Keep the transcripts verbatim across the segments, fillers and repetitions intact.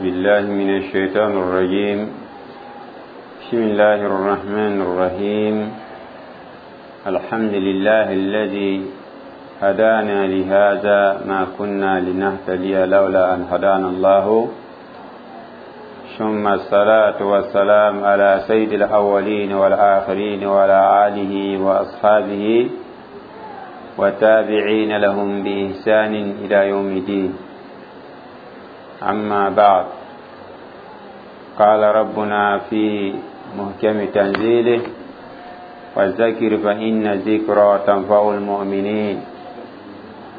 بالله من الشيطان الرجيم بسم الله الرحمن الرحيم الحمد لله الذي هدانا لهذا ما كنا لنهتدي لولا أن هدانا الله ثم الصلاة والسلام على سيد الأولين والآخرين وعلى آله وأصحابه وتابعين لهم بإحسان إلى يوم الدين أما بعد قال ربنا في محكم تنزيله وذكر فإن الذكرى تنفع المؤمنين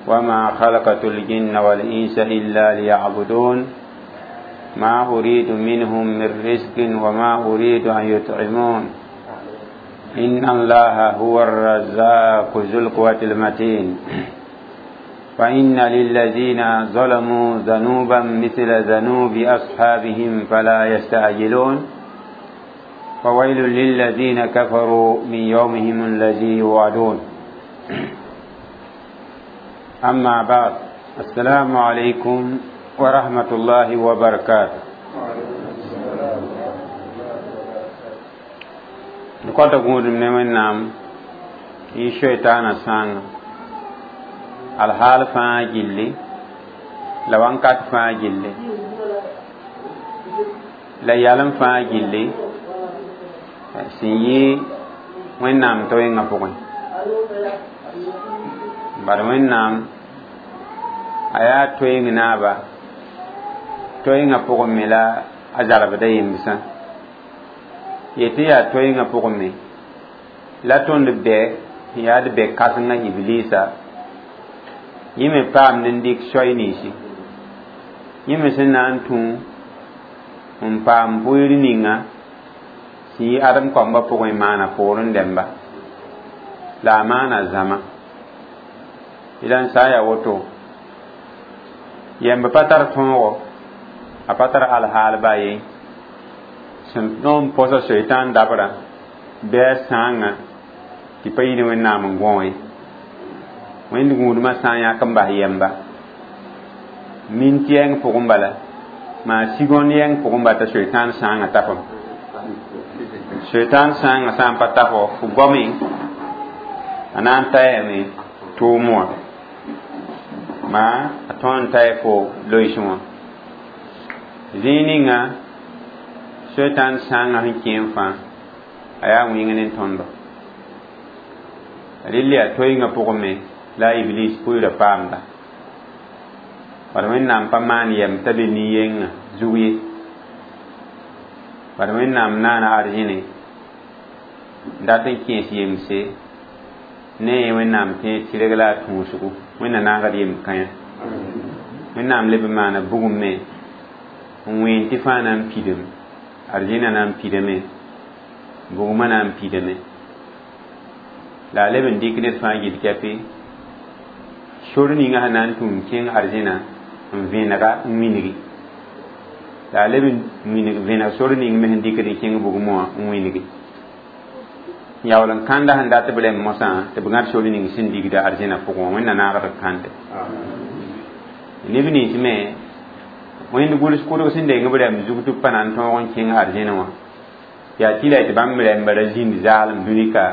وما خلقت الجن والإنس إلا ليعبدون ما أريد منهم من رزق وما أريد أن يطعمون إن الله هو الرزاق ذو القوة المتين فإن للذين ظلموا ذنوبا مثل ذنوب أصحابهم فلا يستعجلون فويل للذين كفروا من يومهم الذي يوعدون أما بعد السلام عليكم ورحمة الله وبركاته d kõta gũudum ne wẽnnaam y soetaanã sãanga alhaal fãa gilli la wãnkat fãa gilli la yalem fãa gilli sẽn yɩ wẽnnaam toengã pʋgẽ bad wẽnnaam a yaa toeng naaba toengã pʋgẽ me la a zarbda yembsã yetɩ yaa toengã pʋgẽ me la tõnd bɛ n yaa d bɛ kãsengã iblisa yẽ me paamd n dɩk soay ninsi yẽ me sẽn na n tũ n paam bʋɩɩr ninga sẽn yɩ adem kambã pʋgẽ maana poorẽ dẽmba la a maana zãma d sã n yaa woto yemb pa tar tõogo a pa tar alhaal baa ye sẽn tõog n põsa soetãan dabrã bɩ a sãangã tɩ pa yɩ ne wẽnnaam n gõ ye wẽnd gũudmã sã n yãk n bas yɛmba mint yɛng pʋgẽ bala maa sigõnd yɛng pʋgẽ bala t'a soetãan sãangã tafem soetãan sãangã sã n pa tafo f goame a na n tayame tʋʋm wã maa a tõe n taya fo loeesẽ wã zĩig ninga soetãan sãangã sẽn kẽ n fãa a yaa wĩng ne tõndo rɩl yaa toengã pʋgẽ me la a iblis pʋɩɩrã paamda bad wẽnnaam pa maan yɛm t'a be nin-yengã zug ye bad wẽnnaam naana arzẽne n dat n kẽes yemse ne ye wẽnnaam tẽeg tɩrg la a tũusgo wẽnna naagd yem-kãyã wẽnnaam leb n maana bugum me n wẽen tɩ fãa na n pidem arzẽnã na n pidame bugmã na n pidame la a leb n dɩk ned fãa gill kɛpɩ sor ninga sẽn na n tũum kẽng arzẽna n vẽnega n wilgi la a leb n winig vẽneg sor ning me sẽn dɩkd n kẽng bugmã wã n wilgi yaool n kãnda sẽn dat b rẽmb mosã tɩ b gãd sor ning sẽn digda arzẽna pʋgẽ wã wẽnna naagd kãnde neb nins me wẽnd gʋls kʋdg sẽn deng b rɛmb zug tɩ b pa na n tõog n kẽng arzẽna wã yaa tɩ la tɩ bãmb rɛmba ra zĩnd zaalem dũnika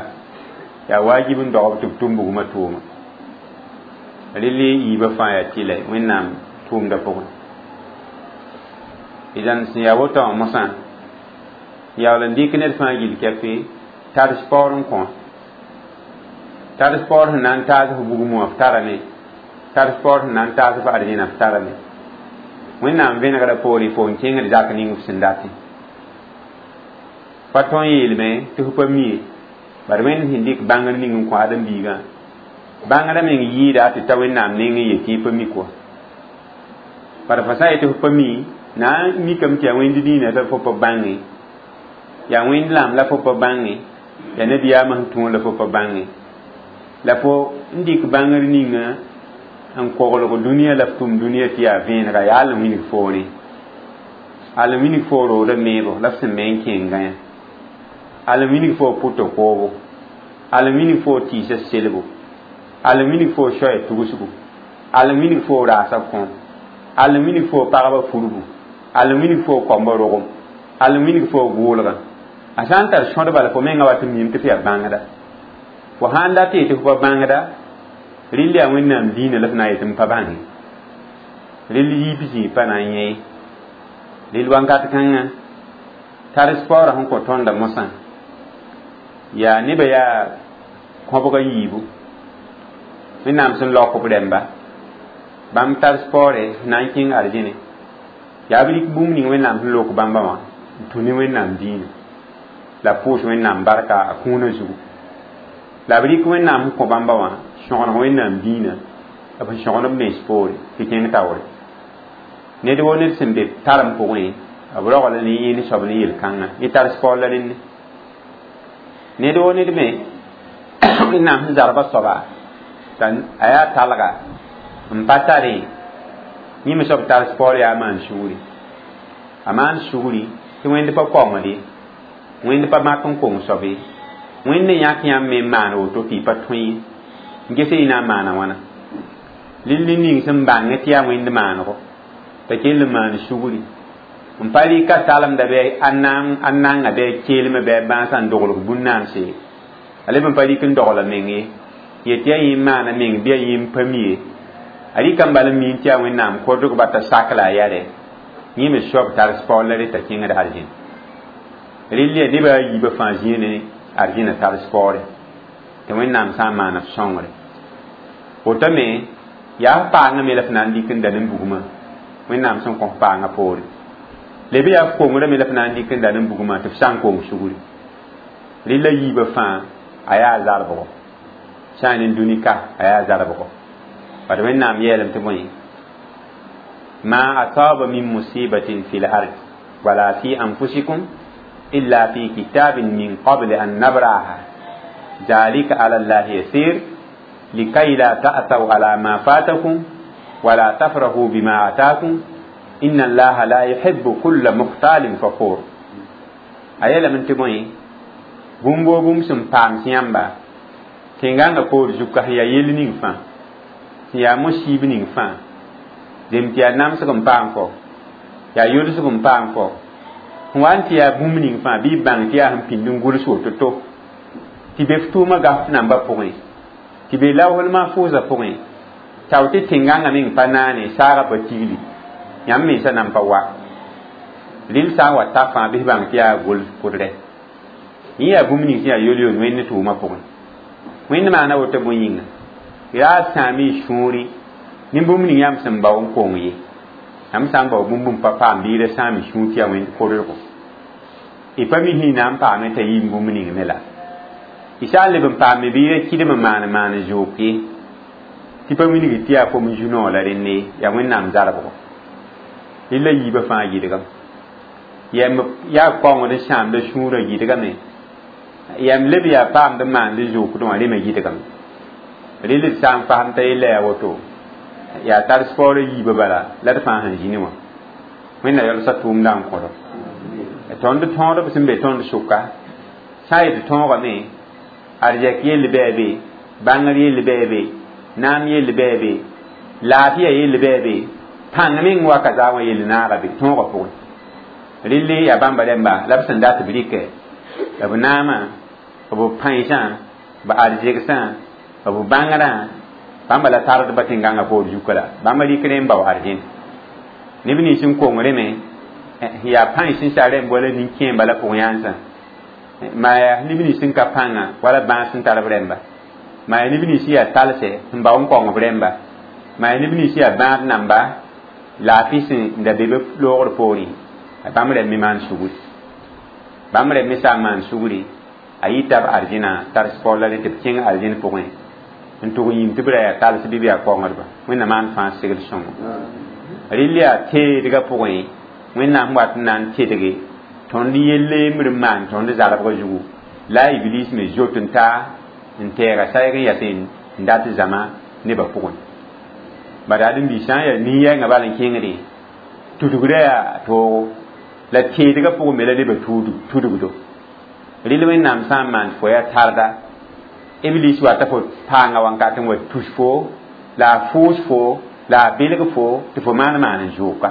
yaa waajib n dogb tɩ b tʋm bugmã tʋʋma rɩl yiibã fãa yaa tɩ la wẽnnaam tʋʋmdã pʋgẽ idan sẽn yaa woto wã mosã yaool n dɩk ned fãa gill kɛpɩ tars paoor n kõ tars paoor sẽn na n taas f bugum wã f tarame tars paoor sẽn na n taas f arzẽna f tarame wẽnnaam vẽnegrã poore fo n kẽngd zak ning f sẽn datẽ pa tõe n yeelme tɩ f pa mi ye bad wẽnd sẽn dɩk bãngr ning n kõ ãdem-biigã bãngrã meng yɩɩda tɩ ta wẽnnaam neng n yet tɩ y pa mi kɔa bad fo sã n yet tɩ f pa mi na n mikame tɩ yaa wẽnd dĩinã la fo pa bãnge yaa wẽnd lamb la fo pa bãnge yaa nabiyaamã sẽn tũud la fo pa bãnge la fo n dɩk bãngr ninga n koglg dũniyã la f tʋm dũniyã tɩ yaa vẽenega yaa al n wilg foore al n wilg fo roodã meebo la f sẽn me n kẽngã yã al n wilg fo pʋtã koobo al n wilg fo tɩɩsã selbo al n wilg fo soaya tugsgo al n wilg fo raasa kõom al n wilg fo pagba furbu Al n wilg fo koambã rogem, al n wilg fo gʋʋlgã. A sã n tar sõd bala fo menga wat n miime tɩ f yaa bãngda. Fo sãn dat yetɩ fo pa bãngda, rɩl yaa Wẽnnaam diinã la f na n yetɩ m pa bãnge. Rɩl yiib zĩig pa na n yẽ ye. Rɩl wakat kãngã tars paoorã sẽn kõ tõndã mosã yaa nebã yaa kõbga yiibu. Wẽnnaam sẽn laok b rẽmba bãmb tars paoore na n kẽng arzẽne. Yaa b rɩk bũmb ning Wẽnnaam sẽn lok bãmba wã n tũ ne Wẽnnaam diinã la pʋʋs Wẽnnaam barka a kũunã zugu. La b rɩk Wẽnnaam sẽn kõ bãmba wã sõgeneg Wẽnnaam diinã b sẽn sõgend b mens poore tɩ kẽng taoore. Ned wo ned sẽn be tarem pʋgẽ b rogl ne yẽnd soab ne yel-kãngã yẽ tars paoor la rẽnne. Ned wo ned me Wẽnnaam sẽn zarba soaba t'a a yaa talga n pa tare yẽ me soab tars paoor yaa maan sugri. A maan sugri tɩ Wẽnd pa kaongd ye, Wẽnd pa mak n kong soab ye, Wẽnd n yãk yãmb me n maan woto tɩ y pa tõe ye n ges y na n maana wãna. Lill ning sẽn bãng tɩ yaa Wẽnd maanego t'a kell n maan sugri n pa rɩka salemda bɩ a nanga bɩ a keelmã bɩ a bãasã n doglg bũn-naanse ye. A leb n pa rɩk n dogla meng ye yet tɩ yaa yẽ n maana meng bɩ yaa yẽ n pa mi ye. A rɩka n bal n miin tɩ yaa Wẽnnaam kordgba t'a sak la a yɛre yẽ me soab tars paoor la re t'a kẽngd arzẽn. Rɩl yaa nebã a yiibã fãa zĩig ne arzẽnã tars paoore tɩ Wẽnnaam sã n maana f sõngre. Woto me yaa f paangã me la f na n dɩk n da ne bugmã Wẽnnaam sẽn kõ f paangã poore. Leb yaa f kongrã me la f na n dɩk n da ne bugmã tɩ f sã n kong sugri. Rɩl la yiibã fãa a yaa zarbgo. Sã n ne dũni ka a yaa zarbgo. Bad Wẽnnaam yeelame tɩ bõe ma asaba min musibatin fi l-ard wala fi anfusikum illa fi kitabin min qabli an nabraha zalika ala Allahi yasir likay la ta'thaw ala ma fatakum wala tafrahu bima atakum inna Allaha la yuhibbu kulla mukhtalin fakhur. A yeelame tɩ bõe bũmb woo bũmb sẽn paam sẽn yãmba tẽngãngã poor zuka sẽn yaa yell ning fãa sẽn yaa mosiib ning fãa zem tɩ yaa namsg n paam fo yaa yolsg n paam fo sẽn wa n tɩ yaa bũmb ning fãa bɩ y bãng tɩ yaa sẽn pĩnd n gʋls woto-to tɩ be f tʋʋmã gaf nambã pʋgẽ tɩ be laoosl mahfʋʋsã pʋgẽ tao tɩ tẽngãngã meng pa naane saagã pa tigli yãmb mensã nan pa wa rɩl sã n wa ta fãa bɩ f bãng tɩ yaa gʋls kʋdrɛ. Yẽ yaa bũmb ning sẽn yaa yol-yol Wẽnd tʋʋmã pʋgẽ. Wẽnd maana woto bõe yĩnga yaa sãam y sũuri ne bũmb ning yãmb sẽn bao n kong ye. Yãmb sã n bao bũmb n pa paam bɩ y ra sãam y sũur tɩ yaa Wẽnd kʋdrgo. Y pa mi sẽn na n paame t'a yɩɩm bũmb ning me la. Y sã n leb n paame bɩ y ra kɩdem n maan maan zook ye tɩ pa wilg tɩ yaa fom zu-noog la rẽnne yaa Wẽnnaam zarbgo. Rɩl la yiibã fãa yɩdgame. Yɛm yaa kaongd n sãamda sũurã yɩdgame. Yɛm leb yaa paamd n maand zokdẽ wã rẽ me yɩdgame. Rɩl d sã n fasem t'a yella yaa woto yaa tars paoorã yiibã bala la d fãa sẽn zĩni wã. Wẽnna yalsã tʋʋmdã n kõdo. Tõnd tõodb sẽn be tõnd sʋka sã n yetɩ tõogame arzɛk yell bɩ a be, bãngr yell bɩ a be, naam yell bɩ a be, laafɩya yell bɩ a be, pãng meng waka zaa wã yell naaga be tõogã pʋgẽ. Rɩl yaa bãmba rẽmba la b sẽn dat b rɩkɛ b naamã b pãensã b arzegsã b bãngrã bãmba la tardba tẽn-gãngã poor zuka la bãmba rɩk rẽ n bao arzẽn. Neb nins n kong rẽ me yaa pãens sẽn sa rẽmb wala nin-kẽemba la pʋg yãnsã maa yaa neb nins sẽn ka pãnga wala bãas sẽn tar b rẽmba maa yaa neb nins yaa talsɛ sẽn bao n kaong b rẽmba maa yaa neb nins yaa bãad namba laafɩ sẽn da be b loogr poorẽ bãmb rẽmb me maan sugri. Bãmb rẽmb me sã n maan sugri a yita b arzẽnã tars paoor la rẽ tɩ b kẽng arzẽn pʋgẽ n tʋg yĩm tɩ b ra yaa tals bɩ b yaa kaongdba. Wẽnnaam maan fãa segl sõngo. Rɩl yaa teedgã pʋgẽ Wẽnnaam wat n na n tedge tõnd yelle yembr n maan tõnd zarbgã zugu la a Iblis me zoet n taa n tɛɛga sayg n yas n dat zãma nebã pʋgẽ. Bala ad n bi sã n yaa nin-yɛɛngã bal n kẽngdẽ tudgrã yaa toogo la teedgã pʋgẽ me la nebã tudgdo. Rɩl Wẽnnaam sã n maan fo yaa tarda Iblis wata fo paanga wãnkat n wa tus fo la a fʋʋs fo la a belg fo tɩ fo maan maan n zʋʋka.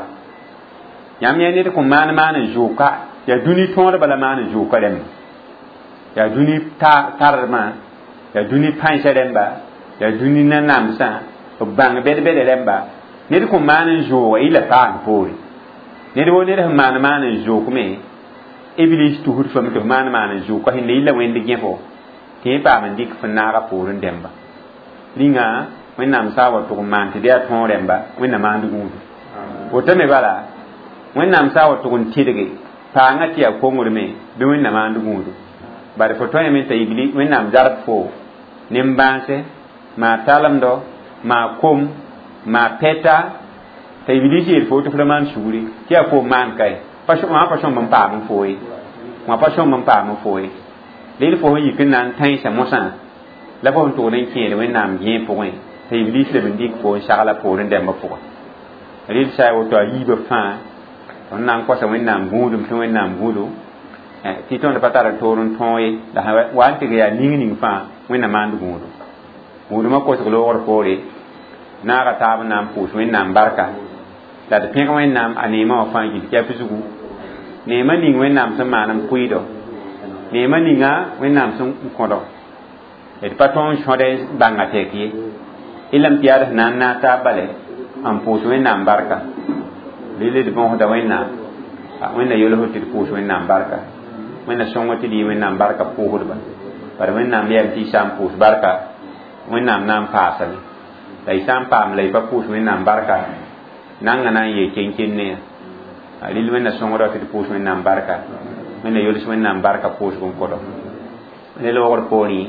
Yãmb yã ned kõn maan maan n zʋʋka yaa dũni tõodbã la maan n zʋʋka rẽmba yaa dũni tardmã yaa dũni pãensã rẽmba yaa dũni nanamsã b bãng bɛd-bɛda rẽmba ned kõn maan n zʋʋga y la paam poore ned wo ned sẽn maan maan n zʋʋk me iblis tusd fame tɩ f maan maan n zʋʋka sẽnda yɩ la wẽnd gẽfo tɩ yẽ paam n dɩk fõ naaga poorẽ dẽmba rĩnga wẽnnaam sã n wa tʋg n maan tɩ d yaa tõog rẽmba wẽnna maand gũudu woto me bala wẽnnaam sã n wa tʋg n tɩdge paangã tɩ yaa kongr me bɩ wẽnna maand gũudu bare fo tõeme t'a ibli wẽnnaam zarb fo nin-bãase maa talemdo maa kom maa pɛta t'a iblis yeel fo tɩ f ra maan sugri tɩ yaa koom maan kae wã pa sõmb n paam n fo ye wã pa sõmb n paam n fo ye rel fo sẽn yik n na n tãensã mosã la fo sẽn tʋgd n kẽed wẽnnaam gẽeg pʋgẽ t'a iblis leb n dɩk fo n sagla poorẽ dɛmbã pʋgẽ rel sa woto a yiibã fãa tõnd na n kosa wẽnnaam gũudum tɩ wẽnnaam gũudu tɩ tõnd pa tar toor n tõog ye la wa n tɩg yaa ning ning fãa wẽnna maand gũudu gũudmã kosg loogr poore naaga taab n na n pʋʋs wẽnnaam barka la d pẽg wẽnnaam a neemã wã fãa gil kɛp zugu neemã ning wẽnnaam sẽn maan n pʋɩɩdo neemã ninga wẽnnaam sẽn kõdo d pa tõog n sõd n bãnga tɛk ye y lame tɩ yaa d sẽn na n naag taab bale n pʋʋs wẽnnaam barka rel d bõosda wẽnnaam wẽnna yolsd tɩ d pʋʋs wẽnnaam barka wẽnna sõng tɩ d yɩ wẽnnaam barka pʋʋsdba bara wẽnnaam yɛm tɩ y sã n pʋʋs barka wẽnnaam na n paasame la y sã n paam la y pa pʋʋs wẽnnaam barka nanga na n yee ken-kenne yã rel wẽnna sõngda tɩ d pʋʋs wẽnnaam barka wẽnna yols wẽnnaam barka pʋʋsg n kõdo ne loogr poorẽ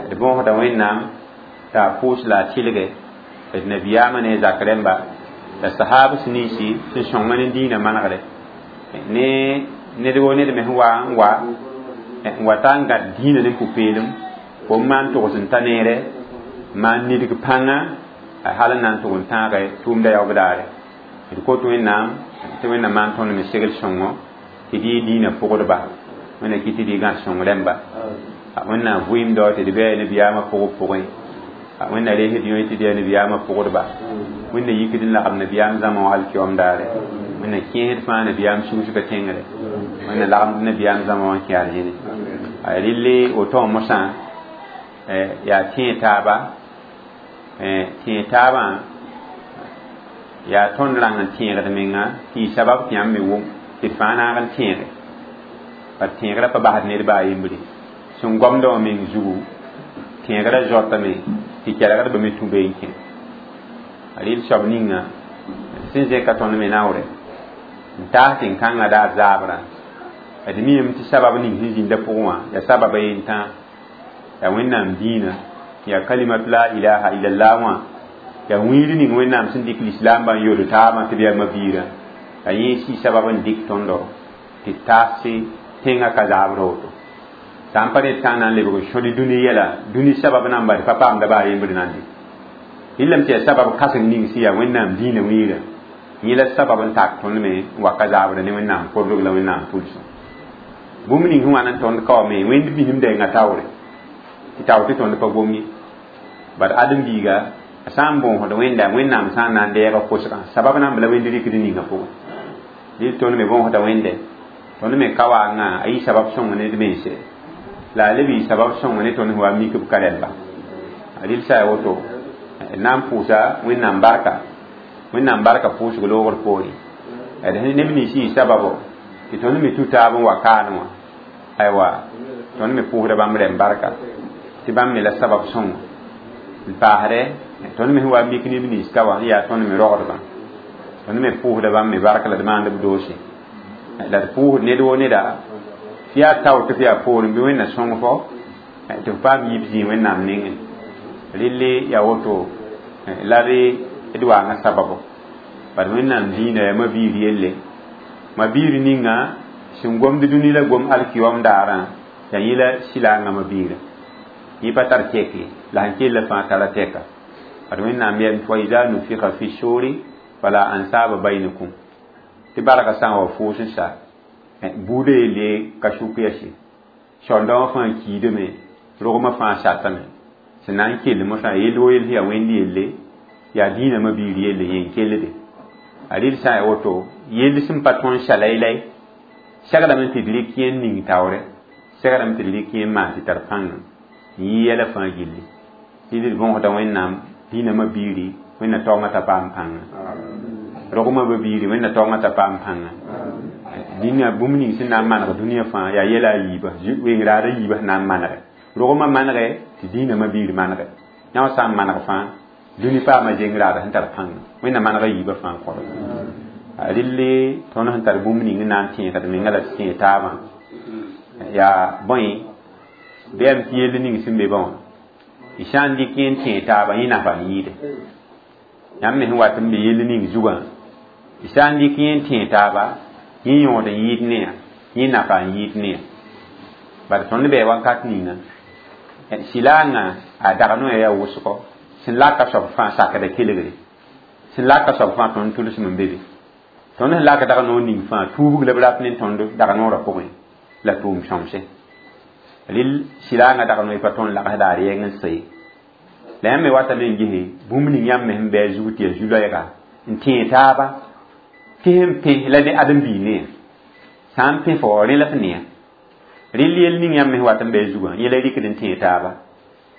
d bõosda wẽnnaam t'a pʋʋs la a tɩlge d nabiyaamã ne zak rẽmba la sahabs ninsi sẽn sõng ne dĩinã manegre ne ned wo ned me sẽn wa n wa n wa ta n gãd dĩinã ne pʋ-peelem fo n maan togs n ta neere maan nidg pãnga hal n na n tʋg n tãage tʋʋmda yaoog daare d kot wẽnnaam tɩ wẽnnaam maan tõnd me segl sõngo tɩ d yɩ dĩinã pʋgdba wẽnna kɩ tɩ d yɩ gãd sõng rẽmba wẽnnaam vɩɩmdɔ tɩ d bɩ nabiyaamã pʋgb pʋgẽ wẽnna reesd yõ tɩ d yaa nabiyaamã pʋgdba wẽnna yikd n lagem nabiyaam zãma wã alkiom daare wẽnna kẽesd fãa nabiyaam sugusga tẽngre wẽnna lagmd nabiyaam zãma wã n kẽ arzẽne relle woto wã mosã yaa tẽeg taaba tẽeg taabã yaa tõnd rãng n tẽegd menga tɩ y sabab tɩ yãmb me wʋm tɩ d fãa naag n tẽege pa tẽegrã pa basd ned baa yembre sẽn gomdã wã meng zugu tẽegrã zoatame tɩ kelgdbã me tũ bee n kẽ rɩl soab ninga sẽn zẽka tõnd me naoore n taas tɩ n kãngã daar zaabrã d miime tɩ sabab ning sẽn zĩnda pʋgẽ wã yaa sababa yen tãa yaa wẽnnaam dĩinã yaa kalimatu la ilaha illallah wã yaa wĩir ning wẽnnaam sẽn dɩk lislaambã n yod taabã tɩ b yaa mabiirã la yẽ sɩ sabab n dɩk tõndo tɩ taas tẽngã ka zaabr woto sã n pa ned sã n na n lebg n sõd dũni yɛla dũni sabab namba d pa paamda baa yembr nan de rɩlame tɩ yaa sabab kãseng ning sẽn yaa wẽnnaam dĩinã wĩirã yẽ la sabab n tak tõnd me n wa ka zaabra ne wẽnnaam kordg la wẽnnaam pʋlsẽ bũmb ning sẽn wa n tõnd ka wa me wẽnd bisim denga taoore tɩ tao tɩ tõnd pa gom ye bad ãdem-biiga a sã n bõosd wẽnda wẽnnaam sã n na n deega kosgã sabab nan b la wẽnd rɩkd ninga pʋgẽ rɩl tõnd me bõosda wẽnde tõnd me ka waangã a yɩ sabab sõng ne d mense la a leb yɩ sabab sõng ne tõnd sẽn wa mik b ka rẽmba rɩl sa ya woto na n pʋʋsa wẽnnaam barka wẽnnaam barka pʋʋsg loogr poorẽ d neb nins yɩ sababo tɩ tõnd me tũ taab n wa kaan wã aywa tõnd me pʋʋsda bãmb rẽmb barka tɩ bãmb me la sabab sõngo n paasdɛ tõnd me sẽn wa mik neb nins ka wã yaa tõnd me rogdbã tõnd me pʋʋsda bãmb me barka la d maand b doose la d pʋʋsd ned wo neda tɩ yaa tao tɩ f yaa poorẽ bɩ wẽnna sõng fo tɩ f paam yib zĩig wẽnnaam nengẽ relle yaa woto la d waangã sababo bad wẽnnaam dĩinã yaa mabiir yelle mabiir ninga sẽn gomd dũni la gom alkiom daarã yaa yẽ la sɩlaangã mabiirã yẽ pa tar tɛk ye la sẽn kell fãa tara tɛka bad wẽnnaam yɛm tɩ wa ida nufika fi suri fala ansaba bainakum tɩ barga sã n wa fʋʋs n sa buudã yelle ka sʋk yɛse sõndã wã fãa kiidame rogmã fãa satame sẽn na n kell mosã yell wo yell sẽn yaa wẽnd yelle yaa dĩinã mabiir yelle yẽ n kellde A rɩl sã n ya woto yell sẽn pa tõnd sha-laylay seglame tɩ d rɩk yẽ n ning taoore seglame tɩ d rɩk yẽ n maan tɩ tar pãnga n yɩ yɛla fãa gilli tɩ d võgsda Wẽnnaam dĩinamã biiri Wẽnna taoongã t'a paam pãnga rogmã ba biiri Wẽnna taoongã t'a paam pãnga dĩnã bũmb ning sẽn na n maneg dũniyã fãa yaa yɛla a yiiba weng raada yiibã sẽn na n manege rogmã manege tɩ dĩinamã biir manege yã wã sã n maneg fãa dũni paama zeng raada sẽn tar pãnga Wẽnna manega yiibã fãa n kõrg a rɩlle tõnd sẽn tar bũmb ning n na n tẽegd menga la tɩ tẽeg taabã yaa bõe bɩ yam tɩ yell ning sẽn be bã wã y sã n dɩk yẽ n tẽeg taabã yẽ nafa n yɩɩde yãmb me sẽn wat n be yell ning zugã y sã n dɩk yẽ n tẽeg taaba yẽ yõod n yɩɩd ne yã yẽ nafa n yɩɩd ne yã bala tõnd bɩ wakat ninga silaangã a dag noya yaa wʋsgo sẽn laka soab fãa sakda kelgre sẽn laka soab fãa tõnd tʋlsem n be be tõnd sẽn lak dag noor ning fãa tuubg la b rat ne tõnd dag noorã pʋgẽ la tʋʋm sõmse rɩl silaangã dag noe pa tõnd lagsda a rɛɛng n sɩ la yãmb me watame n gese bũmb ning yãmb me sẽn bɩ a zug tɩ yaa zu-loɛɛga n tẽeg taaba tɩ sẽn pẽ la ne ãdem-biig ne sã n pẽ fo rẽ la f neya rɩl yell ning yãmb me sẽn wat n bɩ a zugã yẽla rɩkd n tẽeg taaba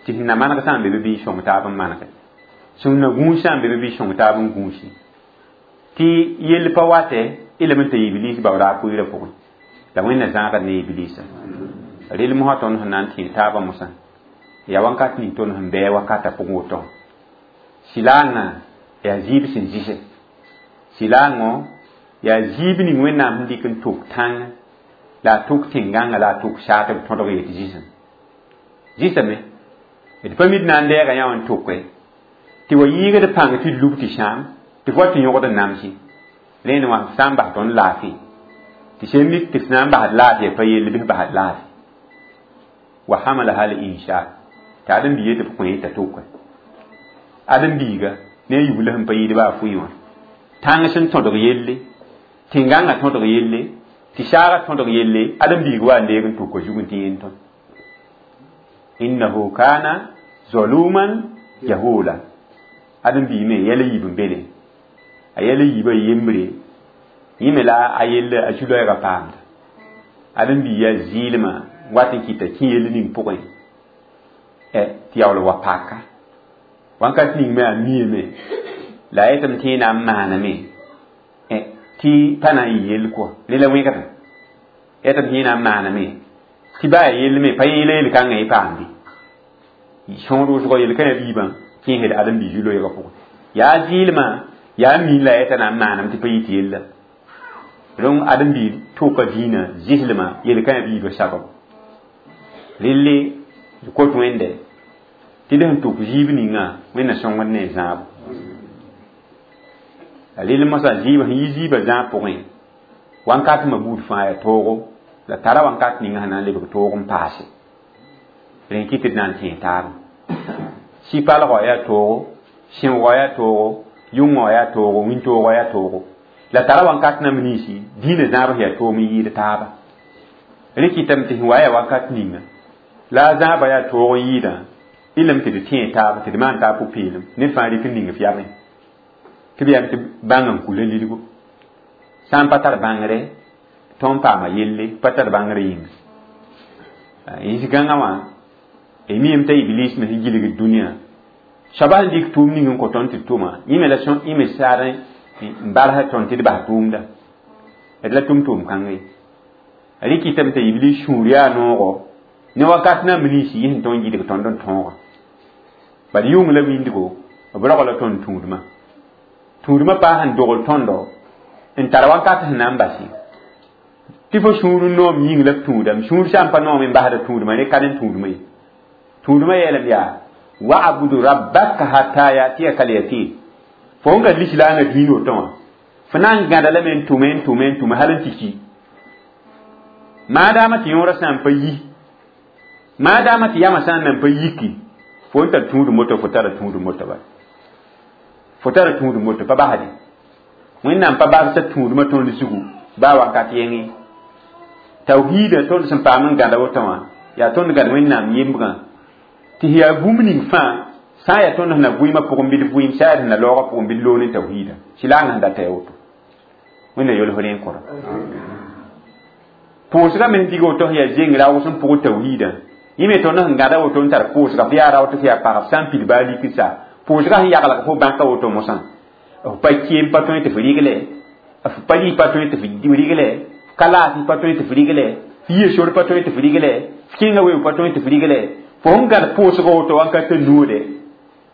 tɩ sẽn na maneg sã n be be bɩ sõng taab n manege sẽn na gũus sã n be be bɩ sõng taab n gũusi tɩ yell pa watɛ y lame n t'a ibliis baooda a pʋɩɩrã pʋgẽ la Wẽnna zãagd ne ibliisã rɩl mosã tõnd sẽn na n tẽeg taabã mosã yaa wãnkat ning tõnd sẽn bɩ wakatã pʋgẽ woto silaangã yaa zɩɩb sẽn zɩse silaangõ yaa zɩɩb ning Wẽnnaam sẽn dɩk n tok tãng la a tok tẽn-gãngã la a tok saat b tõdg yetɩ zɩsem zɩsame d pa mid na n dɛɛga yã wã n toke tɩ wa yɩɩgd pãng tɩ d lub tɩ sãam tɩ f wa tɩ yõgd n namsi rẽnd wã sã n bas tõnd laafɩ tɩ sẽn mik tɩ f na n basd laafɩ pa yell bɩ f basd laafɩ wa hamalaha l insan tɩ ãdem-biiga tɩ b kõ t'a toke ãdem-biiga ne a yubla sẽn pa yɩɩd baa fʋɩ wã tãng sẽn tõdg yelle tẽn-gãngã tõdg yelle tɩ saagã tõdg yelle ãdem-biig wa n deeg n tʋka zug n tɩ yẽn tõe innahu kana zaluman jahula ãdem-biig me yɛl yiib n bele a yɛl yiibã yembre yẽ me la a yell a zu-loɛɛgã paamda ãdem-biig yaa zɩɩlmã wat n kɩta kẽ yell ning pʋgẽ tɩ yaool wa paka wãnkat ning me a miame la a yetame tɩ yẽ na n maaname tɩ pa na n yɩ yell kɔa rẽ la wẽgdã yetame tɩ yẽ na n maaname tɩ baa ya yell me pa yẽela yel-kãngã yẽ paamde sõor wʋsgɔ yel-kãyã biibã kẽesd ãdem-biig zu-loɛɛgã pʋgẽ yaa zɩɩlmã yaa miin la yeta na n maaname tɩ pa yɩ tɩ yella rõng ãdem-biig tʋka dĩinã zɩslmã yel-kãyã biibã sabab relle d kot Wẽnde tɩ d sẽn tʋk zɩɩb ninga Wẽnna sõngd ne zãabo a rel mosã zɩɩb sẽn yi zɩɩbã zãag pʋgẽ wãnkat ma buud fãa yaa toogo la tara wãnkat ninga sẽn na n lebg toog n paase rẽ kɩ tɩ d na n tẽeg taabã sɩ-palgɔ yaa toogo sẽoogɔ yaa toogo yʋngɔ yaa toogo wĩntoogɔ yaa toogo la tara wãnkat nam ninsi dĩinã zãab sẽn yaa toom n yɩɩd taaba rẽ kɩtame tɩ sẽn wa yaa wakat ninga la a zãabã yaa toog n yɩɩdã y lame tɩ d tẽeg taaba tɩ d maan taab pʋ-peelem ned fãa rɩk n ning f yamẽ tɩ b yam tɩ bãng n kula lidgo sã n pa tar bãngre tõnd paama yelle pa tar bãngre yĩnga yĩs-gãngã wã y miame t'a iblis me sẽn gilgd dũniyã soaba sẽn dɩk tʋʋm ning n kõ tõnd tɩ d tʋma yẽ me la yẽ me saad n barsa tõnd tɩ d bas tʋʋmda d la tʋm tʋʋm kãngã ye rɩ kɩtame t'a iblis sũur yaa noogo ne wakat nam ninsi yẽ sẽn tõnd gilg tõnd n tõoga bad yʋng la wĩndgo b rogla tõnd tũudmã tũudmã paa sẽn dogl tõndo n tar wakat sẽn na n basi tɩ fo sũur n noom yĩng la f tũudame sũur sã n pa noom n basda tũudmã ne ka ne tũudmã ye tũudmã yeelame yaa wa'budu rabbaka hatta yatiyaka al-yaqin fo n ka lislaangã dĩin woto wã fo na n gãda lame n tʋme n tʋme n tʋme hal n tɩ ki maadaama tɩ yõorã sã n pa yi maadaama tɩ yamã sã n nan pa yiki fo n tar tũudum moto fo tara tũudum moto ba fo tara tũudum moto pa basde Wẽnnaam pa barsa tũudmã tõnd zugu baa wakat yẽngẽ tawhiidã tõnd sẽn paam n gãda woto wã yaa tõnd gãd Wẽnnaam yembgã tɩ yaa bũmb ning fãa sã n yaa tõnd sẽn na vɩɩmã pʋgẽ bɩ d vɩɩm sã n yaa sẽn na laoogã pʋgẽ bɩ d loog ne tawhiidã sɩlaangã sẽn data ya woto Wẽnna yol fo rẽ n kõra pʋʋsgã me sẽn dig woto sẽn yaa zeng raoog sẽn pʋgd tawhiidã yẽ me tõnd sẽn gãda woto n tar pʋʋsga f yaa rao tɩ f yaa pagb sã n pid baa lik sa pʋʋsgã sẽn yaglg fo bãka woto mosã f pa keem pa tõe tɩ f rigle f pa rɩ pa tõe tɩ f rigle f ka laas pa tõe tɩ f rigle f yɩ sor pa tõe tɩ f rigle f kẽnga weoog pa tõe tɩ f rigle fo sẽn gãd pʋʋsga woto wãnkat noode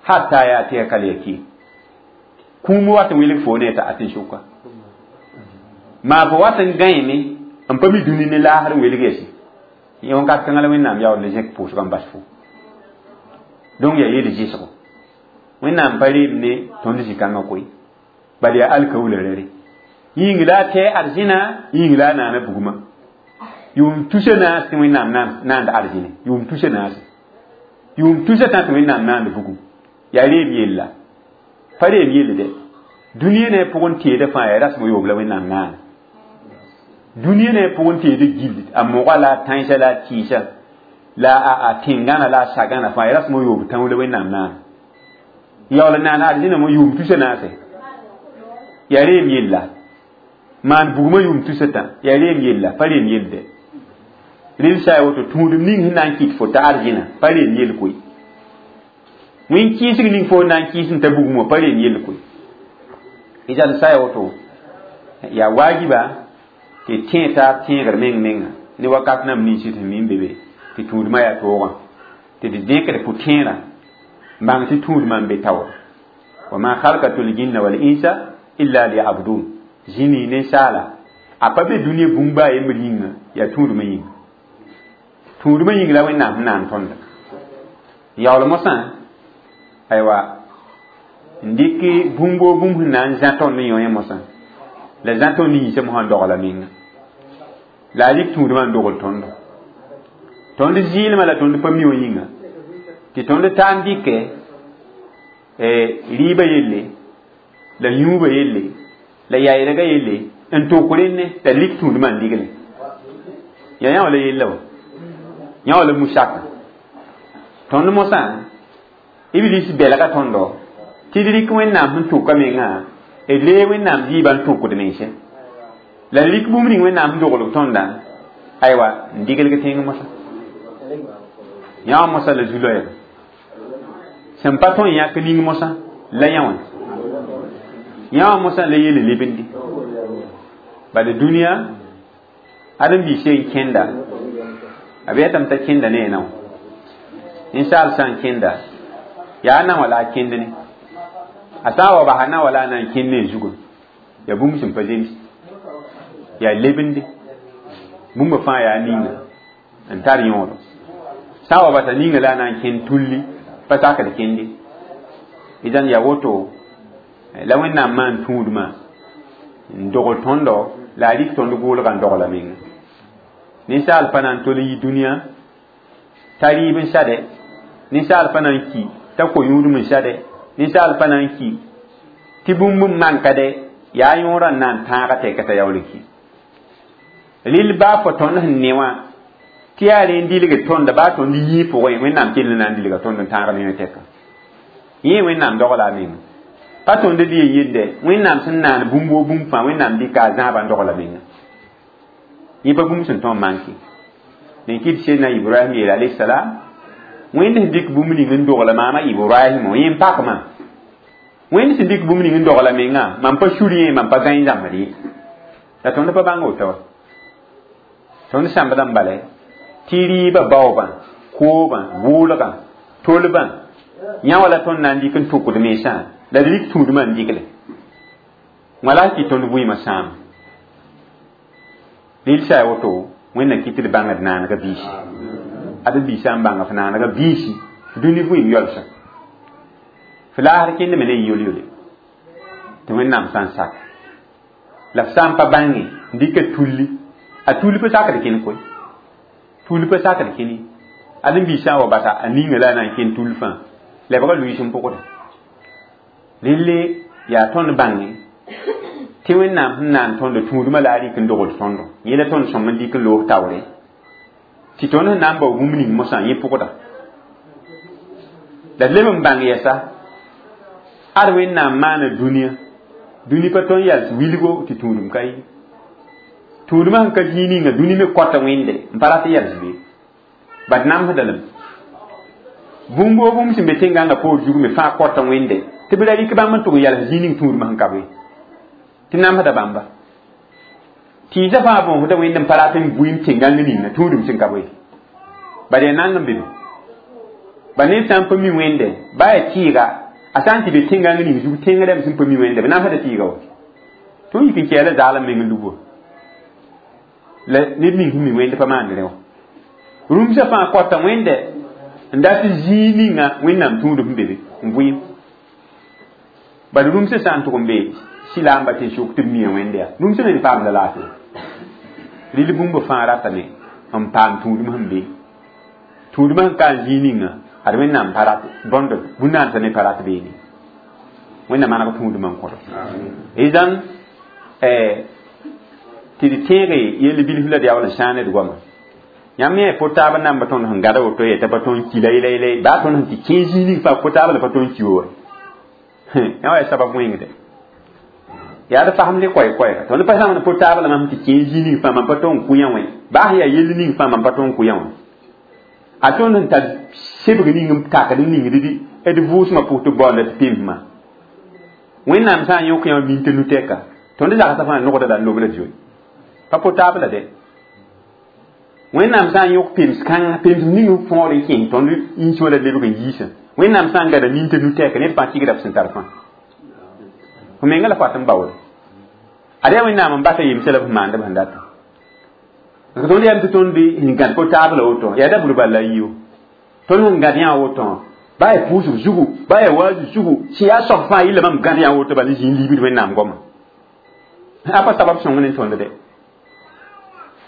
hatta yaa tɩ ya ka le ki kũum wat n wilg fo ne t'a tɩ sʋka maa fo wat n gãeme n pa mi dũni ne laasr n welg yɛsɩ yẽ wãnkat kãngã la Wẽnnaam yaool ne zẽk pʋʋsgã n bas fo donc yaa yel zɩsgo Wẽnnaam pa reem ne tõnd zĩ-kãngã koe bal yaa alkaola rare yĩng la a tɛɛ arzẽna yĩng la a naana bugmã yʋʋm tusa naas tɩ Wẽnnaam naand arzẽne yʋʋm tusa naase yʋʋm tusa tã tɩ Wẽnnaam naand bugum yaa reem yella pa reem yell dɛ dũniyã ne pʋgẽ teedã fãa yaa rasem yoob la Wẽnnaam naana dũniyã ne pʋgẽ teedã gill a moga la a tãensã la a tɩɩsã la a tẽngãna la a sagãna fãa yaa rasem yoob tãoo la Wẽnnaam naana yaool n naan arzẽna mo yʋʋm tusa naase yaa reem yella maan bugmã yʋʋm tusa tã yaa reem yella pa reem yell dɛ rel sa ya woto tũudum ning sẽn na n kɩt fo t'a arzẽna pa reem yell koe wẽn kɩɩsg ning fo na n kɩɩs n ta bugum wã pa reem yell koe idan sa ya woto yaa waajiba tɩ tẽ taab tẽegr meng menga ne wakat nam ninsɩ tɩ min be be tɩ tũudmã yaa toogã tɩ d dẽkd pʋ-tẽerã n bãng tɩ tũudmã n be taoor wa ma khalqatu ljinna wal insa illa liyabudun zĩni ninsaala a pa be dũniyã bũmb a yembr yĩnga yaa tũudmã yĩnga tũudmã yĩng la Wẽnnaam sẽn naan tõnda yaool mosã aywa n dɩk bũmb o bũmb sẽn na n zã tõnd n yõ mosã la zã tõnd yiisã mosã n dogla menga la a rɩk tũudmã n dogl tõndo tõnd zɩɩlmã la tõnd pa mi wã yĩnga tɩ tõnd taa n dɩkɛ rɩɩbã yelle la yũubã yelle la yaɩlgã yelle n tok rẽnne t'a lik tũudmã n digle yaa yã wã la yella wa yã wã la musaka tõnd mosã Iblis belga tõndo tɩ d rɩk Wẽnnaam sẽn tʋka mengã d lee Wẽnnaam zɩɩbã n tʋkd mensẽ la d rɩk bũmb ning Wẽnnaam sẽn doglg tõndã aywa n diglg tẽng mosã yã wã mosã la zu-loɛɛga sẽn pa tõe n yãk ning mosã la yã wã yã wã mosã la yel lebende bala dũniyã ãdem-biis n kẽnda a be yetame t'a kẽnda ne a nao ninsaal sã n kẽnda yaa na wã la a kẽnd ne a sã n wa basa na wã la a na n kẽnd ne a zugã yaa bũmb sẽn pa zems yaa lebende bũmba fãa yaa ninga n tar yõodo sã n wa basa ninga la a na n kẽnd tulli pa sakd kẽnde idan yaa woto la Wẽnnaam maan tũudmã n dogl tõndo la a rɩk tõnd gʋʋlgã n dogla menga ninsaal pa na n tol n yi dũniyã t'a rɩɩb n sade ninsaal pa na n ki t'a ko-yũudem n sade ninsaal pa na n ki tɩ bũmb n manka dɛ yaa yõorã n na n tãaga tɛka t'a yaool n ki rɩl baa fo tõnd sẽn ne wã tɩ yaa rẽ n dilgd tõnda baa tõnd yĩig pʋgẽ Wẽnnaam kell n na n dilga tõnd n tãag ne tɛka yẽ Wẽnnaam dogla a menga pa tõnd d yen yende Wẽnnaam sẽn naan bũmb woo bũmb fãa Wẽnnaam dɩka a zãabã n dogla menga yẽ pa bũmb sẽn tõe n manke nen kɩt Sedna Ibrahim yeela alayhi salam Wẽnd sẽn dɩk bũmb ning n dogla maama Ibrahim yẽ n pakmã Wẽnd sẽn dɩk bũmb ning n dogla mengã mam pa suri yẽ mam pa gãe zãmbd ye la tõnd pa bãng woto wa tõnd sãmbdã n bala tɩ rɩɩbã baoobã koobã gʋʋlgã tolbã yã wã la tõnd na n dɩk n tʋkd mensã la d rɩk tũudmã n digle wã la kɩ tõnd vɩɩmã sãam rɩl sa ya woto Wẽnna kɩ tɩ d bãngd naanega biisi ad biisã n bãnga f naanega biisi dũni vɩɩm yɔlsã f laasr kẽndame ne yol-yole tɩ Wẽnnaam sã n sak la f sã n pa bãnge n dɩka tulli a tulli pa sakd kẽnd koe tulli pa sakd kẽne ad n biisã wa basa a ninga la a na n kẽnd tull fãa lebga luiis n pʋgda relle yaa tõnd bãnge tɩ Wẽnnaam sẽn naan tõndo tũudmã la a rɩk n dogl tõndo yẽ la tõnd sõm n dɩk n loog taoore tɩ tõnd sẽn na n bao bũmb ning mosã yẽ pʋgda la d leb n bãng yɛsa ad Wẽnnaam maana dũniyã Dũni pa tõe n yals wilgo tɩ tũudum ka ye. Tũudmã sẽn ka zĩig ninga dũni me kõta wẽnde n pa rat n yals be. Bad namsda lame. Bũmb woo bũmb sẽn be tẽn-gãngã poor zug me fãa kõta wẽnde tɩ b ra rɩk bãmb n tʋg n yals zĩig ning tũudmã sẽn ka be. Tɩ namsda bãmba. Tɩɩsã fãa bõosda wẽnd n pa rat n bʋɩm tẽn-gãng ninga tũudum sẽn ka be. Bad yaa nang n be be. Ba ned sã n pa mi wẽnde ba yaa tɩɩga a sã n tɩ be tẽn-gãng ning zug tẽng rãmb sẽn pa mi wẽnde b namsda tɩɩga wa. Tõnd yik n kɛɛla zaalem meng n lub wa. La ned ning sẽn mi wẽnd pa maand rẽ wã. Rũmsã fãa kõta wẽnde n dat zĩig ninga wẽnnaam tũudum sẽn be be n vɩɩm. Bad rũmsã sã n tʋg n be sɩlaamba tɩ sʋk tɩ b mia wẽnde yaa. Rũmsã me paamda laafɩ. Rɩl bũmb fãa ratame n paam tũudum sẽn be. Tũudmã sẽn ka n zĩig ninga ad wẽnnaam pa rat bõnd bũn-naansã me pa rat beene. Wẽnnaam maneg tũudmã n kõdo. Izan tɩ d tẽege yell bilf la d yaool n sãane d goama. Yãmb me yaa po-taab n namba tõnd sẽn gada woto yeta pa tõnd ki la yela yela baa tõnd sẽn tɩ kẽ zĩig ning fãa po-taab la pa tõnd ki wa. Yã wa yaa sabab wẽngde. Yaa d fasem le koɛɛ-koɛɛga. Tõnd pa zãmd po-taab la mam tɩ kẽ zĩig ning fãa mam pa tõnd kʋ yã wẽ. Baa sẽn yaa yell ning fãa mam pa tõnd kʋ yã wã. A tõnd sẽn tar sebg ning n takd n ningd d vʋʋsmã pʋg tɩ baoonda tɩ pemsmã. Wẽnnaam sã n yõk yã min tɩ nu-tɛka tõnd zagsã fãa nogda la n lobla zoe. Pa po-taab la dɛ. Wẽnnaam sã n yõk pems kãng pems ning n fõod n kẽes tõnd yĩnsã la lebg n yiisã. Wẽnnaam sã n gada nin tɩ nu-tɛka ned fãa kɩgda b sẽn tar fãa. Fo menga la fo n baoode. Ad yaa wẽnnaam n basa yemsã la b maand b sẽn data. Parce que tõnd yam tɩ tõnd sẽn gãd po-taab la woto yaa da bur bal la yiyo. Tõnd sẽn gãd yã woto baa yaa pʋʋsg zugu baa yaa waazu zugu sẽn yaa soab fãa yilla mam gãd yã woto bal n zĩig libd wẽnnaam goama. A pa sabab sõng ne tõnd de.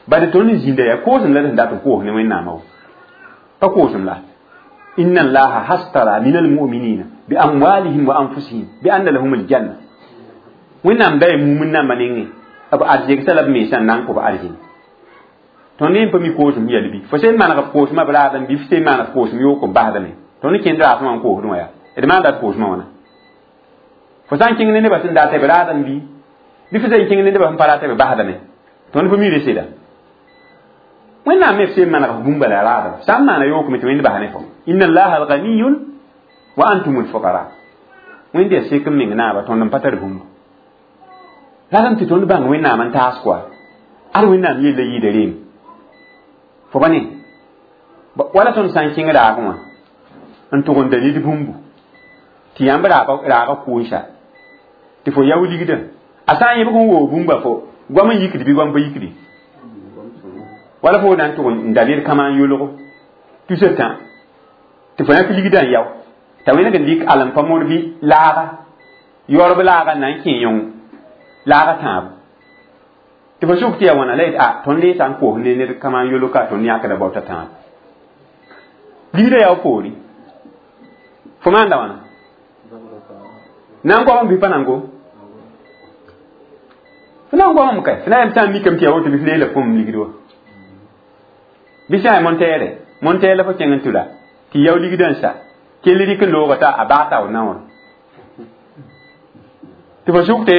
Bad tõnd n zĩnda yaa koosem la d sẽn dat n koos ne wẽnnaamã wa. Pa koosem la. Inna allaha hastara min almu'minina bi amwalihim wa anfusihim bi anna lahum aljanna. Wẽnnaam da yaa mumin namba nengẽ b arzegsa la b mensã n na n kõ b arzẽn. Tõnd yẽ pa mi koosem yɛl bɩ. Fo sẽn maneg b koosmã b raadem bɩ f sẽn maneg koosem yook n basdame. Tõnd kẽnd raasẽ wã n koosdẽ wã yaa. D maanda d koosmã wãna. Fo sã n kẽng ne nebã sẽn dat b raadem bɩ bɩ fo sẽn kẽng ne nebã sẽn pa rat b basdame. Tõnd pa mi reseda. Wẽnnaam me f sẽn maneg f bũmba la raadem. Sã n maana yookame tɩ wẽnd bas ne fo. Inna allaha alganiyun wa antum alfuqara. Wẽnd yaa sek n meng naaba tõnd n pa tar bũmb. Ratame tɩ tõnd bãng wẽnnaam n taas koa. Ad wẽnnaam yella yɩɩda reem. Fo ba ne. Wala tõnd sã n kẽng raagẽ wã n tʋg n da ned bũmbu tɩ yãmb raaga kʋʋnsa tɩ fo yao ligdã a sã n yẽbg n woog bũmba fo goam n yikd bɩ goam pa yikdi. Wala fo na n tʋg n da ned kãma n yolgo tusa tã tɩ fo yãk ligdã n yao t'a wẽneg n dɩk alem pa mod bɩ laaga yaoorb laaga n na n kẽ yõng laaga tãabo tɩ fo sʋk tɩ yaa wãna la yet a tõnd le sã n koos ne ned kãma n yolg ka tõnd yãkda baoota tãabo ligdã yaa poore fo maanda wãna na n goam bɩ pa na n gom fo na n goamame kay fo na yam sã n mikame tɩ yaa woto bɩ f leela fõm ligd wa bɩ sã yaa montɛɛre montɛɛr la fo kẽng n tʋla tɩ yao ligdã n sa kell rɩk n looga t'a a baa tao naoor tɩ fo sʋk tɩ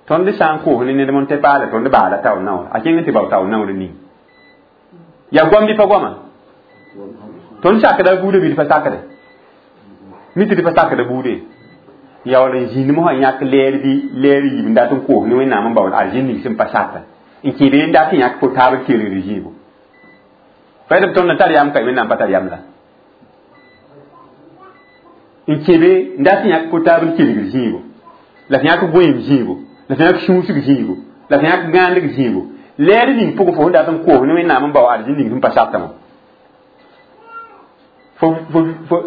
tõnd sã n koos ne ned montɛ paala tõnd baala tao naoor a kẽng n tɩ bao tao naoor ning yaa goam bɩ pa goama tõnd sakda buudã bɩ d pa sakde mi tɩ d pa sakda buude yaool n zĩnd mosã yãk lɛɛr bɩ lɛɛr yiib n dat n koos ne wẽnnaam n baood arzẽn ning sẽn pa sata n kẽ be n dat n yãk po-taab kelgd zĩigo pa b tõnd n tar yam ka wẽnnaam pa tar yam la n kẽ be n dat n yãk po-taab kelgd zĩigo la f yãk goeem zĩigo la f yãk sũusg zĩigo la f yãk gãandg zĩigo lɛɛr ning pʋgẽ fo sẽn dat n koos ne wẽnnaam n bao arzẽn ning sẽn pa satã wã fo fo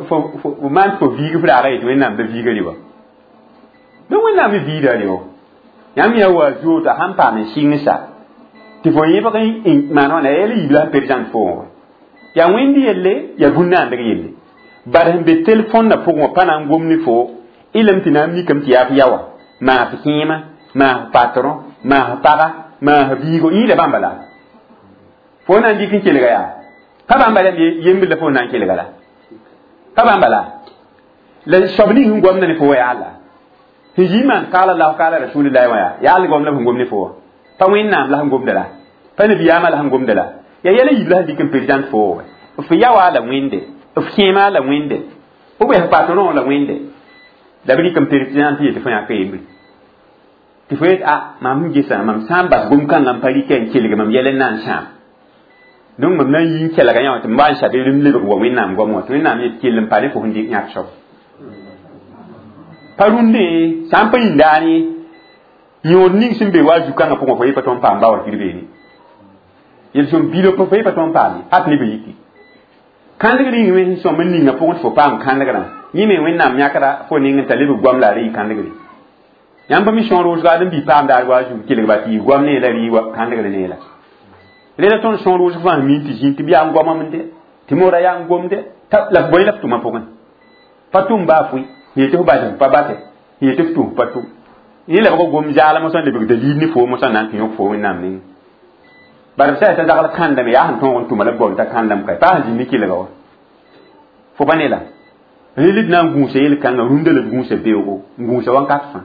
fo fo maan fo viig f raaga yetɩ wẽnnaam da viiga rɩwa donc wẽnnaam me viida rɩwa yãmb yaa wa zoota sãn paam n sɩng sa tɩ fo yẽbg n maan wãna yɛl yiib la sẽn présente fo wã yaa wẽnd yelle yaa bũn-naandg yelle bad sẽn be telefõnna pʋgẽ wã pa na n gom ne fo ilem tɩ na n mikame tɩ yaa f yaoa maa f kẽema maa f patron maa f paga maa f biigo yĩida bãmba la fo na n dɩk n kelga yaa pa bãmba la yembr la fo na n kelga la pa bãmba la la soab ning sẽn goamda ne fo wa yaa la Sẽn zĩ maan kaala la kaala rasulillahi wã yaa yaa algom la sẽn gom ne fo wã pa wẽnnaam la sẽn gomda la pa nabiyaamã la sẽn gomda la yaa yɛla yiib la sẽn dɩk n président fo wa f yawa la wẽnde f kẽema la wẽnde f bɩ f patron la wẽnde la b rɩk n président tɩ yetɩ fo yãka yembre tɩ fo yet a mam sẽn gesã mam sã n bas gom-kãngã n pa rɩka n kelg mam yɛl n na n sãam donc mam na n yi n kelga yã wã tɩ m wa n sabe m lebg wa wẽnnaam goam wã tɩ wẽnnaam yet kell n pa ne fo sẽn dɩk yãk soab pa rũndẽ sã n pa yĩndaane yõod ning sẽn be wa zu-kãngã pʋgẽ fo ye pa tõnd paam ba wa kir beene yel-sõm bilo fo ye pa tõnd paam ye hat ne bã yiki kãndgr yĩng me sẽn sõm n ninga pʋgẽ tɩ fo paam kãndgrã yẽ me wẽnnaam yãkra fo ning n ta lebg goam la a re yɩ kãndgre yãmb pa mi sõor wʋsga ad n bɩ paam daar wa zu kelg ba tɩ yɩ goam ne la rɩ kãndgr ne la rela tõnd sõor wʋsg fãa min tɩ zĩig tɩ b yaa n goamame de tɩ moora yaa n gomde la f bõe la f tʋma pʋgẽ pa tʋm baa fʋɩ yetɩ f bas pa basɛ yetɩ f tʋm pa tʋm yẽ la b gom zaalem sã lebg dalil ne fo mosã na n tɩ yõk fo wẽnnaam nengẽ bara b sã t'a zagl kãndame yaa sẽn tõog n tʋma la b baool t'a kãndame ka pa sẽn zĩnd ne kelga wa fo pa ne la rel d na n gũusa yel-kãngã rũndã la d gũusa beoogo n gũusa wãnkat fãa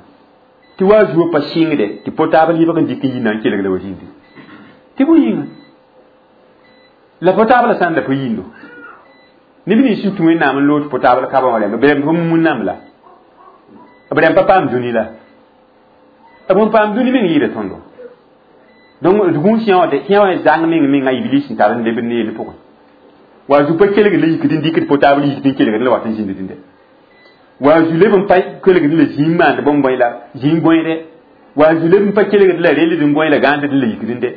tɩ wa zuo pa sɩngde tɩ po-taab lebg n dɩk n yi na n kelg la wa zĩndi tɩ bõe yĩnga la po-taab la sã n da pa yindo neb nins sẽn tũ wẽnnaam n loog tɩ po-taab la kabã wã rẽmba b rẽmb pa wẽnnaam la b rẽmb pa paam dũni la b n paam dũni meng yɩɩda tõndo donc d gũus yã wã yã wã zãng meng menga iblis sẽn tar n leb n yel pʋgẽ wa zu pa kelgd la yikd n dɩkd po-taab yikd n kelgd la wat n zĩnd dĩnde wa zu leb n pa kelgd la zĩig maand bõn-bõe la zĩig gõeede wa zu leb n pa kelgd la reld n gõe la gãand la yikd n de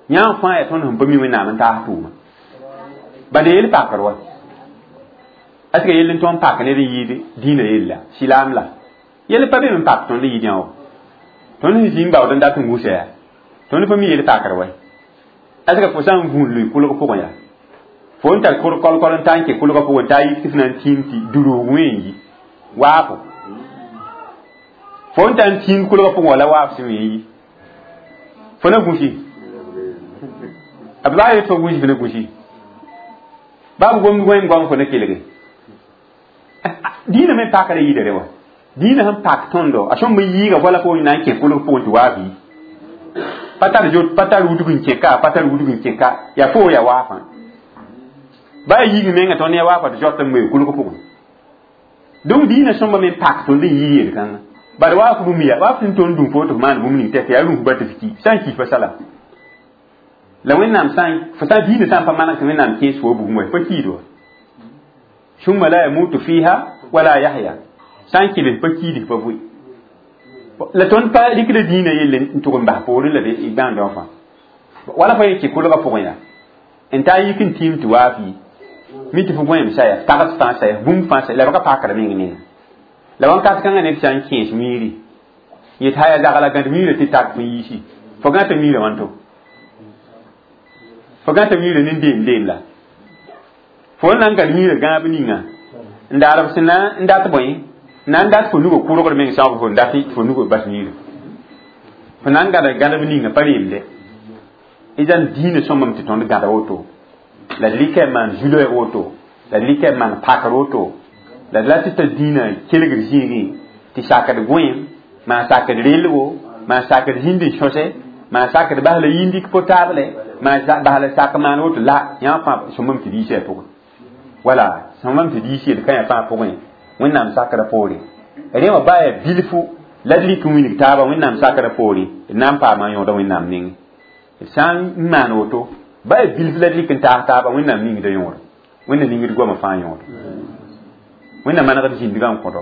yã fãa yaa tõnd sẽn pa mi wẽnnaam n taas tʋʋma bala yel pakr wa est ce que yell n tõnd pak ned n yɩɩd dĩinã yella silaam la yell pa be n pak tõnd yɩɩd yã wa tõnd sẽn zĩig baood n dat n gũsa yaa tõnd pa mi yel pakr wa est ce que fo sã n vũun lʋɩ kʋlg pʋgẽ yaa fo n tar kol-kol n ta n kẽ kʋlgã pʋgẽ t'a yik tɩ f na n tĩim tɩ durug wẽ n yi waafo fo n tar n tĩim kʋlgã pʋgẽ wala waaf sẽn wẽ n yi fo na gũsi b la yet fo gũsi fo na gũsi baa b gomd goẽem goam fo na kelge dĩinã me pakra yɩɩda re wa dĩinã sẽn pak tõndo a sõmb n yiiga wala fo na n kẽ kʋlg pʋgẽ tɩ waaf yi pa tar zot pa tar wudg n kẽ ka pa tar wudg n kẽ ka yaa fo yaa waafã baa yiig menga tõnd yaa waafa tɩ zot n ŋmee kʋlg pʋgẽ donc dĩinã sõmba me pak tõnd n yɩ yel-kãngã bala waaf bũmb ya waaf sẽn tõnd dũm fo tɩ f maan bũmb ning tɛk yaa rũmf ba tɩ f ki sã n kis pa sala la wẽnnaam sã fo sã dĩinã sã n pa maneg tɩ wẽnnaam kẽes fo bugum wa pa kiid wa summa la yamutu fiha wala yahya sã n kɩbs pa kiid pa vʋɩ la tõnd pa rɩkda dĩinã yelle n tʋg n bas poorẽ la d bãanda wã fãa wala fa ye kɩ kʋlgã pʋgẽ yaa n taa yik n tĩim tɩ waaf yi mi tɩ fo gõeem saya tags fãa saya bũmb fãa saya la b ka pakra meng nenga la wãnkat kãngã ned sã n kẽes miiri yet haya zagla gãd miirã tɩ tak fo yiisi fo gãta miirã wãnto fo gãta miirã ne deem deem la fo n na n gãd miirã gãab ninga n daar b sẽn na n dat bõe na n dat fo nugã kʋrgr meng sãoog fo n dat fo nugã bas miirã fo na n gãda gãdb ninga pa reemde idan dĩinã sõmbame tɩ tõnd gãda woto la d rɩka n maan zu-loɛɛg woto la d rɩka n maan pakr woto la d la tɩ ta dĩinã kelgr zĩigẽ tɩ sakd gõeem maan sakd relgo maan sakd zĩnd n sõse maan sakd bas la yĩndik potable maan bas la sak maan woto la yã fãa sõmbame tɩ diisã pʋgẽ wala sõmbame tɩ diis yel kã fãa pʋgẽ wẽnnaam sakrã poore rẽ wã baa yaa bilfu la d rɩk n wilg taaba wẽnnaam sakrã poore d na n paama n yõoda wẽnnaam nengẽ d sã n maan woto baa yaa bilf la d rɩk n taas taaba wẽnnaam ningda yõoda wẽnna ningd goamã fãa yõoda wẽnna manegd zĩndgã n kõdo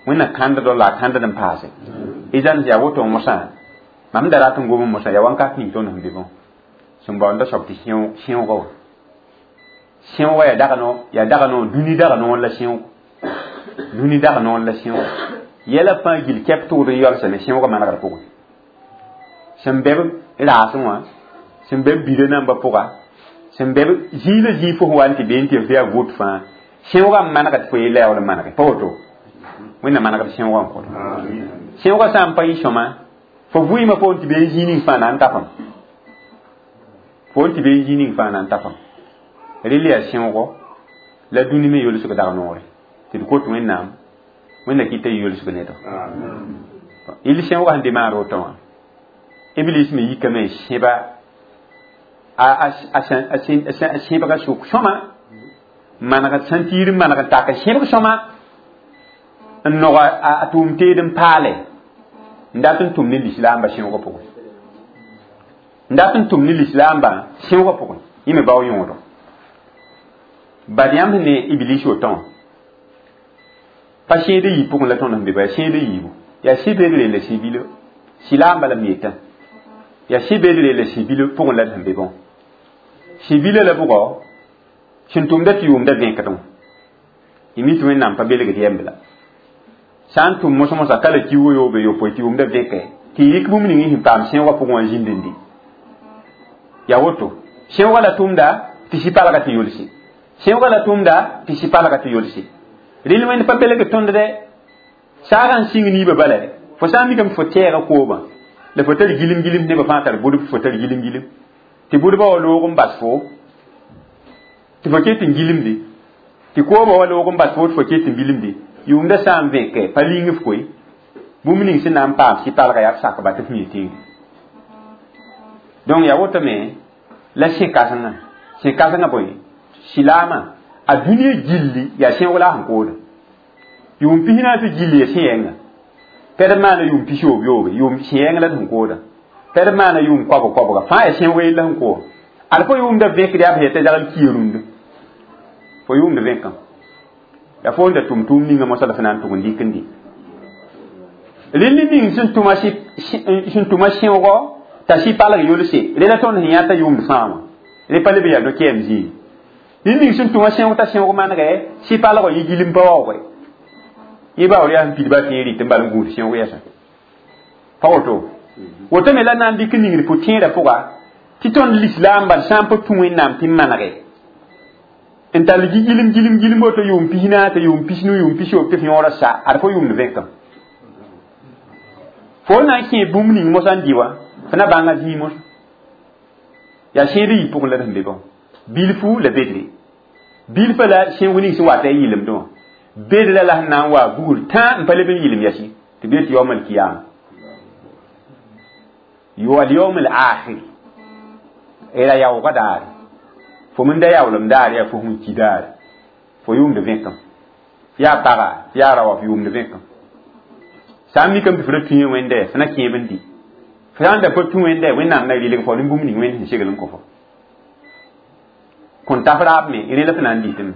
wẽnna kãnddo la a kãndd n paase idan yaa woto mosã mam da rat n gom mosã yaa wãnkat ning tõnd sẽn be bõ sẽn baoonda soab tɩ sẽoogã wa sẽoogã yaa dag no yaa dag no dũni dag noor la sẽoog dũni dag noor la sẽoog yɛla fãa gil kɛp tʋgd n yalsame sẽoogã manegr pʋgẽ sẽn bɛ b raasẽ wã sẽn bɛ b bida nambã pʋga sẽn bɛ b zĩig la zĩig fo sẽn wa n tɩ bee n tɩ f yaa vot fãa sẽoogã n manegd tɩ fo yella yaool n manege pa woto wẽnna manegd sẽoogã n kõto sẽoogã sã n pa yɩ sõma fo vɩɩmã fo n tɩ bee zĩig ning fãa na n tafam fo n tɩ bee zĩig ning fãa na n tafam rel yaa sẽoogo la dũni me yolsg dag noore tɩ d kot wẽnnaam Wẽnna kɩta yʋlsg nedo il sẽoogã sẽn demaar woto wã Iblis me yikame n sẽba a sẽbga sʋk sõma maneg sẽn tiir n maneg n tak n sẽbg sõma n nog a tʋʋm teed n paale n dat n tʋm ne lislaambã sẽoogã pʋgẽ n dat n tʋm ne lislaambã sẽoogã pʋgẽ yẽ me bao yõodo bad yãmb sẽn ne Iblis woto wã pa sẽed yi pʋgẽ la tõnd sẽn be ba yaa sẽed yiibu yaa sɩ-bedre la sɩ-bilo sɩlaamba la m yetã yaa sɩ-bedre la sɩ-bilo pʋgẽ la d sẽn be bõ sɩ-bila la bʋgɔ sẽn tʋmda tɩ yʋʋmda vẽkdẽ wã y mi tɩ Wẽnnaam pa belgd yɛmb la sã n tʋm mos-mosã ka la kiuugã yoobe yopoe tɩ yʋʋmda vẽke tɩ y rɩk bũmb ning sẽn paam sẽoogã pʋgẽ wã zĩnd n dɩ yaa woto sẽoogã la tʋmda tɩ sɩ-palga tɩ yolse sẽoogã la tʋmda tɩ sɩ-palga tɩ yolse rel wẽnd pa belg tõnd dɛ saagã n sɩng niibã bala fo sã n mikame fo tɛɛga koobã la fo tar gilim gilim nebã fãa tar bʋdb fo tar gilim gilim tɩ bʋdbã wa loog n bas fo tɩ fo ket n gilimde tɩ koobã wa loog n bas fo tɩ fo ket n bilimde yʋʋmda sã n vẽke pa ling f koe bũmb ning sẽn na n paam sɩ-palga yaa b sakba tɩ f mi tẽeg donc yaa wotome la sẽ-kãsengã sẽ-kãsengã bõe sɩlaamã a dũniyã gilli yaa sẽoog la a sẽn kooda yʋʋm pis naas gilli ya sẽ-yɛnga pɛd maana yʋʋm pis yoob yoobe yʋʋm sẽ-yɛng la d sẽn kooda pɛd maana yʋʋm koabg koabga fãa yaa sẽoog yella sẽn kooda ad fo yʋʋmda vẽkd yaa b yeta zagl kia rũndã fo yʋʋmd vẽkã yaa fo n da tʋm tʋʋm ninga mosã la fo na n tʋg n dɩk n dɩ rẽnd ning sẽn tʋma sẽn tʋma sẽoogɔ t'a sɩ-palg yolse rela tõnd sẽn yã t'a yʋʋmd fãa wã rẽ pa leb n yaa no-kɛɛm zĩig rẽnd ning sẽn tʋma sẽoog t'a sẽoog manegɛ sɩ-palgã yɩ gilim pa waoogɛ yẽ baoor yaa sẽn pidba tẽe rɩt n bal n gũud sẽoog yɛsã pa woto woto me la na n dɩk n ningd pʋ-tẽedã pʋga tɩ tõnd lislaambã sã n pa tũ Wẽnnaam tɩ n manege n tall gilim gilim gilim woto yʋʋm pis naas tɩ yʋʋm pis nu yʋʋm pis yoob tɩ f yõora sa ad fo yʋʋmd vẽkam fo na n kẽe bũmb ning mosã n dɩ wã fo na bãnga zĩig mosã yaa sẽed yi pʋgẽ la d sẽn be bõ bilfu la bedre bilfã la sẽog ning sẽn wat a yɩlemdẽ wã bedra la sẽn na n wa bugr tã n pa leb n yɩlem yɛsi tɩ b yet yaoom alkiyama wal yaoom al akhir era yaoogã daare fo min da yaoolem daare yaa fo sẽn ki daare fo yʋʋmd vẽkam yaa paga yaa raoa f yʋʋmd vẽkam sã n mikame tɩ fo ra tũ wẽnde fo na kẽeb n dɩ fo sã n da pa tũ wẽnde Wẽnnaam na rɩlg fo rẽnd bũmb ning wẽnd sẽn segl n kõ fo kõn taf raab me rẽ la fo na n dɩtame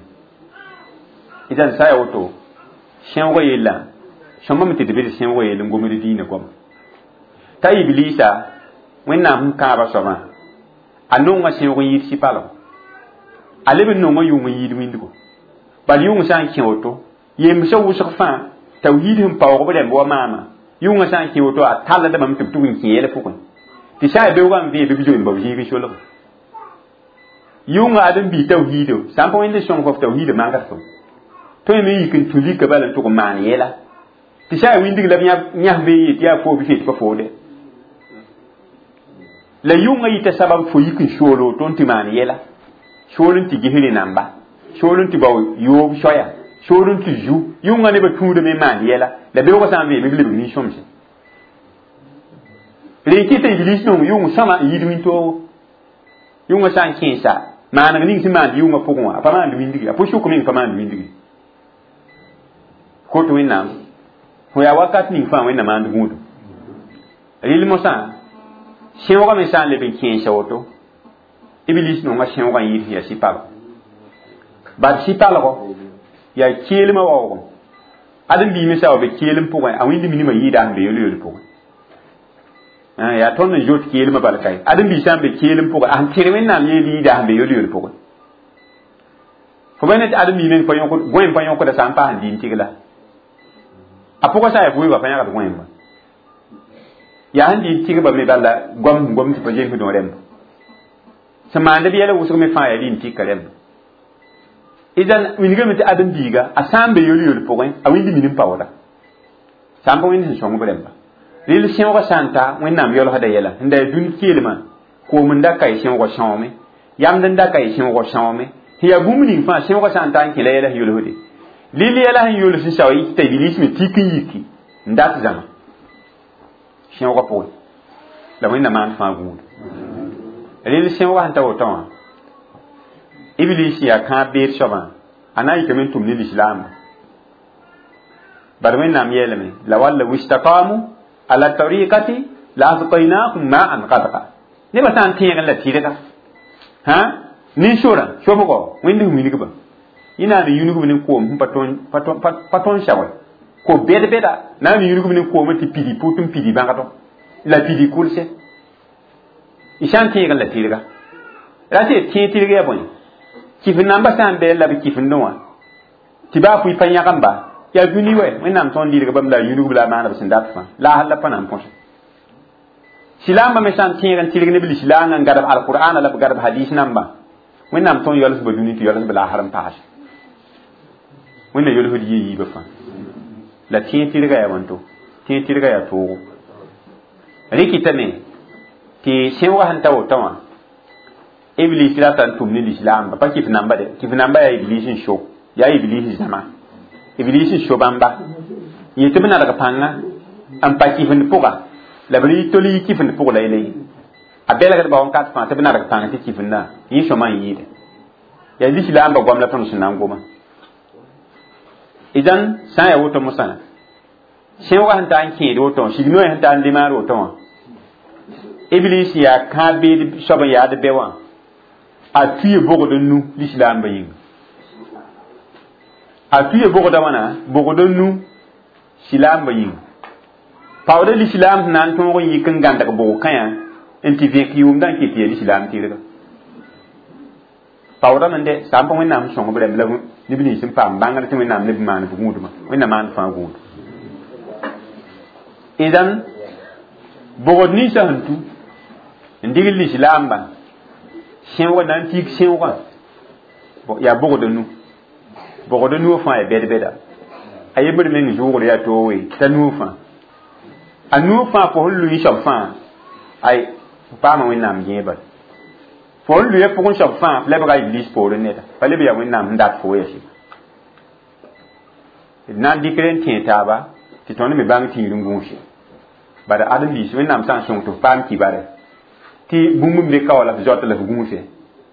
idan sã ya woto sẽoogã yella sõmbame tɩ d be d sẽoogã yell n gomd diinã goama t'a Iblisa Wẽnnaam sẽn kãabã soabã a nonga sẽoog n yɩɩd sɩ-palgo a leb n nonga yʋng n yɩɩd wĩndgo bal yʋng sã n kẽ woto yembsã wʋsg fãa tawhiid sẽn paoog b rãmb wa maama yʋngã sã n kẽ woto a talldame tɩ b tʋg n kẽ yɛl pʋgẽ tɩ sã n yaa beoogã n vẽe bɩ b zoe n bao zĩig n solg yʋngã ad n bii tawhiido sã n pa wẽnd n sõng fo f tawhiidã mangd fo tõe me yik n tũ lika bala n tʋg n maan yɛla tɩ sã n yaa wĩndg la b yãs bee yet yaa foo bɩ fet pa foode la yʋngã yita sabab fo yik n sool woto n tɩ maan yɛla sool n tɩ ges rẽ-namba sool n tɩ bao yoob soaya sool n tɩ zu yʋngã nebã tũudame n maan yɛla la beoogã sã n veeme b lebg nin-sõmse rẽ kɩta Iblis nong yʋng sõma n yid wĩntoogo yʋngã sã n kẽesa maaneg ning sẽn maand yʋngã pʋgẽ wã a pa maand wĩndge a pʋ-sʋk meng pa maand wĩndge kot Wẽnnaam fo yaa wakat ning fãa Wẽnna maand gũudum rɩl mosã sẽoogã me sã n leb n kẽesa woto Iblis nonga sẽoogã n yɩɩd sẽn yaa sɩ-palgo bad sɩ-palgɔ yaa keelmã waoogem ad n bii me sã wa be keelem pʋgẽ a wĩnd minimã yɩɩda sẽn be yol-yol pʋgẽ yaa tõnd n zoet keelmã bal kae ad n bii sã n be keelem pʋgẽ a sẽn tẽr Wẽnnaam yeel yɩɩda sẽn be yol-yol pʋgẽ fo ba ne tɩ ad n bii meng pa yõkd gõem pa yõkda sã n paas n dɩ n tigla a pʋgã sã n yaa vʋʋgã pa yãgd gõemba yaa sẽn dɩ n tigba me bala goam sẽn gom tɩ pa zems dõ rẽmba sẽn maand b yɛla wʋsg me fãa yaa rɩ n tika rẽmba idan wilgame tɩ ãdem-biiga a sã n be yol-yol pʋgẽ a wĩnd min n paooda sã n pa wẽnd sẽn sõng b rẽmba rel sẽoogã sã n ta Wẽnnaam yɔlsda yɛla sẽn da yaa dũni keelmã koom n da ka y sẽoogã sõome yamd n da ka y sẽoogã sõome sẽn yaa bũmb ning fãa sẽoogã sã n ta n kẽ la yɛla sẽn yolsde Lili yɛla sẽn yols n sao t'a iblis me tik n yiki n dat zãma sẽoogã pʋgẽ la wẽnnaam maan fãa gũud rel sẽoogã sẽn ta woto wã iblis yaa kãab beed soabã a na n yikame n tʋm ne lislaamba bad wẽnnaam yeelame la walla wistaqamu ala tariqati la asqaynahum ma'an gadqa nebã sã n tẽegẽ la tɩrga hã nin-sorã sobgo wẽnd sẽn wilgba yẽ na n yũnigb ne koom sẽn pa tõn saoe ko bɛd-bɛda na n yũnigb ne koomã tɩ pidi pʋt n pidi bãgdɔ la pidi kʋlse y sã n tẽegẽ la tɩrga ra tɩ tẽeg tɩrg yaa bõe kɩf namba sã n bɩ la b kɩfendẽ wã tɩ baa pʋɩ pa yãgemba yaa dũni wɛ wẽnnaam tõnd lɩdg bãmb la a yũnigb la a maana b sẽn dat fãa la a hal la pa na n põse silaambã me sã n tẽeg n tɩrg ne b lislaangã n gadb alqur'ana la b gadb hadis namba wẽnnaam tõnd yalsba dũni tɩ yalsb la a har n paase wẽnna yolsd yɩ yiibã fãa la tẽeg tɩrga yaa wãnto tẽeg tɩrga yaa toogo rɩkɩtame tɩ sẽoogã sẽn ta woto wã iblis rata n tʋm ne lislaamba pa kɩf namba de kɩf namba yaa iblis n so yaa iblis zãma iblis n so bãmba yẽ tɩ b nadg pãnga n pa kɩfend pʋga la b tol yi kɩfend pʋg la yele a belgdba wãnkat fãa tɩ b nadg pãng tɩ kɩfendã yẽ sõma n yɩɩde yaa lislaamba goam la tõnd sẽn na n goma idan sã n yaa woto mosã sẽoogã sẽn ta n kẽed woto sig noy sẽn ta n demaar woto wã iblis yaa kãab beed soab n yaad bɛ wã a tuye bogd n nu lislaambã yĩnga a tuye bogda wãna bogd n nu silaambã yĩnga paoodã lislaam sẽn na n tõog n yik n gãndg bog kãyã n tɩ vẽk yʋʋmdã n ket tɩ yaa lislaam tɩrga paoodame de sã n pa wẽnnaam sõng b rẽmb la neb nins n paam bãngr tɩ wẽnnaam leb n maan b gũudmã wẽnnaam maan fãa gũud idan bogd ninsã sẽn tu n digl lislaambã sẽoogã na n tig sẽoogã yaa bogd nu bogd nuo fãa yaa bɛd-bɛda a yembr meng zʋʋgr yaa toogoe t'a nuo fãa a nuo fãa fo sẽn lʋɩ soab fãa ay f paama wẽnnaam gẽebal fo sẽn lʋɩa pʋgẽ soab fãa f lebga iblis poorẽ neda pa leb yaa wẽnnaam sẽn dat fo yaa d na n dɩkr n tẽeg taaba tɩ tõnd me bãng tĩir n gũuse bala adem biis wẽnnaam sã n sõng tɩ f paam kibare tɩ bũmb n be ka wa la f zoat la f gũuse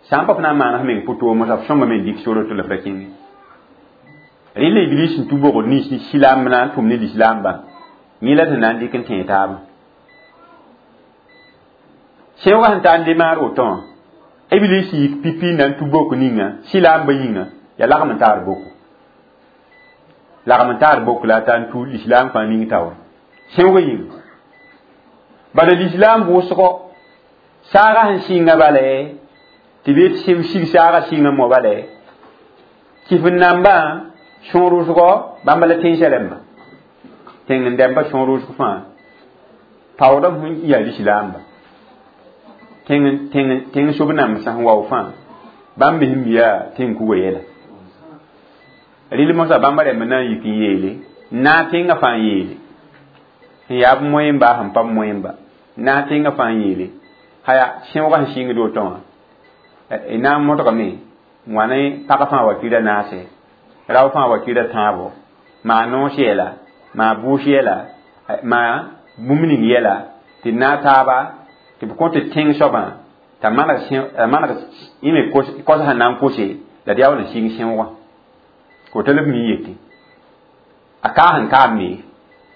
sã n pa f na n maana f meng pʋ-toom f sõngame n dɩk soro tɩ la f ra kẽnge rẽ la iblis n tũ bogd nins silaam na n tʋm ne lislaambã yẽ la tɩ na n dɩk n tẽeg taabã sẽoogã sẽn ta n demaar woto wã iblis yik pipi na n tũ bok ninga silaambã yĩnga yaa lagm n taar boko lagm n taar bok la a ta n tu lislaam fãa ning taoore sẽoogã yĩnga bala lislaam vʋʋsgo saagã sẽn sɩnga bala tɩ bee tɩ sig saagã sɩnga mo bala kɩf n nambã sõor wʋsgɔ bãmba la tẽnsã rẽmba tẽng n dɛmba sõor wʋsg fãa paoodã sẽn yaa lislaamba tẽng tẽng tẽng sob namsã sẽn wao fãa bãmb me sẽn mi yaa tẽng kuga yɛla rɩl mosã bãmba rẽmb na n yik n yeele n naag tẽngã fãa n yeele sẽn yaa b moẽmba sẽn pa b moẽmba n naag tẽngã fãa n yeele haya sẽoogã sẽn sɩngd woto wã na n modgame n wa ne pag fãa wa kira naase rao fãa wa kira tãabo maa noos yɛla maa bʋʋs yɛla maa bũmb ning yɛla tɩ naag taaba tɩ b kõ tɩ tẽng soabã t'a maneg maneg yẽ me kos sẽn na n kose la d yaa wa n sɩng sẽoogã ko ta leb mi yetɩ a kaa sẽn kaam me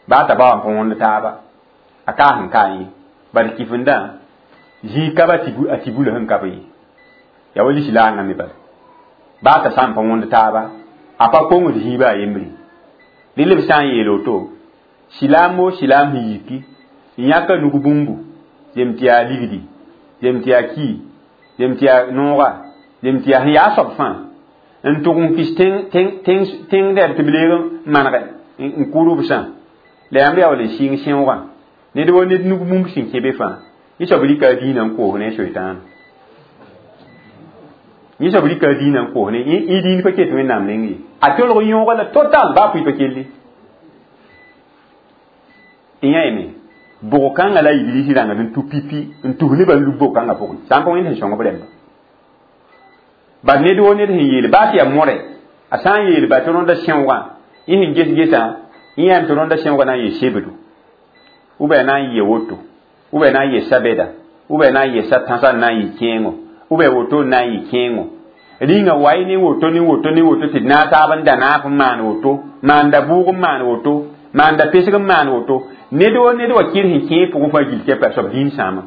baa t'a ba wã pa wõnd taaba a kaa sẽn kaa yẽ bad kifendã zĩig ka ba a tɩ bula sẽn ka b ye yaa wa lislaangã me bala baa t'a sã n pa wõnd taaba a pa kongd zĩiba a yembre rɩ b sã n yeel woto silaam o silaam sẽn yiki n yãka nug bũmbu zem tɩ yaa ligdi zem tɩ yaa ki zem tɩ yaa nooga zem tɩ yaa sẽn yaa soab fãa n tʋg n kis tẽng dɛd tɩ b leeg n manege n kʋʋd b sã la yãmb yaa wall n sɩng sẽoogã ned wa ned nug bũmb sẽn kẽ be fãa yẽ soab rɩka a dĩinã n koos ne soetãana yẽ soab rɩka a dĩinã n koos ne yẽ dĩin pa ket wẽnnaam neng ye a tolg yõoga la total baa pʋɩ pa kelli tɩ yã yeme bog kãngã la iblis rãngd n tu pipi n tus nebã n lub bog kãngã pʋgẽ sã n pa wẽnd sẽn sõng b rẽmba bad ned wo ned sẽn yeel baa tɩ yaa more A sã n yeel ba tɩ rõnda sẽoogã yẽ sẽn ges gesã yẽ yaam tɩ rõnda sẽoogã na n yɩ sebdo ou bien na n yɩ woto ou bien na n yɩ sabeda ou bien na n yɩ sa-tãsã n na n yɩ kẽengo ou bien woto n na n yɩ kẽengo rĩnga wa ne woto ne woto ne woto tɩ d naag taab n da naaf n maan woto maanda bʋʋg n maan woto maanda pesg n maan woto ned wa ned wa kɩr sẽn kẽe pʋgẽ fãa gil kɛpa a soab dĩin sãama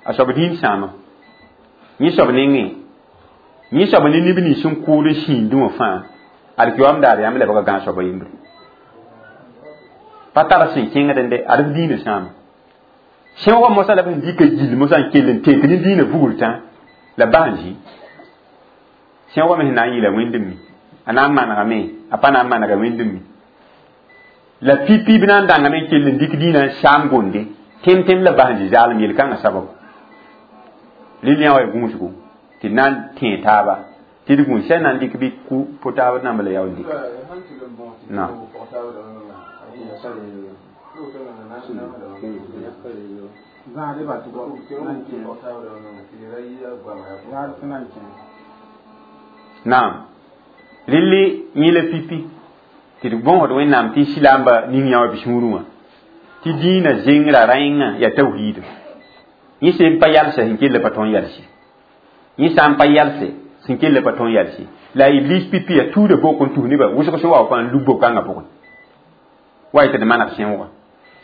a soab dĩin sãama yẽ soab nengẽ yẽ soab ne neb nins n kʋʋd n sĩindẽ wã fãa alkiyoam daar yãmb lebga gãag soaba yembre pa tar sẽn kẽngd n de ad f dĩinã sãama sẽoogã mosã la b sẽn dɩka gill mosã n kell n tek ne dĩinã vugr tã la bas n zĩ sẽoogã me sẽn na n yɩɩla wẽnd n mi a na n manegame a pa na n manega wẽnd n mi la pipi b na n dãngame n kell n dɩk dĩinã n saam gonde tẽm-tẽm la bas n zĩ zaalem yel-kãngã sababu rɩl yã wa ya gũusgo tɩ d na n tẽe taaba tɩ d gũus sã n na n dɩk bɩ ku po taab namba la yaool dɩk na naam rɩlli yẽ la pipi tɩ d bõosd wẽnnaam tɩ silaamba ning yã wa bɩ sũurẽ wã tɩ dĩinã zengrã rẽngã yaa tawhiida yẽ sẽn pa yalsa sẽn kell pa tõe n yalse yẽ sã n pa yalse sẽn kell pa tõe n yalse la iblis pipi yaa tuuda bok n tus nebã wʋsg sẽn wa fãa n lub bo-kãngã pʋgẽ wa yetɩ d maneg sẽoogã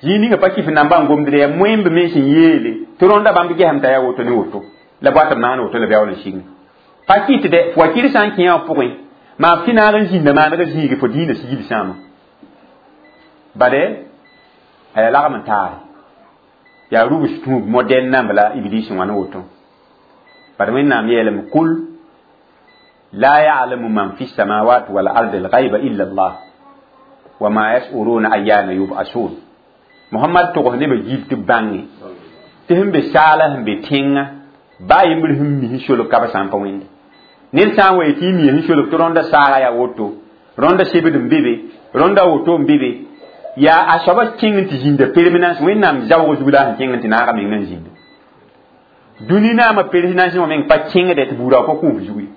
zĩig ninga pa kɩf namba n gomdre yaa moẽmb me sẽn yeele tɩ rõnda bãmb gesem t'a yaa woto ne woto la boat b maan woto la b yaool n sigme pa kɩt dɛ fo wa kɩr sã n kẽ wã pʋgẽ maa f tɩ naag n zĩnda maaneg zĩige fo dĩinã sigil sãama bade a yaa lagm n taare yaa rubs tũub modɛn namb la iblis wã ne woto bad wẽnnaam yeelame kul la ya'lamu man fi samawat wal ardi al ghaiba illa Allah wa ma yash'uruna ayyana yub'asun Muhammad togs nebã gil tɩ b bãnge tɩ sẽn be saala sẽn be tẽngã baa yembr sẽn mi sẽn solg ka b sã n pa wẽnde ned sã n wa yetɩ y mi sẽn solg tɩ rõnda saaga yaa woto rõnda sebd n be be rõnda woto n be be yaa a soaba kẽng n tɩ zĩnda permanence wẽnnaam zaoog zug la sẽn kẽng n tɩ naaga meng n zĩnda dũni naamã permanence wã meng pa kẽngdɛ tɩ buudã pa kũuf zugu ye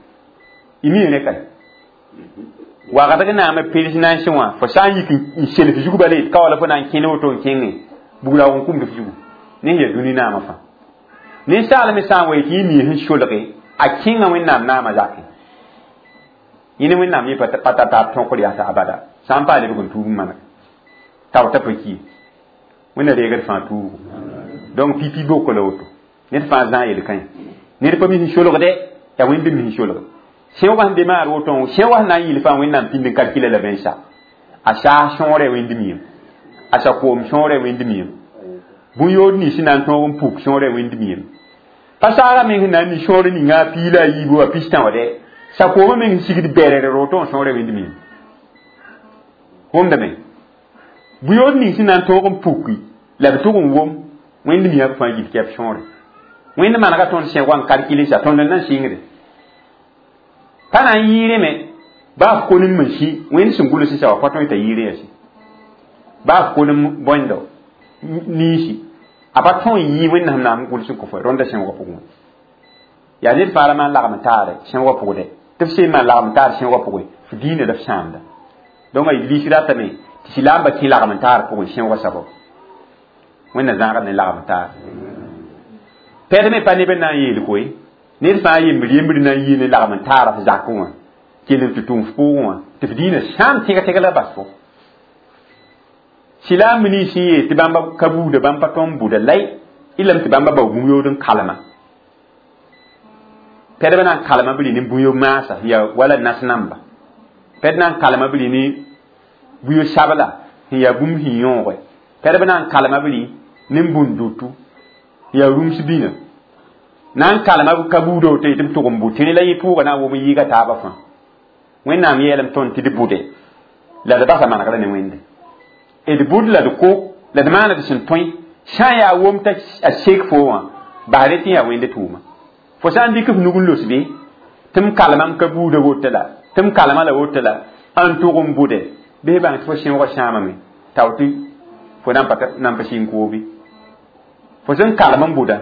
y mi rẽ ka wagdg naamã permanence wã fo sã n yik n self zug bala yet ka wala fo na n kẽne woto n kẽngẽ buudã n kũmd f zugu ne sẽn yaa dũni naamã fãa ninsaal me sã n wa yetɩ yẽ mi sẽn solge a kẽnga wẽnnaam naamã zakẽ yẽ ne wẽnnaam yẽ pa tar taab tõkr yaa abada sã n paa lebg n tuub n maneg tao t'a pa ki wẽnna reegd fãa tuugo donc pipi boko la woto ned fãa zã yel-kãe ned pa mi sẽn solgde yaa wẽnd mi sẽn solg sẽoogã sẽn be maar woto sẽoogã sẽn na n yɩl fãa wẽnnaam pĩnd n kalkila la bẽnsa a saas sõore wẽnd miyem a sa-koom sõore wẽnd miyem bũn-yood nins sẽn na n tõog n puk sõore wẽnd miyem pa saagã meng sẽn na n mi sõor ninga a piig la a yiibu a pistã wã dɛ sa-koomã meng sẽn sigd bɛrɛrɛ roto n sõore wẽnd miyem wʋmdame bũn-yood ning sẽn na n tõog n puki la b tʋg n wom wẽnd miyã b fãa yil kɛp sõore wẽnd manega tõnd sẽoogã n kalkilsa tõnd n na n sɩngde pa na n yɩɩrẽ me baa f konem n sĩ wẽnd sẽn gʋls sã wa pa tõe t'a yɩɩrẽ yaa sĩ baa f konem bõendo niisi a pa tõe n yɩ wẽnnaam naam gʋls n kõ fo rõnda sẽoogã pʋgẽ yaa ned fãa ra maan lagm taare sẽoogã pʋgdɛ tɩ f seen maan lagm taar sẽoogã pʋgẽ f dĩinã la f sãamda donc a iblis ratame tɩ silaamba kẽ lagm n taar pʋgẽ sẽoogã sabab wẽnna zãagd ne lagm taar pɛd me pa neb n na n yeel koe ned fãa yembr yembr na n yɩ ne lagm n taara f zakẽ wã kell n tɩ tʋm f pʋʋgẽ wã tɩ f dĩinã sãam tẽg-tẽg la bas fo silaamb nins sẽn yeel tɩ bãmba ka buuda bãmb pa tõnd buda lay y lame tɩ bãmba bao bũn-yood n kalema pɛdbã na n kalema b rɩ ne bũn-yo maasa yaa wala nas namba pɛd na n kalema b rɩ ne bũn-yo-sabla sẽn yaa bũmb sẽn yõoge pɛdbã na n kalema b rɩ ne bũn-dutu yaa rũms bĩna na n kalema ka buuda woto tɩ b tʋg n bʋ tɩ la yẽ pʋʋga na n wʋm n yɩɩga taabã fãa wẽnnaam yeelame tõnd tɩ d bʋde la d basa manegrã ne wẽnde d bʋd la d ko la d maana d sẽn tõe sã n yaa wom t'a a sek fo wã basre tɩ yaa wẽnd tʋʋma fo sã n dɩk f nug n los be tɩ m kalema m ka buuda woto la tɩ m kalema la woto la n tʋg n bʋde bɩ bãng tɩ fo sẽoogã sãamame tao tɩ fo na n pa sĩng koobe fo sẽn kalem n bʋda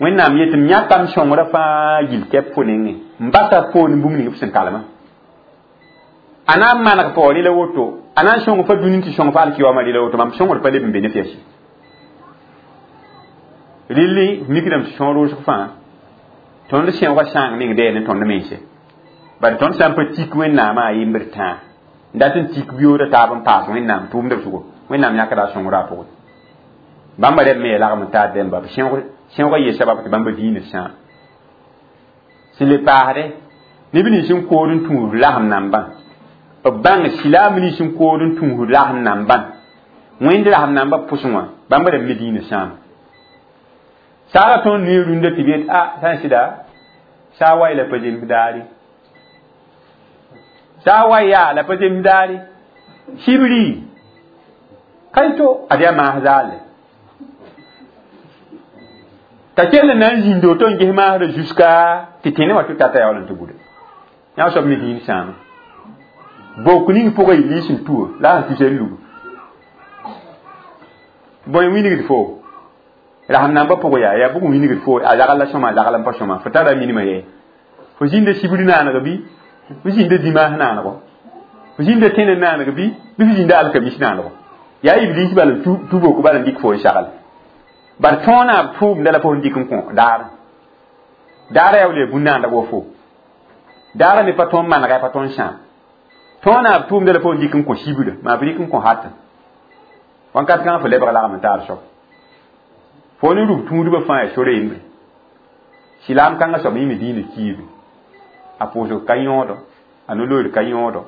Wẽnnaam yetɩ m yãkam sõngrã fãa yil kɛp fo nengẽ n basa poor ne bũmb ning b sẽn kalmã a na n maneg fo rɩla woto a na n sõng fa dũni tɩ sõng fa alkiyaoomã rɩla woto mam sõngr pa leb n be ne f yɛsi rɩlli mikdame tɩ sõor wʋsg fãa tõnd sẽoogã sãang meng dɛɛ ne tõnd mense bari tõnd sã n pa tik wẽnnaamã a yembr tãa n dat n tik biooda taab n paas wẽnnaam tʋʋmdb sʋgo wẽnnaam yãkda a sõngrã a pʋgẽ bãmba rɛb me ya lagm n taar dẽmba sẽoogã yee sabab tɩ bãmba diinã sãam sẽn le paasde neb nins n kood n tũud lasem nambã b bãng silaam nins n kood n tũud lasem nambã wẽnd lasem nambã pʋsẽ wã bãmba rɛb me diinã sãam saara tõnd ne rũndã tɩ b yet a sã n sɩda saa wa la pa zems daare saa wa yaa la pa zems daare sibri ka to ad yaa maas zaalle t'a kell n na n zĩnd woto n ges maasdã jusqu'à tɩ tẽne wã tɩ tata yaool n tɩ buda yã soab me diin sãama bok ning pʋgã y liis n tuo la a sẽn tusa n lug bõe wilgd fo rasem nambã pʋgẽ yaa yaa bʋg n wilgd fo a zagl la sõma a zagl n pa sõma fo tara minimã yɛ fo zĩnda sibr naaneg bɩ fo zĩnda dimaas naanego fo zĩnda tẽne naaneg bɩ bɩ fo zĩnda alkamis naanego yaa iblis bal n tu bok bal n dɩk fo n sagl bar tõona b tʋʋmda la fo n dɩk n kõ daar daara yaa wala yaa bũn-naanda wa fo daara me pa tõnd manega pa tõnd sãam tõona b tʋʋmda la fo n dɩk n kõ sibra maa b dɩk n kõ hatã wãnkat kãngã fo lebg lagm n taar soab fo ne rub tũudbã fãa yaa sora yembre silaam kãngã soab yẽ me diinã kiibe a pʋʋsg ka yõodo a no-loeer ka yõodo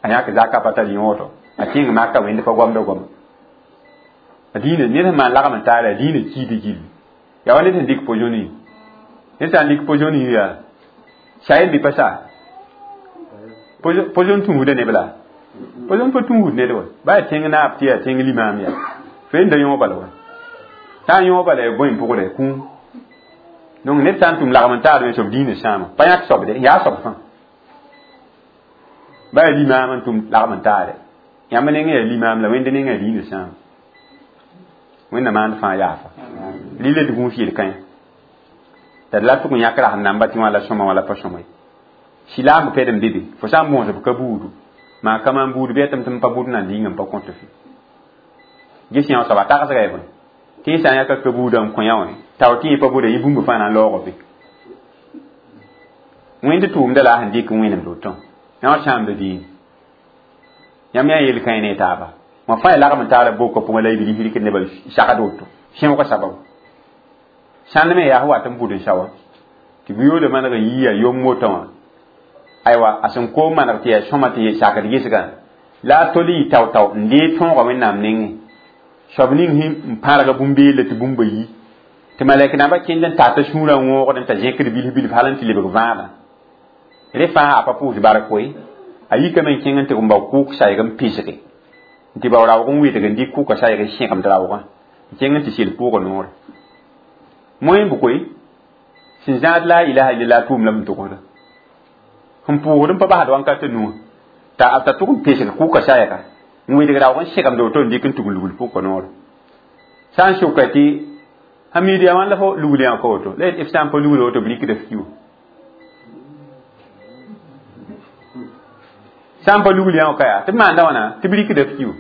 a yãk zaka pa tar yõodo a kẽng maka wẽnd pa goamda goama a diinã ned sẽn maan lagm n taara a diinã kiida gilli yaa wa ned sẽn dɩk pojoni ned sã n dɩk pojoni yaa sa bɩ pa sa pojon tũusda neb la pojon pa tũusd ned wa ba yaa tẽng naab tɩ yaa tẽng limaam yaa fo yenda yõog bala wa sã n yõog bala ya bõe n pʋgda kũum donc ned sã n tʋm lagm n taar me soab diinã sãama pa yãk soabde yaa soab fãa ba yaa limaam n tʋm lagm n taare yãmb nengã yaa limaam la wẽnd nengã yaa diinã sãama wẽnna maand fãa yaafa rɩla d gũus yel-kãyã t'a d la tʋg n yãk rasem namba tɩ wã la sõma wã la pa sõma ye silaam pɛd n be be fo sã n bõos b ka buudu maa ka maan buud bɩ yaa tɩ m tɩ m pa bʋd nan dĩngã n pa kõt fɩ ges yã soaba tagsga ya bõe tɩ yẽ sã n yãka ka buudã n kõ yã wã tao tɩ yẽ pa bʋda yẽ bũmb fãa na n laoog be wẽnd tʋʋmda la a sẽn dɩk n wẽnemd woto yã wã sãamda diin yãmb yaa yel-kãe ne taaba wã fãa ya lagm n taara boka pʋgẽ la y bilf rɩkd nebã sagd woto sẽoogã sababu sãnd me yaa wat n bʋd n sa wã tɩ bu-yooda maneg n yiya yom wotã wã aywa a sẽn koom maneg tɩ yaa sõma tɩ sakd gesgã la a tol yɩ tao-tao n dee tõoga wẽnnaam nengẽ soab ning n pãrga bũmb-beella tɩ bũmba yi tɩ malɛk nambã kẽnd n tata sũurã wõogd n t'a zẽkd bilf bilf hal n tɩ lebg vãabã rẽ fãa a pa pʋʋs bark koe a yikame n kẽng n tɩg n bao kʋʋk sayg n pesge n tɩ bao raoog n wɩdg n dɩk kʋʋka sayg n sẽgemd raoogã n kẽng n tɩ sel pʋʋga noore moẽ bʋ koe sẽn zãad la ilaha illallah tʋʋm la m togsda n pʋʋsd n pa basd wãnkat nuã t'a t'a tʋg n pesg kʋʋka sayga n wɩdg raoog n sẽgemd woto n dɩk n tug lugl pʋka noore sã n soka tɩ hamid yaa wãn la fo lugl yã ka woto la f sã n pa lugl woto b rɩkda f ki wã sã n pa lugl yã ka yaa tɩ b maanda wãna tɩ b rɩkda f ki wã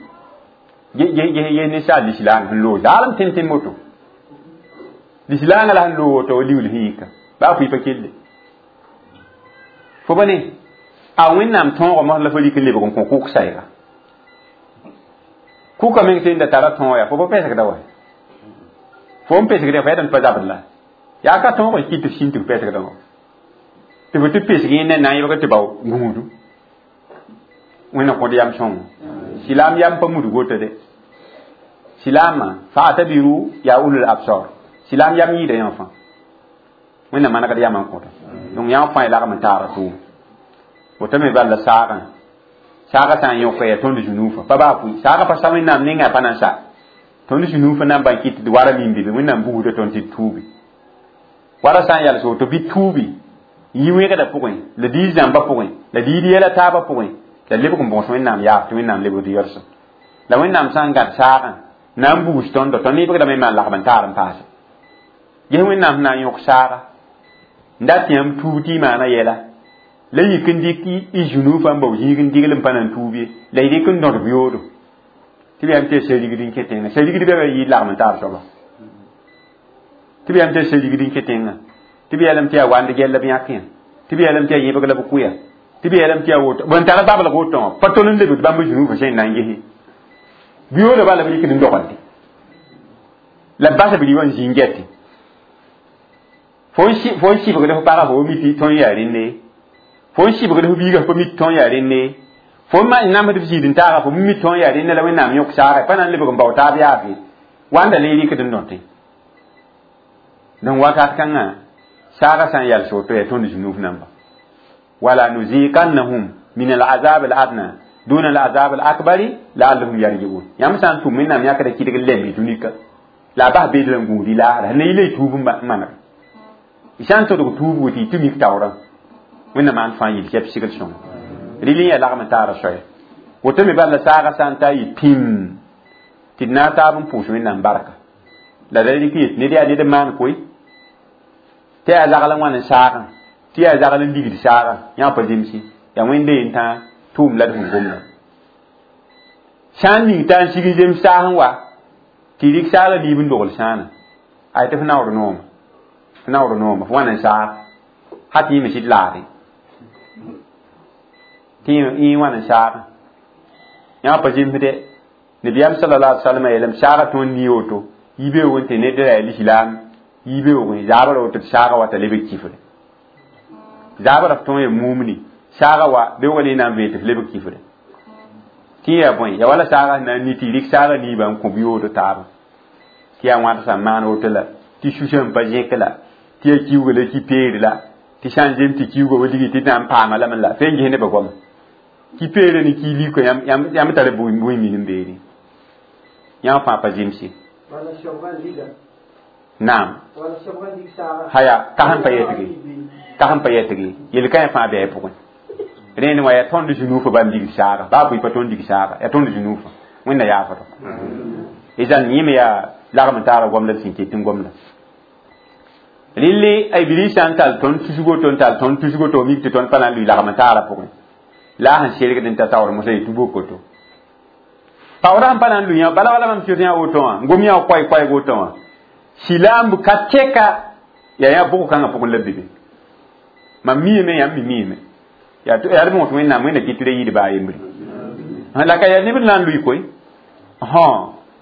ges ninsaal lislaang sẽn loog zaalem tẽn tẽn woto lislaangã la sẽn loog woto wa liuul sẽn yika baa fʋɩ pa kelle fo ba ne a wẽnnaam tõoga mos la fo rɩk n lebg n kõ kʋʋk sayga kʋka meng tɩ da tara tõog yaa fo pa pesgda wa fo n pesgd fo yaa tɩ pa zabd la yaa ka tõog n kɩt tɩ f sĩn tɩ f pesgda wã tɩ fo tɩ pesg yẽ ne na n yẽbg tɩ bao gũudu wẽnna kõd yam sõngo silaam yam pa mudg woto de silaamã fa'tabiru ya ulul absar silaam yam yɩɩda yã fãa wẽnna manegd yamã n kõta donc yã fãa y lagm n taara tʋʋm woto me bal la saagã saagã sã n yõka yaa tõnd zũnuufã pa baa pʋɩ saagã pa sa wẽnnaam nengã pa na n sa tõnd zũnuufã na n ban kɩt tɩ wara mim be wẽnnaam bugsda tõnd tɩ d tuubi wara sã n yals woto bɩ tuubi n yi wẽgdã pʋgẽ la diis zãmbã pʋgẽ la diid yɛla taabã pʋgẽ la lebg n bõs wẽnnaam yaaf tɩ wẽnnaam lebgd yɔlsem la wẽnnaam sã n gãd saagã na n bugs tõndo tõnd nebgdame n maan lagm n taar n paase Ges wẽnnaam sẽn na n yõk saaga n dat tɩ yãmb tuub tɩ y maana yɛla la yik n dɩk y zũnuufã n bao zĩig n digl n pa na n tuub ye la y dɩk n dõdb yoodo tɩ b yam tɩ ya sa-rigd n kẽ tẽngã sa-rigd bɛba yɩ lagm n taar soaba tɩ b yam tɩ ya sa-rigd n kẽ tẽngã tɩ b yeelame tɩ yaa wand gɛl la b yãk yã tɩ b yeelame tɩ yaa yẽbg la b kʋya tɩ b yeelame tɩ yaa woto bõn tar bablg woto wã pa tol n lebd bãmb zũnuufã sẽn na n gese biyooda bala b rɩkd n dogelde la b bas b rɩ wã n zĩ n gɛte fo n sɩbgd f paga fo mi tɩ tõnd yaa rẽnde fo n sɩbgd f biiga fo mi tɩ tõnd yaa rẽnde fo n namsd f zĩid n taaga fo mi tõnd yaa rẽnde la wẽnnaam yõk saaga pa na n lebg n bao taab yaaf ye wãnda le rɩkd n dõte donc wakat kãngã saaga sã n yals woto yaa tõnd zũnuuf namba wala nuziqannahum min alazab aladna duna alazab alakbari laallahum yarjiun yãmb sã n tʋm wẽnnaam yãkda kɩdg n lemb dũnika la a bas beed la n gũud y laasra ne yɩla y tuub n maneg y sã n todg tuubgo tɩ y tɩ mik taoorã wẽnnaam maan fãa yil tɩ b sigl sõnga rɩl n yaa lagm n taara soaya woto me bala saaga sã n ta yɩ pĩm tɩ d na n taab n pʋʋs wẽnnaam barka la da rɩk yet ned yaa ned n maan koe tɩ yaa zagl n wãn n saagã tɩ yaa zagl n ligd saagã yã pa zemse yaa wẽnde yen tãa tʋʋm la d sẽn gomda sã n ning t'a n sig n zems saas n wa tɩ rɩk saagã liib n dogl sãana ay tɩ f naoor nooma f naoor nooma f wãn n saag ha tɩ yẽ me sɩd laade tɩ yẽ wãn n saagã yã pa zemsdɛ nabiyaam sallallahu alaihi wasallam yeelame saaga tõnd nii woto yibeoog n tɩ ned ra yaa lislaam yibeoogẽ zaabra woto tɩ saaga wata lebg kifre zaabra f tõe ya mumni saaga wa beoogã ne na n vee tɩ f lebg kifre tɩ yaa bõe ya wala saaga sẽn na n ni tɩ rɩk saaga niibã n kõ yoodo taaba tɩ yaa wãd sã n maan woto la tɩ susã n pa zẽk la tɩ yaa kiuga la ki peere la tɩ sã n zem tɩ kiuga wa ligi tɩ na n paama lame la fe n ges nebã goama ki peere ne ki liko yãmb tara bũmb min n beene yãmb fãa pa zemse naam haya ka sẽn pa yetge ka sẽn pa yetge yel-kãe fãa bɩ a pʋgẽ rẽnd wã yaa tõnd zũnuufã bãmb ligd saaga baa bʋɩ pa tõnd lig saaga yaa tõnd zũnuufã wẽnna yaafdo izan yẽ me yaa lagm n taara gomda d sẽn ket n gomda rɩlle a iblis sã n tall tõnd tusgo to n tall tõnd tusgo to mik tɩ tõnd pa na n lʋɩ lagm n taara pʋgẽ la a sẽn sergd n ta taoor mosã yetɩ bokoto paoora sẽn pa na n lʋɩ yã bala wala mam sɩd yã woto wã n gom yã koɛɛ-koɛɛg woto wã silaamb ka tɛka yaa yã bʋg kãngã pʋgẽ la be be mam miime yãmb me miime yaa d mõs wẽnnaam wẽnna kɩt tɩ ra yɩɩd baa yembre la ka yaa neb na n lʋɩ koe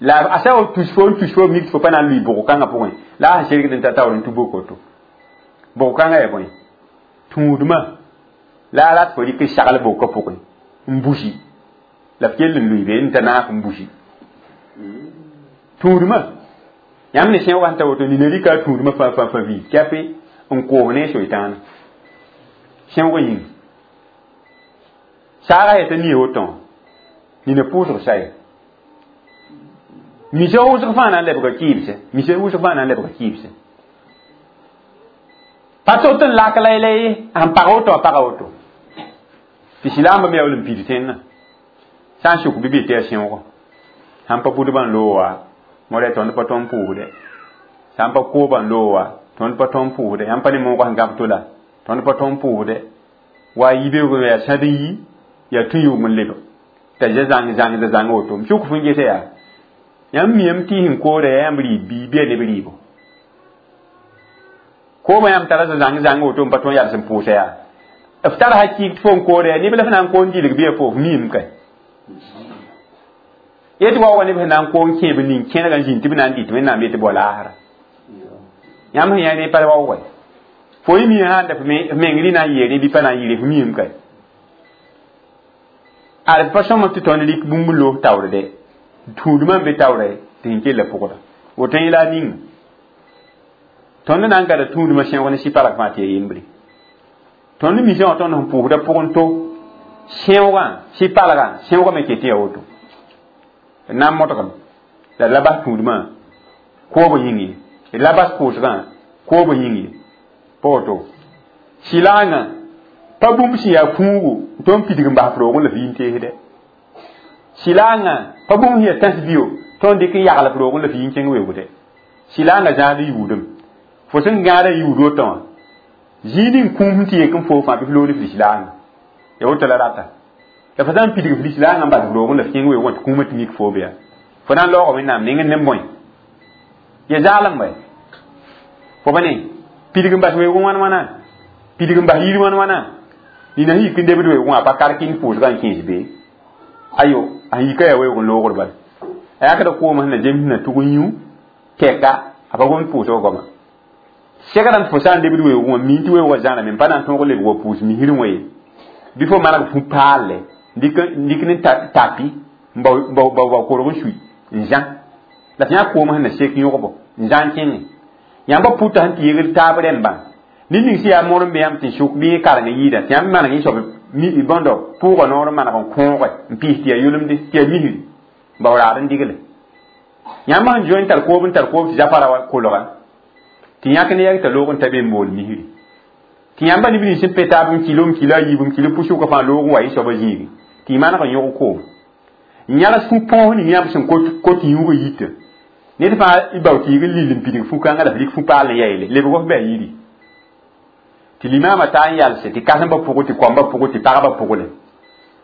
la a sã wa tus fo n tus fo mik tɩ fo pa na n lʋɩ bʋg kãngã pʋgẽ la a sẽn sergd n ta taoor n tũ bokoto bʋg kãngã yaa bõe tũudmã la a rat fo rɩk n sagl bʋka pʋgẽ n busi la f kell n lʋɩ be n ta naaf n busi tũudmã yãmb ne sẽoogã sẽn ta woto nina rɩka a tũudmã fãa fãa fãa vii kɛpe n koos ne soɩtãana sẽoogã yĩnga saaga yaa t'a nie woto wã nina pʋʋsg saya misa wʋsg fãa na n lebga kɩɩbsɛ misa wʋsg fãa na n lebga kɩɩbsɛ pa tot n lak la la ye sẽn pag woto a paga woto tɩ silaambã me yaa wall n pid tẽnnã sã n sʋk bɩ bɩ tɩ yaa sẽoogã sãn pa budbã n loog wa modɛ tõnd pa tõnd pʋʋsdɛ sãn pa koobã n loog wa tõnd pa tõnd pʋʋsdɛ yãmb pa ne moogã sẽn gãb to la tõnd pa tõnd pʋʋsdɛ wa yibeoogẽ yaa sãd n yi yaa tũ yʋʋm n lebg t'a za zãng zãng zãng woto m sʋk fõn gese yaa yãmb miame tɩ sẽn koora yaa yãmb rɩɩb bii bɩ yaa neb rɩɩbo koomã yãmb tara zãng zãng woto n pa tõnd yals n pʋʋsa yaa f tar hakɩɩg tɩ fo n koora yaa neb la f na n koon gilg bɩ yaa fo f miime kay yetɩ wa wa neb sẽn na n koon kẽeb ning kẽnega n zĩnd tɩ b na n dɩt wẽnnaam yetɩ bao laasra yãmb sẽn yã ne pa waoogɛ fo y mi sãn da f meng rɩ na n yɩɩ rẽ bɩ pa na n yɩɩre f miime kay ad pa sõm tɩ tõnd rɩk bũmb n loos taoor dɛ tũudmã n be taoorɛ tɩ sẽn kella pʋgda woto yẽ la a ninga tõnd na n gada tũudmã sẽog ne sɩ-palg fãa tɩ yaa yembre tõnd misã wã tõnd sẽn pʋʋsda pʋgẽ to sẽoogã sɩ-palgã sẽoogã me ket tɩ yaa woto d na n modgem la d la bas tũudmã koobã yĩng ye d la bas pʋʋsgã koobã yĩng ye pa woto sɩlaangã pa bũmb sẽn yaa kũugo n tõnd pidg n bas f roogẽ la f yĩn teesdɛ sɩlaangã pa bũmb sẽn yaa tãs bio tõnd dɩk n yagl f roogẽ la f yĩn kẽng weoogdɛ sɩlaangã zãad yuudem Fo sẽn gãada yʋʋd woto wã zĩig ning kũum sẽn tɩ yek n foo fãa bɩ f loog ne f lislaangã ya woto la rata la fo sã n pidg f lislaangã n bas f roogẽ la f kẽng weoogẽ tɩ kũumã tɩ mik foo be yaa fo na n laooga Wẽnnaam nengẽ ne bõe ya zaalem bɛ fo pa ne pidg n bas weoogẽ wãn wãna pidg n bas yir wãn wãna nina sẽn yik n debd weoogẽ wã pa karkɩnd pʋʋsgã n kẽes be ayo a yika yaa weoog n loogr bala a yakda koomã sẽn na zems sẽn na tʋg n yũ tɛka a pa gomd pʋʋsgã goama segdã fo sã n debd weoogẽ wã mii tɩ weoogã zãname n pa na n tõog lebg wa pʋʋs misrẽ wã ye bɩ fo maneg fu paalle n dɩk ne tapi n bao korg n sui n zã la tɩ yã koomã sẽn na sek yõgbo n zã n kẽngẽ yãmba pʋta sẽn tɩ yegl taab rẽmbã ned ning sẽn yaa mor n be yãmb tɩ sʋk bɩ kareng yɩɩda tɩ yãmb maneg yẽ soab bõndo pʋʋga noor n maneg n kõoge n pɩs tɩ yaa yʋlemde tɩ yaa misri n bao raad n digle yãmb sẽn zoe n tar koob n tar koob tɩ zafara wa kolga tɩ yãk ne yɛg t'a loog n ta be n bool misri tɩ yãmba neb nins sẽn pe taab n kilo n kilo a yiib n kilo pʋsʋka fãa loog n wa yẽ soabã zĩigi tɩ y maneg n yõg koom n yãgs fu-põos ning yãmb sẽn kot yũugã yita ned fãa y bao tɩ yig n lil n pidg fu-kãngã la f rɩk fu-paal n yaeele lebg f bɩ a yiri tɩ limaamã taa n yalse tɩ kãsembã pʋgẽ tɩ koambã pʋgẽ tɩ pagba pʋgle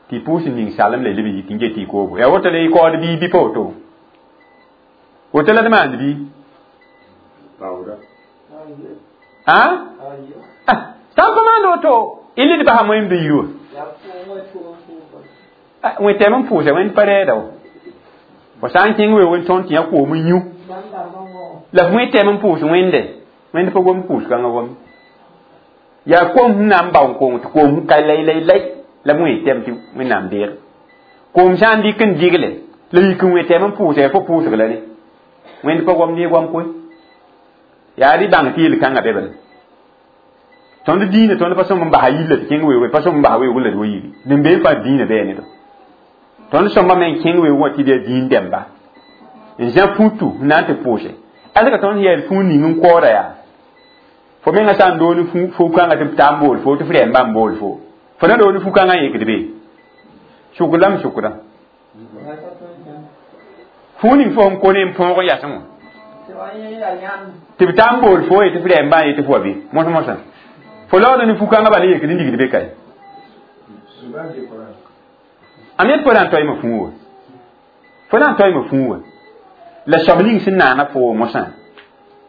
tɩ pʋʋs n ning salem la y leb n yik n get tɩ y koobo yaa woto la y kaood bii bɩ pa woto woto la d maand bii a sã n pa maand woto y led basa moẽmd yir wã wẽ tɛm n pʋʋsa wẽnd pa rɛɛda wa fo sã n kẽng weoog n tõnd tɩ yã koom n yũ la f wẽ tɛm n pʋʋs wẽnde wẽnd pa gom pʋʋs kãngã gom yaa kom sẽn na n bao n kong tɩ koom ka lay lay lay la b wẽ tɛm tɩ Wẽnnaam deeg koom sã n dɩk n digle la yik n wẽ tɛm n pʋʋsa yaa fo pʋʋsg la ne wẽnd pa gom ne goam koe yaa rɩ bãng tɩ yel-kãngã be bala tõnd dĩinã tõnd pa sõm n basa yilla tɩ kẽng weoog pa sõm n basa weoog la d wa yiri din bee fãa dĩinã bɩ ne tõnd sõmba me n kẽng weoog wã tɩ d yaa dĩin dɛmba n zã futu n na n tɩ pʋʋse alka tõnd yɛl fũu ning n koooda yaa fo menga sã n doon fu-kãngã tɩ b taa n bool fo tɩ f rɛɛmba n bool fo fo na doon fu-kãngã n yekd be sʋk lame sʋkdã fũu ning fo sẽn ko ne n põog n yasẽ wã tɩ b taa n bool fo ye tɩ f rɛɛmba n yetɩ fo wa be mos-mosã fo laood ne fu-kãngã bala yekd n digd be kae am yet fo na n toeeme fũu wã fo na n toeeme fũu wã la soab ning sẽn naana fo mosã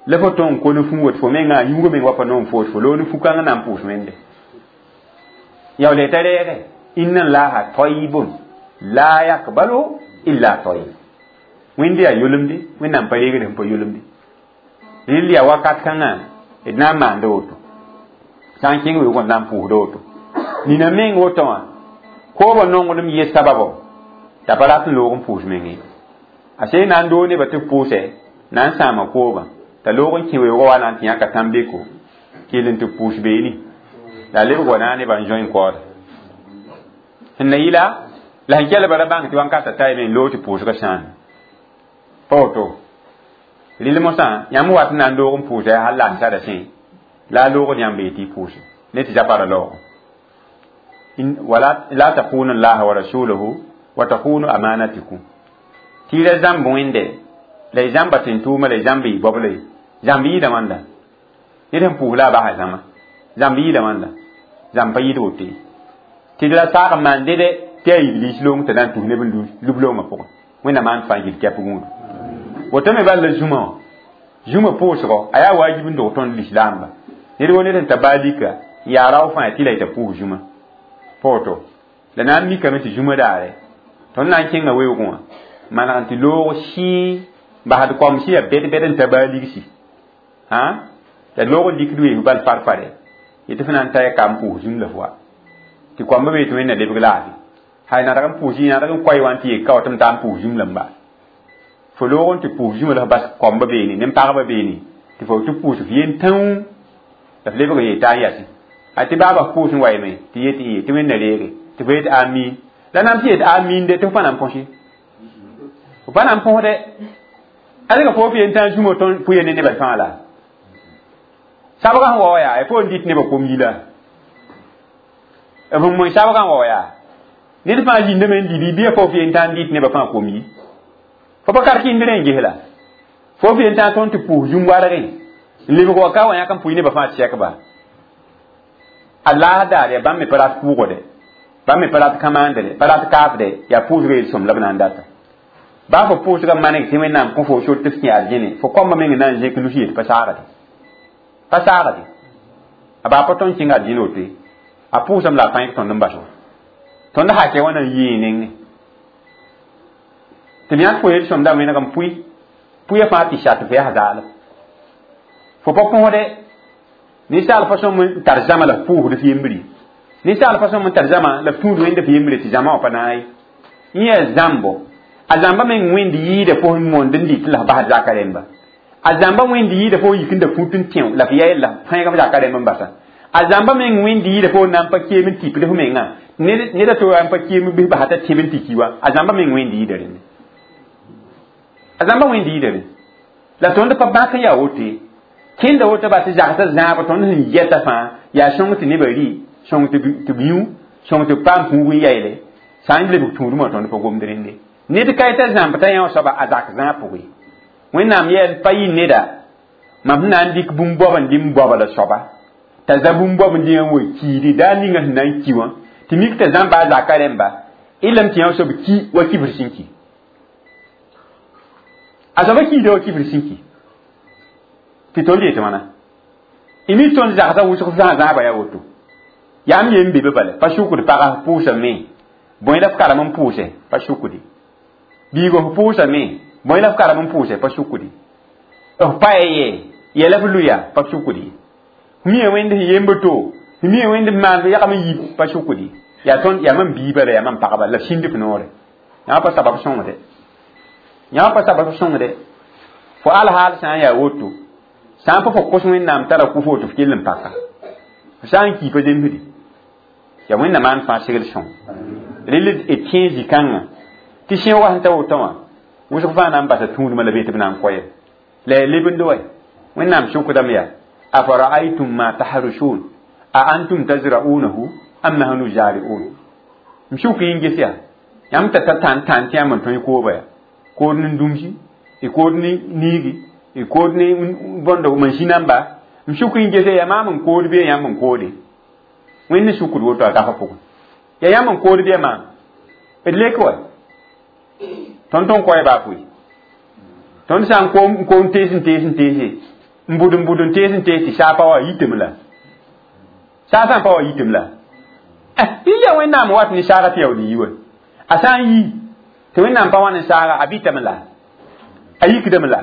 la fo tõn n ko ne fũu tɩ fo mengã a yũugã meng wa pa noom foos fo loog ne fu-kãngã na n pʋʋs wẽnde yaool t'a reege inna allaha tayyibun la yakbalu illa tayyib wẽnd yaa yʋlemde Wẽnnaam pa reegd sẽn pa yʋlemde rɩl yaa wakat kãngã d na n maanda woto sã n kẽng weoogã d na n pʋʋsda woto nina meng woto wã koobã nonglem yɩ sababo t'a pa rat n loog n pʋʋs mengẽ a see na n doog nebã tɩ b pʋʋsɛ na n sãama koobã t'a loog n kẽ weoogã wa na n tɩ yãka tãn-beko kell n tɩ pʋʋs beene la a lebg wa na nebã n zoe n kaooda sẽn na yɩla la sẽn kelba ra bãng tɩ wãnkata ta yeme n loog tɩ pʋʋsgã sãam pa woto rɩl mosã yãmb wat n na n loog n pʋʋsa yaa hal la n sara sẽ la a loogd yãmb yetɩ y pʋʋse ne tɩ zapara laoogo wala la takhunu allaha wa rasulahu wa takhunu amanatikum tɩ y ra zãmb wẽnde la y zãmba tẽn-tʋʋma la y zãmb y goabla ye zãmb yɩɩda wãnda ned sẽn pʋʋs la a basa zãma zãmb yɩɩda wãnda zãmb pa yɩɩd woto ye tɩ d ra saag n maan dede tɩ yaa iblis loong t'a na n tus neb n lub loongã pʋgẽ Wẽnnaam maan fãa gil kɛp gũudu woto me bal la zũmã wã zũmã pʋʋsgɔ a yaa waajib n dog tõnd lislaamba ned wo ned sẽn ta baa lika n yaa rao fãa tɩ la y t'a pʋʋs zũmã pa woto la na n mikame tɩ zũmã daare tõnd na n kẽnga weoogẽ wã maneg n tɩ loog sɩɩ basd koam sɩ yaa bɛd-bɛd n ta baa ligsi hã la loog n dikd wees bal far-fare yetɩ fo na n ta ya ka n pʋʋs zũm la fo wa tɩ koambã be tɩ Wẽnna lebg laafɩ hay nadg n pʋʋs nadg n koay wã n tɩ yek ka wa tɩ m taa n pʋʋs zũm la n baa fo loog n tɩ pʋʋs zũmã la f bas koambã beene nen-pagba beene tɩ fo tɩ pʋʋs f yen tãuu la f lebg n yeta n yasẽ a tɩ baaba f pʋʋs n wa yeme tɩ yet tɩ tɩ Wẽnna reege tɩ fo yet amiin la na n tɩ yet amiin de tɩ f pa na n põse f pa na n põsde alga fo f yen tã zũmã tõnd pʋ ne nebã fãa la sabgã sẽn wa wa yaa fo n dɩt nebã kom yila f n moe sabgã n wa wa yaa ned fãa zĩndame n dɩ bɩ fo f yen tã n dɩt nebã fãa kom yi fo pa karkɩnd rẽ n ges la fo f yen tã tõnd tɩ pʋʋs zũm wargẽ N lebg wa ka wa yãk n pʋɩ nebã fãa tɩ ba. A laas daar yaa bãmb me pa rat pʋʋgde, bãmb me pa rat kãmaandre, pa rat kaafde, yaa pʋʋsgã yel-sõm la b na n data. Baa fo pʋʋsgã maneg tɩ Wẽnnaam kõ fo sor tɩ f kẽ arjẽne, fo koambã meng na n zẽk nus yet pa saagde. Pa saagde. A baa pa tõnd kẽng arjẽne woto ye. A pʋʋsame la a pãyg tõnd n bas wa. Tõnd hakɛ wã na n yee nengẽ. Tɩ b yãk fo yel-sõmda wẽneg n pʋɩ, pʋɩa fãa tɩ shat f yaa zaalem. Fo pa kõsde, ninsaal pa sõm n tar zãma la f pʋʋsd f yembre. Ninsaal pa sõm n tar zãma la f tũud wẽnd f yembre tɩ zãma wã pa naag ye. Yẽ yaa zãmbo. A zãmba meng wẽnd yɩɩda fo sẽn moond n dɩt la f basd zaka rẽmba. A zãmba wẽnd yɩɩda fo yik n da fut n tẽo la f ya la f pãeg f zaka rẽmb n basa. A zãmba meng wẽnd yɩɩda fo na n pa keem n tipd f menga. Ned a to n pa keem n bis basa t'a tẽb n tɩ ki wa. A zãmba meng wẽnd yɩɩda rẽnde. A zãmba wẽnd yɩɩda rẽnde. La tõnd pa bãk n yaa woto ye. Kẽnda woto ba tɩ zagsã zãab tõnd sẽn yɛta fãa yaa sõng tɩ nebã rɩ, sõng tɩ b yũ, sõng tɩ b paam pũug n yaeele. Sã n lebg tũudmã tõnd pa gomd rẽnde. Ned ka t'a zãmb t'a yã soaba a zak zãab pʋgẽ. Wẽnnaam yɛl pa yɩ neda mam sẽn na n dɩk bũmb goab n dɩ n goaba la soaba t'a za bũmb goab n dɩ n wa kiidi daa ninga sẽn na n ki wã tɩ mik t'a zãmba a zaka rẽmba y lame tɩ yã soab ki wa kibr sẽn ki. A soaba kiida wa kibr sẽn ki. Tɩ tõnd yetɩ wãna. Y mi tõnd zagsã wʋsg zã zãaba yaa woto. Yaa m yem be be bala pa sukd pagã pʋʋsame bõe la f karem n pʋʋse pa sukdi. Biigo f pʋʋsame bõe la f karem n pʋʋse pa sukdi. F pa ye yɛla f luya pa sukdi. F mia wẽnd sẽn yemb to, f mia wẽnd f maan yagm n yib pa sukdi. Yaa tõnd yaa mam biiba la yaa mam pagba la sĩnd f noore. Yã pa sabab sõngde. Yã pa sabab sõngde. Fo alhaal sã n yaa woto, sã n pa fo kos Wẽnnaam tara kʋ fo tɩ f kell n paka. F sã n ki pa zemsdi. Yaa Wẽnnaam maan fãa segl sõng. Rel d tẽ zĩ-kãngã tɩ sẽoogã sẽn ta woto wã wʋsg fãa na n basa tũudmã la be tɩ b na n koɛɛm. La yaa lebend wa. Wẽnnaam sokdame yaa afara'aytum ma tahrusun a antum tazra'unahu am nahnu zari'un. M sʋk yĩn ges yaa yãmb t'a ta tãn tãn tɩ yãmb n tõe kooba yaa kood ne dũmsi, y kood ne niigi, y kood ne bõndo mansĩ namba. M sʋk yĩn gese yaa maam n kood bɩ yãmb n koode. Wẽnd ne sukd woto a gafã pʋgẽ. Yaa yãmb n kood bɩ maam. D lek wa. Tõnd tõn koɛɛ baa pʋɩ. Tõnd sã n koom koom tees n tees n teese n bʋd n bʋd n tees n tees tɩ saa pa wa yitame la. Saa sã n pa wa yitame la. Bɩ yaa Wẽnnaam wat ne saaga tɩ yaool yi wa. A sã n yi tɩ Wẽnnaam pa wa ne saaga a bɩtame la. A yikdame la.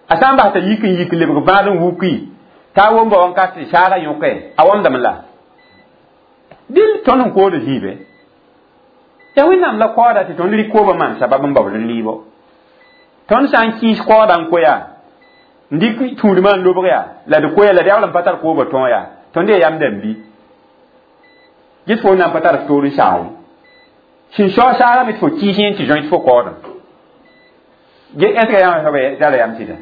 A sã n bas t'a yik n yik lebg bãad n wuki t'a womba wãnkat tɩ saaga yõke a wãmdame la. Dɩl tõnd sẽn kood zĩibe. Yaa Wẽnnaam la koaada tɩ tõnd rɩk koobã maan sabab n baood n lɩɩbo. Tõnd sã n kĩis koaada n koya n dɩk tũudmã n lobg yaa la d koya la d yaool n pa tar koobã tõog yaa tõnd yaa yam dãmb bɩ. Ges fo na n pa tar toor n saag ye. Sẽn sao saagame tɩ fo kɩɩs yẽ tɩ zõe tɩ fo kaoodem. Est ce que yãmb soaba tara yam sɩda?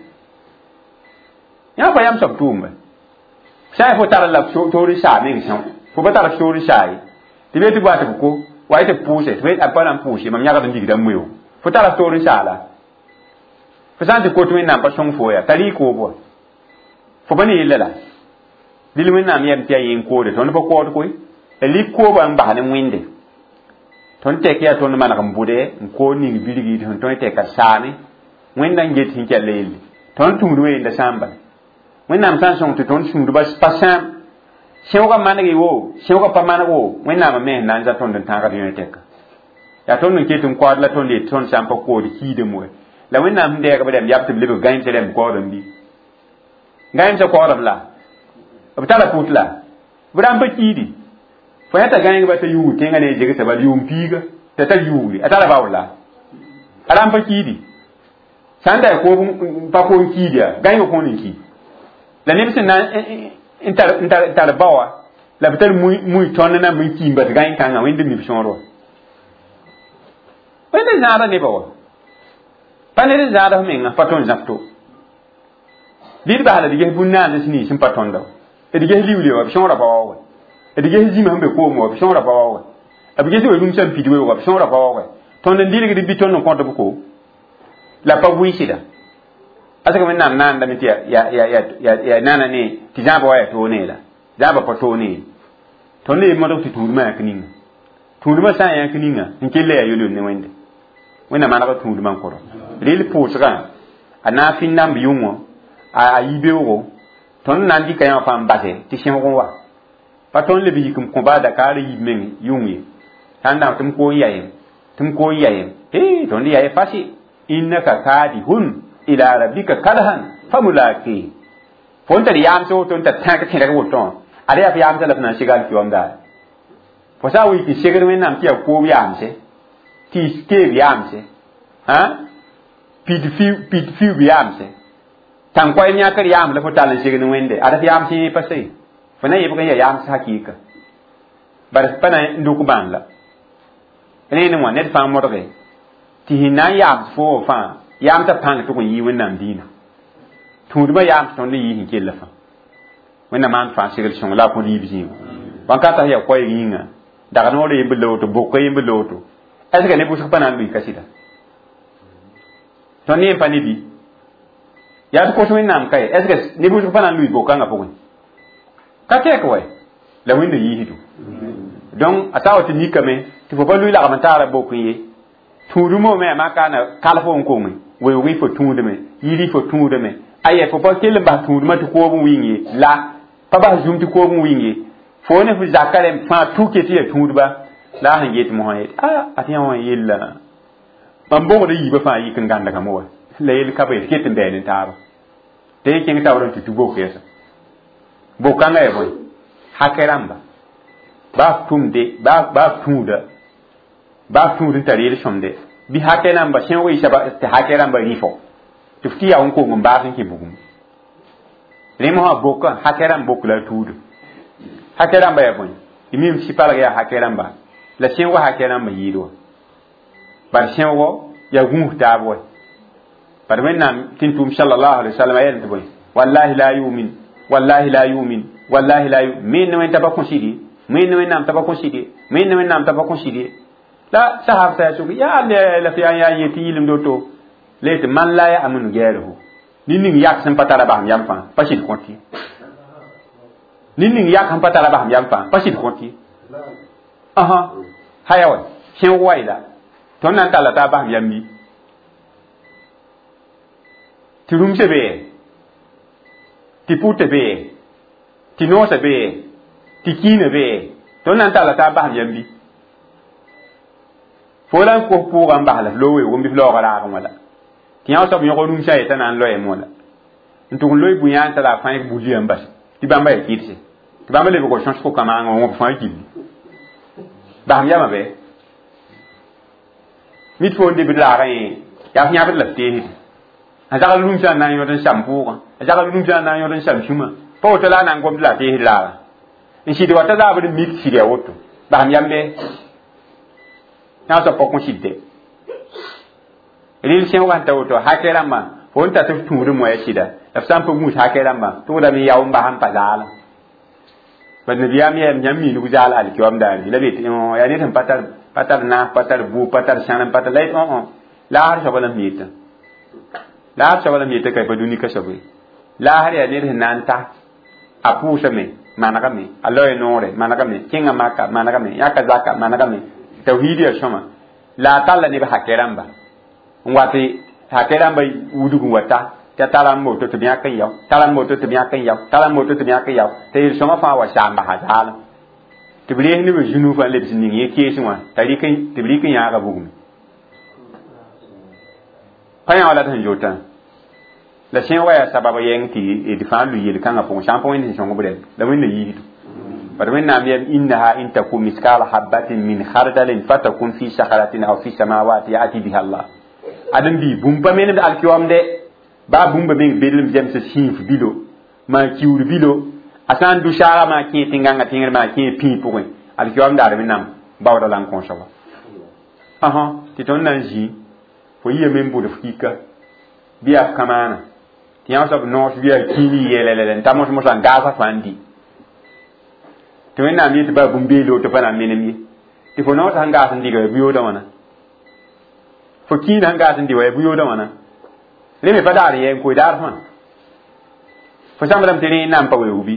Yãmb pa yam soab tʋʋmba. Sã n fo tar la toor n saag meng são, fo pa tar toor n saag ye. Tɩ be tɩ b wa tɩ b ko, wa tɩ b pʋʋse, tɩ b pa na n pʋʋse, mam yãgd n digda n moeoog. Fo tara toor n saala. Fo sã n tɩ kot Wẽnnaam pa sõng fo yaa, tar y koob wa. Fo pa ne yella la. Dɩl Wẽnnaam yɛm tɩ yaa yẽ n koode, tõnd pa kood koe. La lik koobã n bas ne wẽnde. Tõnd tɛk yaa tõnd maneg n bʋde n kood ning birgi tɩ sẽn tõe tɛka saame. Wẽnda n get sẽn kell yelle. Tõnd tũud wã yella sãam bala. Wẽnnaam sã n sõng tɩ tõnd sũur pa sãam. Sẽoogã maneg wo, sẽoogã pa maneg wo, Wẽnnaam me sẽn na n za tõnd n tãagd yõ tɛka. Yaa tõnd n ket n koaad la tõnd yet tõnd sã n pa kood kiidame wa. La Wẽnnaam sẽn dɛɛg b rãmb yab tɩ b lebg gãeemsã rãmb kaoodem bɩ. Gãeemsã kaoodem la. B tara pʋt la. B rãmb pa kiidi. Fo yã t'a gãengba t'a yuug tẽngã ne zegsa bal yʋʋm piiga t'a tar yuugre a tara baool la. A rãmb pa kiidi. Sã n da koob pa koom kiid yaa gãengã kõon n ki. La neb sẽn na n tar n tar tar baoa la b tar mui tõnd na n ki n bas gãeng kãngã wẽnd mi b sõor wa. Wẽnd zãada nebã wa. Pa ned n zãada f menga pa tõnd zãb to. Bɩ d bas la d ges bũn-naand sẽn sẽn pa tõnda wa. D ges liuule wa b sõora pa waoogẽ. D ges zĩma sẽn be koom wa b sõora pa waoogẽ. B ges we rũmsã n pid weoog b sõora pa waoogẽ. Tõnd n dɩlgd bɩ tõnd n kõt b ko. La pa wɩɩsda. Asaka wẽnnaam naandame tɩ ya nana ne tɩ zãaba wa ya toog ne la zãaba pa toog ne tõnd le modg tɩ tũudmã yãk ninga tũudmã sã n yãk ninga n kell yaa yol-yol ne wẽnde wẽnna manega tũudmã n koro rel pʋʋsgã a na n fɩ namb yʋngõ a yi beoogo tõnd na n dɩka yã wã fãa n base tɩ sẽbg n wa pa tõnd leb yik n kõ baa Dakar yib meng yʋng ye sã n dãmb tɩ m koog n ya yem tɩ m koog n ya yem ee tõnd ya ye fasi innaka kadihun ila rabbika kadhan famulaqi fo n tar yaamse woto n tar tãk tẽrg woto wã ad yaa f yaamsã la f na n seg alkiwam daare fo sã n wɩ tɩ segd wẽnnaam tɩ yaa koob yaamse tɩ keeb yaamse pid fiuub yaamse tãn-koɛɛm yãkr yaam la fo tall n segd wẽnde ad f yaams yẽ pa se fo na yebg n yaa yaams hakɩɩka bare pa na n dʋk bãn la rẽene wã ned fãa modge tɩ sẽn na n yaams fo fãa yaamsã pãng tʋg n yɩ wẽnnaam diinã tũudmã yaams tõnd n yɩ sẽn kell fãa wẽnnaam maan fãa segl sõng la a kõd yiib zĩigo bãn-kata yaa koɛɛg yĩnga dag noor yemb la woto boka yemb la woto est ce que ne bʋsg pa na n lʋɩ ka sɩda tõnd yẽ pa ne bi yaa tɩ kos wẽnnaam ka ye est ce que ne bʋsg pa na n lʋɩ bok-kãngã pʋgẽ ka tɛk wa la wẽnda yiisdo donc a sa wa tɩ mikame tɩ fo pa lʋɩ lagm n taara bok n ye tũudmã me a makaana kal fo n konge weoogẽ fo tũudme yiri fo tũudme aya fo pa kell n bas tũudmã tɩ koob n wɩng ye la pa bas zum tɩ koob n wɩng ye fo ne fo zaka rẽmb fãa tuke tɩ yaa tũudba la a sẽn get mosã yet a a tɩ yã wã yella mam bogda yiibã fãa yik n gãndgame wa la yel ka be ket n bɛɛ ne taaba tɩ y kẽng taoor n tɩ tu bok yɛsa bok-kãngã yaa bõe hakɛ rãmba baa tʋmde baa tũuda baa tũud n tar yel-sõmde bɩ hakɛ rãmba sẽog y saba tɩ hakɛ rãmba rɩfo tɩ f tɩ yaa n kong n baas n kẽ bugum rẽ mosã bokã hakɛ rãmb bok la a tuudo hakɛ rãmba yaa bõe y mim sɩ palg yaa hakɛ rãmba la sẽoogã hakɛ rãmba yɩɩd wa bar sẽoogɔ yaa gũus taab wa bar wẽnnaam tɩ n tʋʋm salallahu alaihi wasallam a yɛlm tɩ bõe wallahi la yumin wallahi la yumin wallahi la yumin me ne wẽn t'a pa kõ sɩd ye me ne wẽnnaam t'a pa kõ sɩd ye me ne wẽnnaam t'a pa kõ sɩd ye la sahab sa soke yaa la f yaa yaa yetɩ yɩlemd woto la yetɩ man la ya'manu gɛɛrgo nin ning yak sẽn pa tara basem yam fãa pa sɩd kõt ye nin ning yak sẽn pa tara basem yam fãa pa sɩd kõt ye asa haya wa sẽog wa la tõnd na n talla t'a basem yam bi tɩ rũmsã bee tɩ pʋtã bee tɩ noosã bee tɩ kiinã bee tõnd na n talla t'a basem yam bi fo la n kos pʋʋgã n bas la f loog weoog n bɩ f laoogã raagẽ wã la tɩ yã soab yõg rũmsã yetã na n loɛɛm wã la n tʋg n loe bũ-yãan t'a la a fãa buliyã n bas tɩ bãmba yaa kɩdse tɩ bãmba lebg sõsgo kamaangã wã wõb fãa gilli basem yamã bɩ mit fo n debd laagã yẽ yaa f yãbd la f teesde a zagl rũmsã n na n yõd n sam pʋʋgã a zagl rũmsã n na n yõd n sam sũmã pa woto la a na n gomd la a teesd laagã n sɩd wa t'a zaabd n mik sɩd ya woto basem yam bɩ yã soab pa kõ sɩdde rel sẽoogã sẽn ta woto hakɛ rãmbã fo n ta tɩ f tũudẽ moya sɩda la f sã n pa gũus hakɛ rãmbã tʋgdame yao n bas n pa zaalẽ bad nabiyaam yɛɛm yãmb miinug zaal alkiwam daare la be tɩ yaa ned sẽn pa tar pa tar naas pa tar bʋʋg pa tar sãnem pa tar la yet õ laasr soaba la m yetã laasr soaba la m yetã ka pa dũni ka soab ye laasr yaa ned sẽn na n ta a pʋʋsame manegame a loe noore manegame kẽnga maka manegame yãka zaka manegame tawhid yaa sõma la a talla neb hakɛ rãmba n wat hakɛ rãmba wudg n wa ta tɩ a tara n woto tɩ b yãk n yao tara n woto tɩ b yãk n yao tara n woto tɩ b yãk n yao tɩ yel-sõmã fãa wa saam basa zaalem tɩ b rees neb zũnu fãa lebs ning yẽ keesẽ wã t'a rɩk tɩ b rɩk n yãaga bugme pa yã wa la d sẽn zootã la sẽoogã yaa sabab yɛng tɩ d fãa lʋɩ yel-kãngã pʋgẽ sã n pa wẽnd sẽn sõng b rɛm la wẽnna yiisdo bad wẽnnaam yɛm innaha in taku miskala habatin min khardalin fatakun fi sakhratin aw fi samawati yati biha allah adem bɩ bũmb pa menemd alkiwamde baa bũmba meng bedlem zemsa sĩif bilo maa kiuur bilo a sã n dʋ saaga maa kẽe tẽn-gãngã tẽngr maa kẽe pĩig pʋgẽ alkiwam daar wẽnnaam baooda la n kõ soaba ãsã tɩ tõnd na n zĩ fo yiyame n bʋd f kika bɩ yaa f kamaana tɩ yã soab noos bɩ yaa kĩini yɛlɛlɛlɛ n ta mos-mosã n gaasa fãa n di tɩ wẽnnaam yetɩ baa bũmb-beele woto pa na n menem ye tɩ fo noosã sẽn gaas n dɩga ya bu-yoodã wãna fo kĩinã sẽn gaas n dɩ wa ya bu-yoodã wãna Rẽ me pa daar n yɛɛ n koe daar fãa. Fo zãmbdame tɩ rẽ n na n pa weoog bɩ?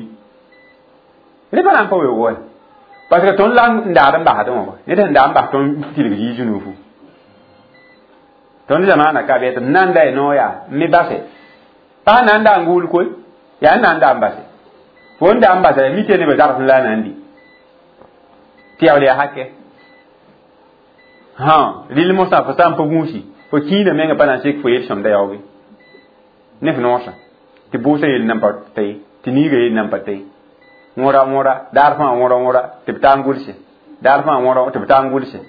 Rẽ pa na n pa weoog wa. Parce que tõnd la n daad n basdẽ wã wa. Ned sẽn daa n bas tõnd tilg yiis nuufu. Tõnd zamaana ka bɩ tɩ m na n da y noor yaa n me base. Pa sẽn na n daa n guul koe, yaa n na n daa n base. Fo n daa n basa mi tɩ nebã zagsẽ la a na n di. Tɩ yaool yaa hakɛ. Hã, rɩl mosã fo sã n pa gũusi, fo kĩinã menga pa na n sek fo yel-sõmda yaooge. Ne f noosã, tɩ bʋʋsã yell nan pa ta ye, tɩ niigã yell nan pa ta ye. Wõra wõra, daar fãa wõra wõra, tɩ b taa n gʋlse. Daar fãa wõra tɩ b taa n gʋlse.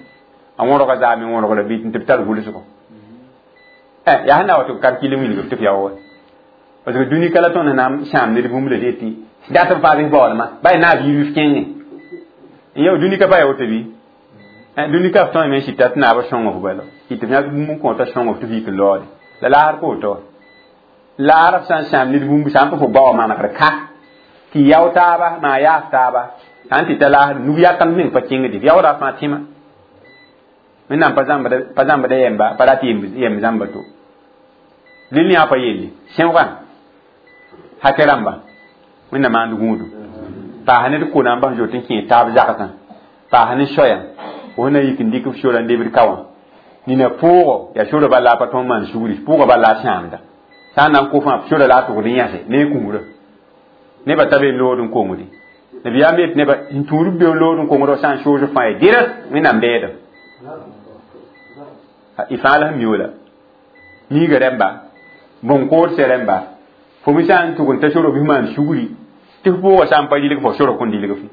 A wõrga zaame wõrgra bɩ tɩ b tar gʋlsgo. Eh, yaa sẽn na wa tɩ b kalkil n wilg tɩ f yaoog. Parce que dũni ka la tõnd na n sãam ned bũmb la tɩ dat n faa bɩ baoolmã, ba y naab yiib f kẽngẽ. N yao dũni ka pa ya woto bɩ? Dũni ka f tõe me n sɩta tɩ naabã sõng f bala. Tɩ f yãk bũmb n kõta sõng f tɩ f yik n laoode. La laasr ka woto. Laar f sã n sãam ned bũmb sã n pa fo bao manegr ka tɩ yao taaba maa yaas taaba sã n tɩ ta laasr nug yakam meng pa kẽngde f yaooda fãa tẽma. Wẽnnaam pa zãmbda pa zãmbda yɛmba pa rat yɛm zãmba to. Lil yã pa yelle sẽoogã hakɛ rãmba Wẽnnaam maand gũudu. Paas ned ko na n bas zoet n kẽe taab zagsã. Paas ne soyã fo na yik n dɩk f sora n lebd ka wã. Nina pʋʋgo yaa sora bala pa tõnd maan sugri pʋʋgã bala a sãamda. Sã n na n kʋ fãa sora la a tʋgd n yãse ne a kũurã. Nebã ta be lood n kongdi. Nabiyaam yet nebã n tũud b be lood n kongd sã n soos fãa ye dɩrs Wẽnnaam bɛɛda. Y fãa la sẽn mi la. Niigã rẽmba, bõn-kood rẽmba, fo me sã n tʋg n ta sora bɩ maan sugri tɩ f pʋʋgã sã n pa rɩlg fo sora kõn dilg fɩ.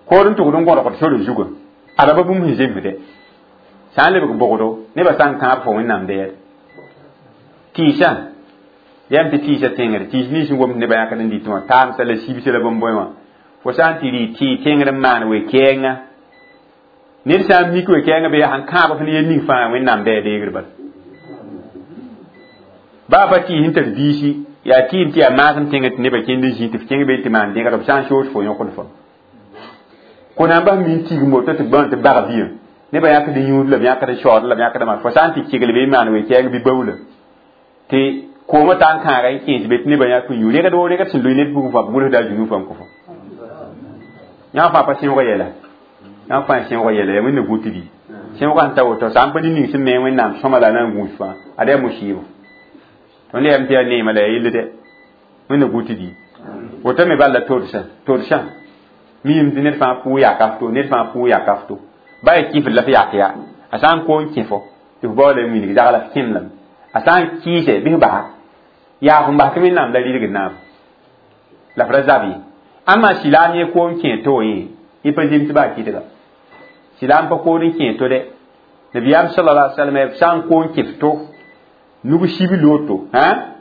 Kood n tʋgd n gõdgd sora zugã. Ada ba bũmb sẽn zemsde. Sã n lebg bogdo, nebã sã n kãab fo Wẽnnaam bɛɛd. Tɩɩsã, yam tɩ tɩɩsã tẽngre, tɩɩs nins n gomd nebã yãkd n dɩtẽ wã, taamsa la sibsã la bõn-bõe wã. Fo sã n tɩ rɩ tɩ tẽngr n maan we-kɛɛngã, ned sã n mik we-kɛɛngã bɩ yaa sẽn kãab f ne yel ning fãa Wẽnnaam bɛɛ deegr bala. Baa pa tɩɩs n tar biisi, yaa tɩɩm tɩ yaa maasem tẽngr tɩ nebã kẽnd n zĩ tɩ f kẽng be tɩ maan dẽgr b sã n soos fo yõkd fo. Ko na n bas min tigim woto tɩ bã tɩ bag biã. Nebã yãkd yũud la b yãkd shaood la b yãkd maan. Fo sã n tɩ kegl be n maan we-kɛɛng bɩ baoola. Tɩ koomã taa n kãaga n kẽes be tɩ nebã yãk n yũ. Rẽgd woo rẽgd sẽn loe ned pʋgẽ fãa b gʋlsda a zũnu fãa n kõ fo. Yã fãa pa sẽoogã yɛla. Yã fãa sẽoogã yɛla yaa Wẽnna gũ tɩ bɩ. Sẽoogã sẽn ta woto sã n pa ning sẽn me Wẽnnaam sõma la a na n gũus fãa ad yaa musɩɩbo. Tõnd yɛm tɩ yaa neemã la yaa yell dɛ. Wẽnna gũ tɩ bɩ. Woto me bal la todsã todsã miim tɩ ned fãa pʋʋ yaka f to ned fãa pʋʋ yaka f to. Ba yaa kɩfd la f yak yaa. A sã n ko n kẽ fo tɩ f baoola n wilg zag la f kẽem lame. A sã n kɩɩse bɩ f basa yaa f bas tɩ Wẽnnaam la rɩlgd naam. La f ra zab ye. Ãmma silaam yẽ koom kẽ to yẽ yẽ pa zems baa kɩdga. Silaam pa kood n kẽ to dɛ. Nabiyaam sallallahu alaihi wasallam sã n ko n kɩf to nug sib loto hã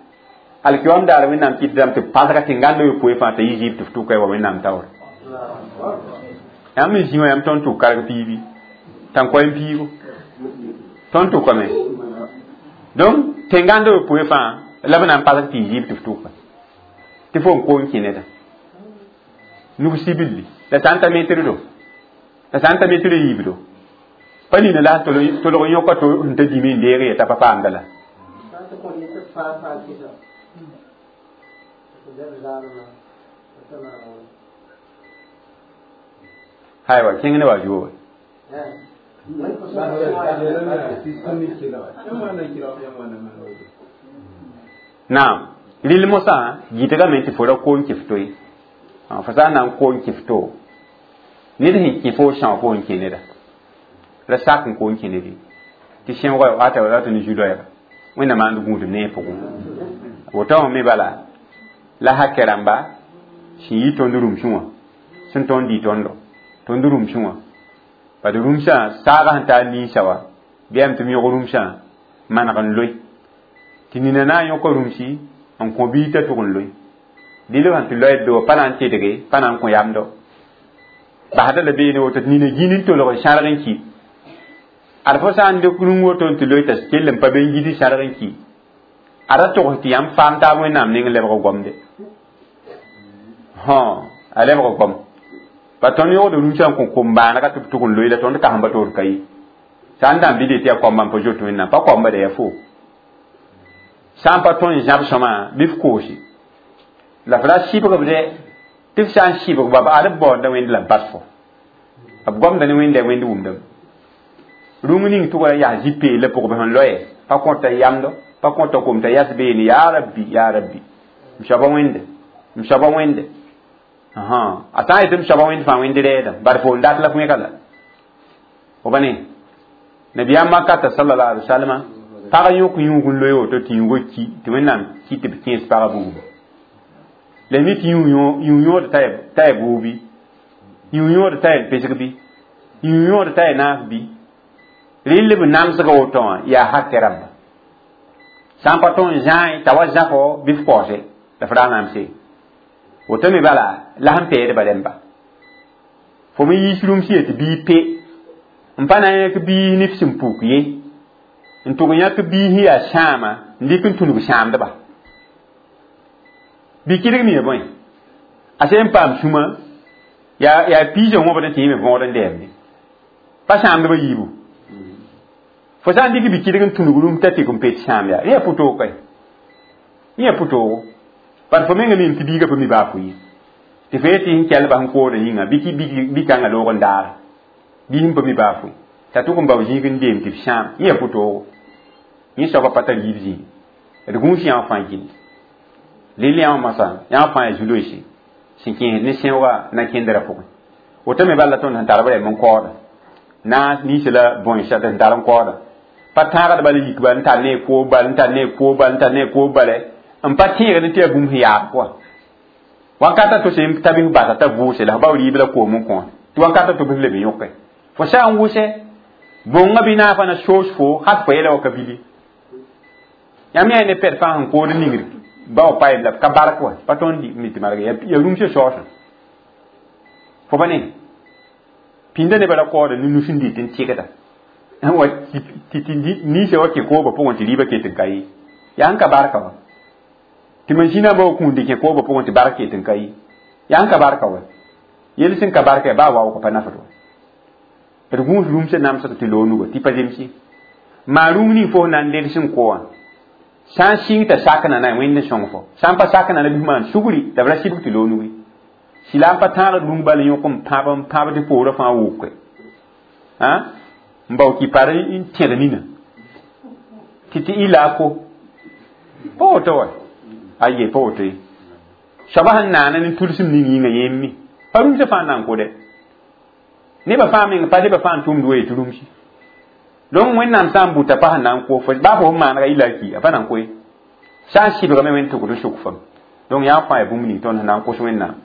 alkiyam daar Wẽnnaam kɩtdame tɩ pasga tẽnganda yopoe fãa t'a yi zɩɩb tɩ f tʋka wa Wẽnnaam taoore. Yãmb me zĩ wã yãmb tõnd tʋk karg piibi tãn-koɛɛm piigo tõnd tʋkame. Donc tẽnganda yopoe fãa la b na n pasg tɩ y zɩɩb tɩ f tʋka tɩ fo n ko n kẽ neda nug sibilli la sã n ta metrdo la sã n ta metr yiibdo pa nina la tolg n yõka to sẽn ta dĩme n deeg ye t'a pa paamda la. Haywa kẽng ne wa zuo. Naam rɩl mosã gɩdgame tɩ fo ra ko n kɩf to ye. Fo sã n na n ko n kɩf to ned sẽn kẽ fo são fo n kẽ neda. Ra sak n ko n kẽ ned ye. Tɩ sẽoogã ata rat ne zu-loɛɛga. Wẽnnaam maand gũudum ne pʋgẽ. Woto wã me bala la hakɛ rãmba sẽn yi tõnd rũmsẽ wã sẽn tõnd dɩ tõndo tõnd rũmsẽ wã bad rũmsã saagã sẽn taa ninsã wa bɩ yam tɩ m yõg rũmsã maneg n loe tɩ nina na n yõka rũmsi n kõ biig t'a tʋg n loe dɩl sẽn tɩ loɛd do pa na n tedge pa na n kõ yamdo basda la beene woto tɩ nina gĩn n tolg n sãrg n ki ad fo sã n dɩk rũm woto n tɩ loe t'a kell n pa be n gid n sãrg n ki a ra togs tɩ yãmb faam taab Wẽnnaam ning lebg gomde. Hõ a lebg gom pa tõnd yõgd rũmsã n kõ kom-bãanega tɩ b tʋg n loe la tõnd kasẽmba toor ka ye. Sã n dãmb bɩ tɩ yaa koamba n pa zoet Wẽnnaam pa koamba da yaa fo. Sã n pa tõe n zãb sõma bɩ f koose la f ra sɩbg b dɛ tɩ f sã n sɩbg ba b ad b baoonda wẽnd la b bas fo b gomda ne wẽnda wẽnd wʋmdame rũng ning tʋg ra yaa zĩ-peelã pʋgẽ bɩ sẽn loe pa kõta yamdo pa kõta kom t'a yas beene yaa rabbi yaa rabbi m soaba wẽnde m soaba wẽnde a sã n yetɩ m soaba wẽnd fãa wẽnd rɛɛdã bar fo n dat la f wẽga la fo pa ne nabiyaam makata sallallahu alaihi wasallam pag yõk yũug n loe woto tɩ yũugã ki tɩ wẽnnaam ki tɩ b kẽes pagã bugum la mi tɩ yũ yõod t'a ya buubi yũ yõod t'a ya pesg bɩ yũ yõod t'a ya naaf bɩ rɩl b namsga woto wã yaa hakɛ rãmba sã n pa tõe n zãe t'a wa zãfo bɩ f kaoose la f ra namse woto me bala la sẽn peedba rẽmba fo me yiis rũms yetɩ bii pe n pa na n yãk biis ne f sẽn puk ye n tʋg yãk biis yaa sãama n dɩk n tũnug sãamdba bɩ kɩdg me ya bõe a sẽn paam sũma yaa yaa piisã wõbd n tɩ yẽ me võod n dɛɛmde pa sãamdbã yiibu fo sã n dɩk bɩ kɩdg n tũnug rũm t'a tɩk n pet sãam yaa rẽ yaa pʋ-toog kae yẽ yaa pʋ-toogo par fo menga mim tɩ biigã pa mi baa fo ye tɩ fo yetɩ sẽn kɛl bas n koodã yĩnga bɩ kãngã loog n daara bɩ sẽn pa mi baa fo t'a tʋg n bao zĩig n deem tɩ f sãam yẽ yaa pʋ-toogo yẽ soaba pa tar yiib zĩig d gũus yã wã fãa gill lel yã wã masã yã wã fãa yaa zu-loeese sẽn kẽesd ne sẽooga na kẽndrã pʋgẽ woto me bala tõnd sẽn tar b rɛm n kaooda naas ninsã la bõensa sẽn tar n kaooda pa tãagd bala yik bal n tar ne koob bal n tar ne koob bal n tar ne koob bala n pa tẽegd tɩ yaa bũmb sẽn yaab pʋga wankata to sẽn ta bɩ f basa t'a vʋʋse la f bao rɩɩb la koom n kõ tɩ wankata to bɩ f leb n yõke fo sã n wʋsɛ bõngã bɩ naafã na soos fo hat fo yɛla wa ka bili yãmb yaa ne pɛd fãa sẽn kood n ningr bao pa la ka bark wa pa tõnd mi tɩ marg yaa rũmsã saoosã fo pa ne pĩnda nebã ra kaooda ne nus n dɩt n tɩgda wa tɩ ninsã wa kẽ koobã pʋgẽ tɩ rɩɩbã ket n ka ye yaa n ka barka wa tɩ masĩnã ba wa kũund kẽ koobã pʋgẽ tɩ bark ket n ka ye yaa n ka barka wa yel sẽn ka barka yaa baa waoog pa nafd wa d gũus rũmsã namsg tɩ loog nuga tɩ pa zemse maa rũm ning fo na n led sẽn ko wã sã n sɩng t'a sakna na wẽnd n sõng fo sã n pa sakna na bɩ f maan sugri la b ra sɩbg tɩ loog nugi sɩla n pa tãagd rũng bal n yõk n pãb n pãb tɩ poorã fãa woke n bao kɩ par n tẽd nina tɩ tɩ ila ko pa woto wa aye pa woto ye soaba sẽn naana ne tudsim ning yĩnga yẽmme pa rũmsã fãa n na n kʋdɛ nebã fãa meng pa nebã fãa n tʋmd wa yetɩ rũmsi donc wẽnnaam sã n buta pa sẽn na n ko fo baa fo sẽn maanega ila ki a pa na n koe sã n sɩbgame wẽnd tʋgd n sʋk fam donc yaa fãa yaa bũmb ning tõnd sẽn na n kos wẽnnaam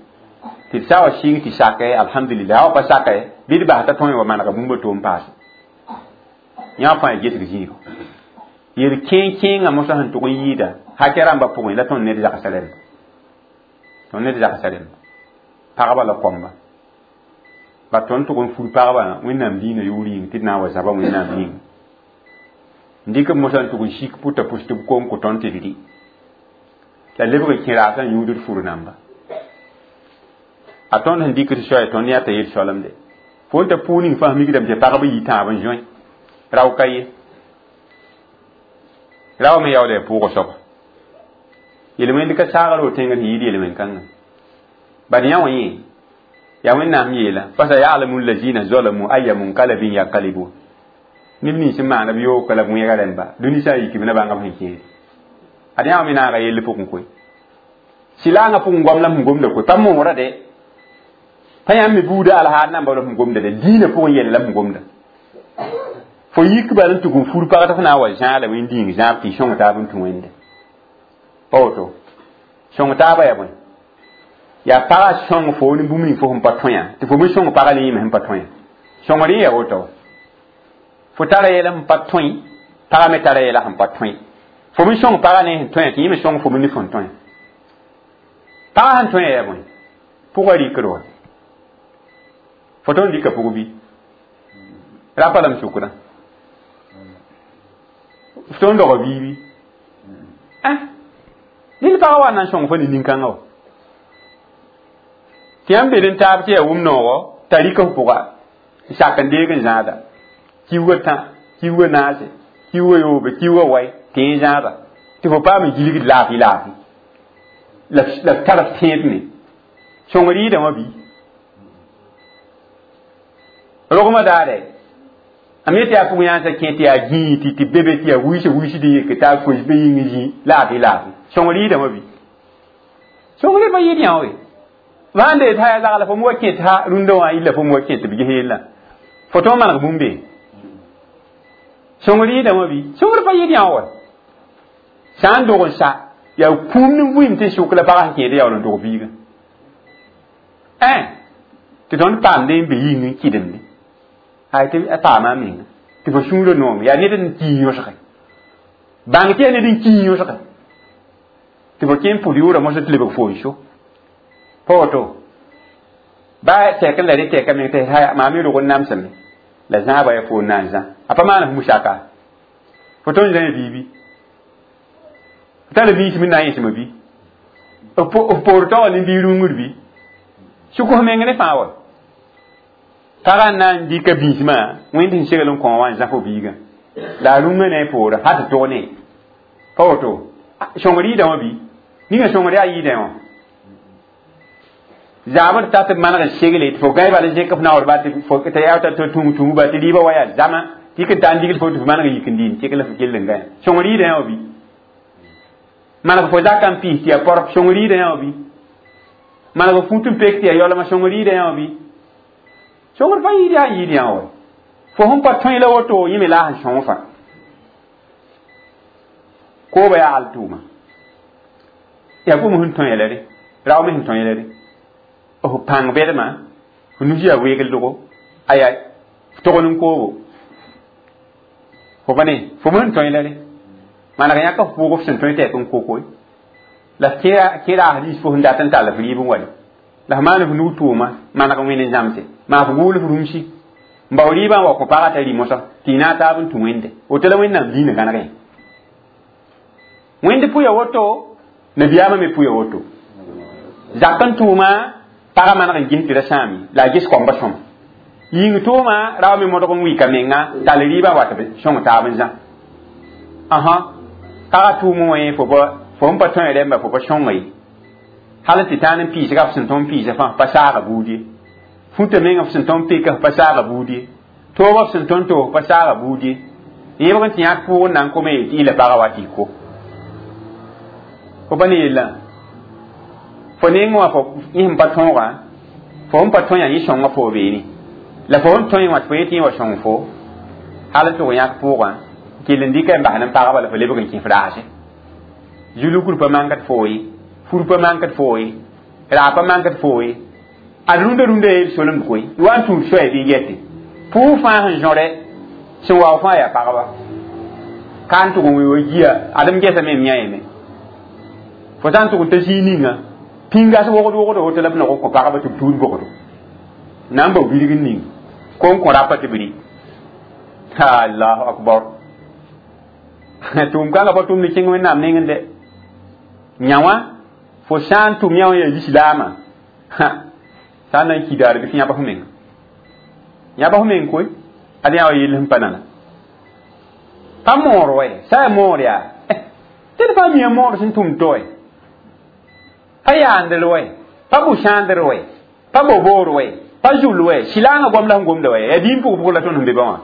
tɩ d sã wa sɩng tɩ sakɛ alhamdulillah a wa pa sakɛ bɩ d bas t'a tõe wa manega bũmba to n paase yã fãa yaa gesg zĩigo yel kẽen-kẽengã mosã sẽn tʋg n yɩɩda hakɛ rãmbã pʋgẽ la tõnd ned zagsa rẽmba tõnd ned zagsa rẽmba pagba la kõmba ba tõnd tʋg n fur pagba wẽnnaam diinã yʋʋr yĩng tɩ d na n wa zaba wẽnnaam yĩnga n dɩk b mosã n tʋg n sik pʋta pʋs tɩ b kom kõ tõnd tɩ d rɩ la lebg n kẽ raasã n yũud d fur namba a tõnd sẽn dɩk d soaya tõnd yãta yel soalemde fo n ta pʋʋg ning fãa mikdame tɩ pagb yi tãab n zoe rao ka ye rao me yaooda yaa pʋʋgã soaba yel-wẽnd ka saagr wo tẽngr sẽn yɩɩd yel-wẽn-kãngã bad yã wã yẽ yaa wẽnnaam yeela fasayalamu lazina zalamu aya munkalabin yankalibun neb nins n maana b yoogka la b wẽega rẽmba dũni sã n yik b na bãnga b sẽn kẽede ad yã wã me naaga yell pʋgẽ koe sɩlaangã pʋgẽ goam la sẽn gomda koe pa moora de pa yãmb me buuda alhaar namba la sẽn gomda de diinã pʋgẽ yɛl la sẽn gomda fo yik bal n tʋg n fur pag tɩ f na n wa zãa la wẽnd dĩing zãab tɩ y sõng taab n tũ wẽnde pa woto sõng taabã yaa bõe yaa pagã sõng fo ne bũmb ning fo sẽn pa tõe tɩ fo me sõng pagã ne yẽme sẽn pa tõe sõngr yẽ yaa woto fo tara yɛla sẽn pa tõe pagã me tara yɛla sẽn pa tõe fo me sõng pagã ne sẽn tõe tɩ yẽ me sõng fo me ne fõn tõe pagã sẽn tõe yaa bõe pʋgã rɩkd wa fo tõnd rɩka pʋg bɩ rapa la m sʋkdã f tõnd doga biibi ned pagã wa na n sõng fo ne nin-kãngã wa tɩ yãmb bed n taab tɩ yaa wʋm noogo t'a rɩk f pʋga n sak n deeg n zãada kiuugã tã kiuugã naase kiuugã yoobe kiuugã wai tɩ yẽ zãada Tɩ fo paam n gilgd laafɩ laafɩ la la tar f tẽed me sõngr yɩɩda wã bɩ rogmã daare a me tɩ yaa pʋg-yãansã kẽ tɩ yaa gĩig tɩ tɩ be be tɩ yaa wɩɩsã wɩɩsd n yeke t'a koes be yĩng zĩ laafɩ laafɩ sõngr yɩɩda wã bɩ sõngr pa yɩɩd yã we sãn dee t'a yaa zagla fo wa kẽ t'a rũndã wã yilla fo wa kẽ tɩ b ges yella fo tõog maneg bũmb be sõngr yɩɩda wã bɩ sõngr pa yɩɩd yã wa sã n dog n sa yaa kũum ne vɩɩm tɩ sʋk la pagã sẽn kẽed yaool n dog biigã ẽ tɩ tõnd paamd n be yĩng n kɩdemde ay tɩ a paama a menga tɩ fo sũurã noome yaa ned n kii yõsge bãng tɩ yaa ned n kii yõsge tɩ fo kẽ n pʋd yʋʋra mosã tɩ lebg fo n so pa woto ba tɛk n la rẽ tɛka meng tɩ maa me rog n namsame la zãaba yaa fo n na n zã a pa maan f musaka fo tõnd zã biibi f tara biis me na n yẽsme bɩ f poor taoor ne bii rũngr bɩ sʋk f meng ne fãa wa pagã n na n dɩka biismã wẽnd sẽn segl n kõ wã n zã fo biigã la a rũngã ne a poora hal tɩ tog ne pa woto sõngr yɩɩda wã bɩ ninga sõngr yaa yɩɩdã wã zaabr ta tɩ maneg n segle tɩ fo gãe bala zẽk f naoor ba tɩ yaa tɩ tũng tũng ba tɩ rɩɩbã wa yaa zãma tɩ yik n ta n digl fo tɩ f maneg yik n dɩ n tek la f kell n gãe sõngr yɩɩdã wã bɩ maneg fo zakã n piis tɩ yaa porp sõngr yɩɩdã wã bɩ maneg f fut n pek tɩ yaa yaolmã sõngr yɩɩdã wã bɩ sõngr pa yɩɩd yaa yɩɩd yã wa fo sẽn pa tõe la woto yẽ me la a sẽn sõng fã kooba yaa al tʋʋma yaa bũmb sẽn tõe la re rao me sẽn tõe la re f pãng bɛdmã f nus yaa weegldogo aya f togl n koobo fo pa ne fo me sẽn tõe la re maneg yãka f pʋʋg f sẽn tõe tɛk n kokoe la f kẽ raas rĩis fo sẽn dat n tall f rɩɩb n wa la f maan f nug tʋʋma maneg wẽnd n zãmse maa f gʋʋl f rũmsi n bao rɩɩbã n wa kõ pagã t'a rɩ mosã tɩ y na taab n tũ wẽnde woto la wẽnnaam diinã gãnegẽ wẽnd pʋya woto nabiyaamã me pʋya woto zak n tʋʋma pagã maneg n ges tɩ ra sãam ye la a ges koambã sõma yĩng tʋʋma rao me modg n wika menga tall rɩɩbã wa tɩ b sõng taab n zã ãhã pagã tʋʋm wã fo fo sẽn pa tõe rẽmba fo pa sõnga ye hal tɩ tãan n piisga f sẽn tõnd piisã fãa pa saaga buud ye fũta menga f sẽn tõnd peka f pa saaga buud ye toobã f sẽn tõnd toog f pa saaga buud ye yẽbg n tɩ yãk pʋʋg n na n kome ye tɩ y la pagã wa tɩ y ko fo pa ne yellã fo neng wã fo yẽ sẽn pa tõogã fo sẽn pa tõe yã yẽ sõnga fo beene la fo sẽn tõe wã tɩ fo yetɩ yẽ wa sõng fo hal tɩ tʋg yãk pʋʋgã kell n dɩka n bas n pagba la fo lebg n kẽ f raase zulukr pa mankd foo ye fur pa mankd foo ye raa pa mankd foo ye ad rũndã rũndã yeel solemd koe wa n tũud soaya bɩ yɛte pʋʋg fãa sẽn zõre sẽn wao fãa yaa pagba ka n tʋg n wee wa gia adem gesame m yã yeme fo sã n tʋg n ta zĩig ninga pĩngas wogd wogdo woto la b nog n kõ pagba tɩ b tuud bogdo na n bao bilg n ning ko n kõ rapa tɩ b rɩ allahu akbar tʋʋm kãngã pa tʋmd kẽng wẽnnaam nengẽ dɛ yã wã fo sã n tʋm yã wã yaa lislaamã sã n na n kidaar bɩ f yãb f menga yãb f meng koe ad yã wa yell sẽn pa nana pa moor wɛ sã yaa moor yaa tɩ d pa mia moor sẽn tʋm to wɛ pa yaandr wɛ pa bʋ-sãandr wɛ pa boboor wɛ pa zul wɛ sɩlaangã goam la sẽn gomda wɛ yaa dĩin pʋg pʋgẽ la tõnd sẽn be ba wã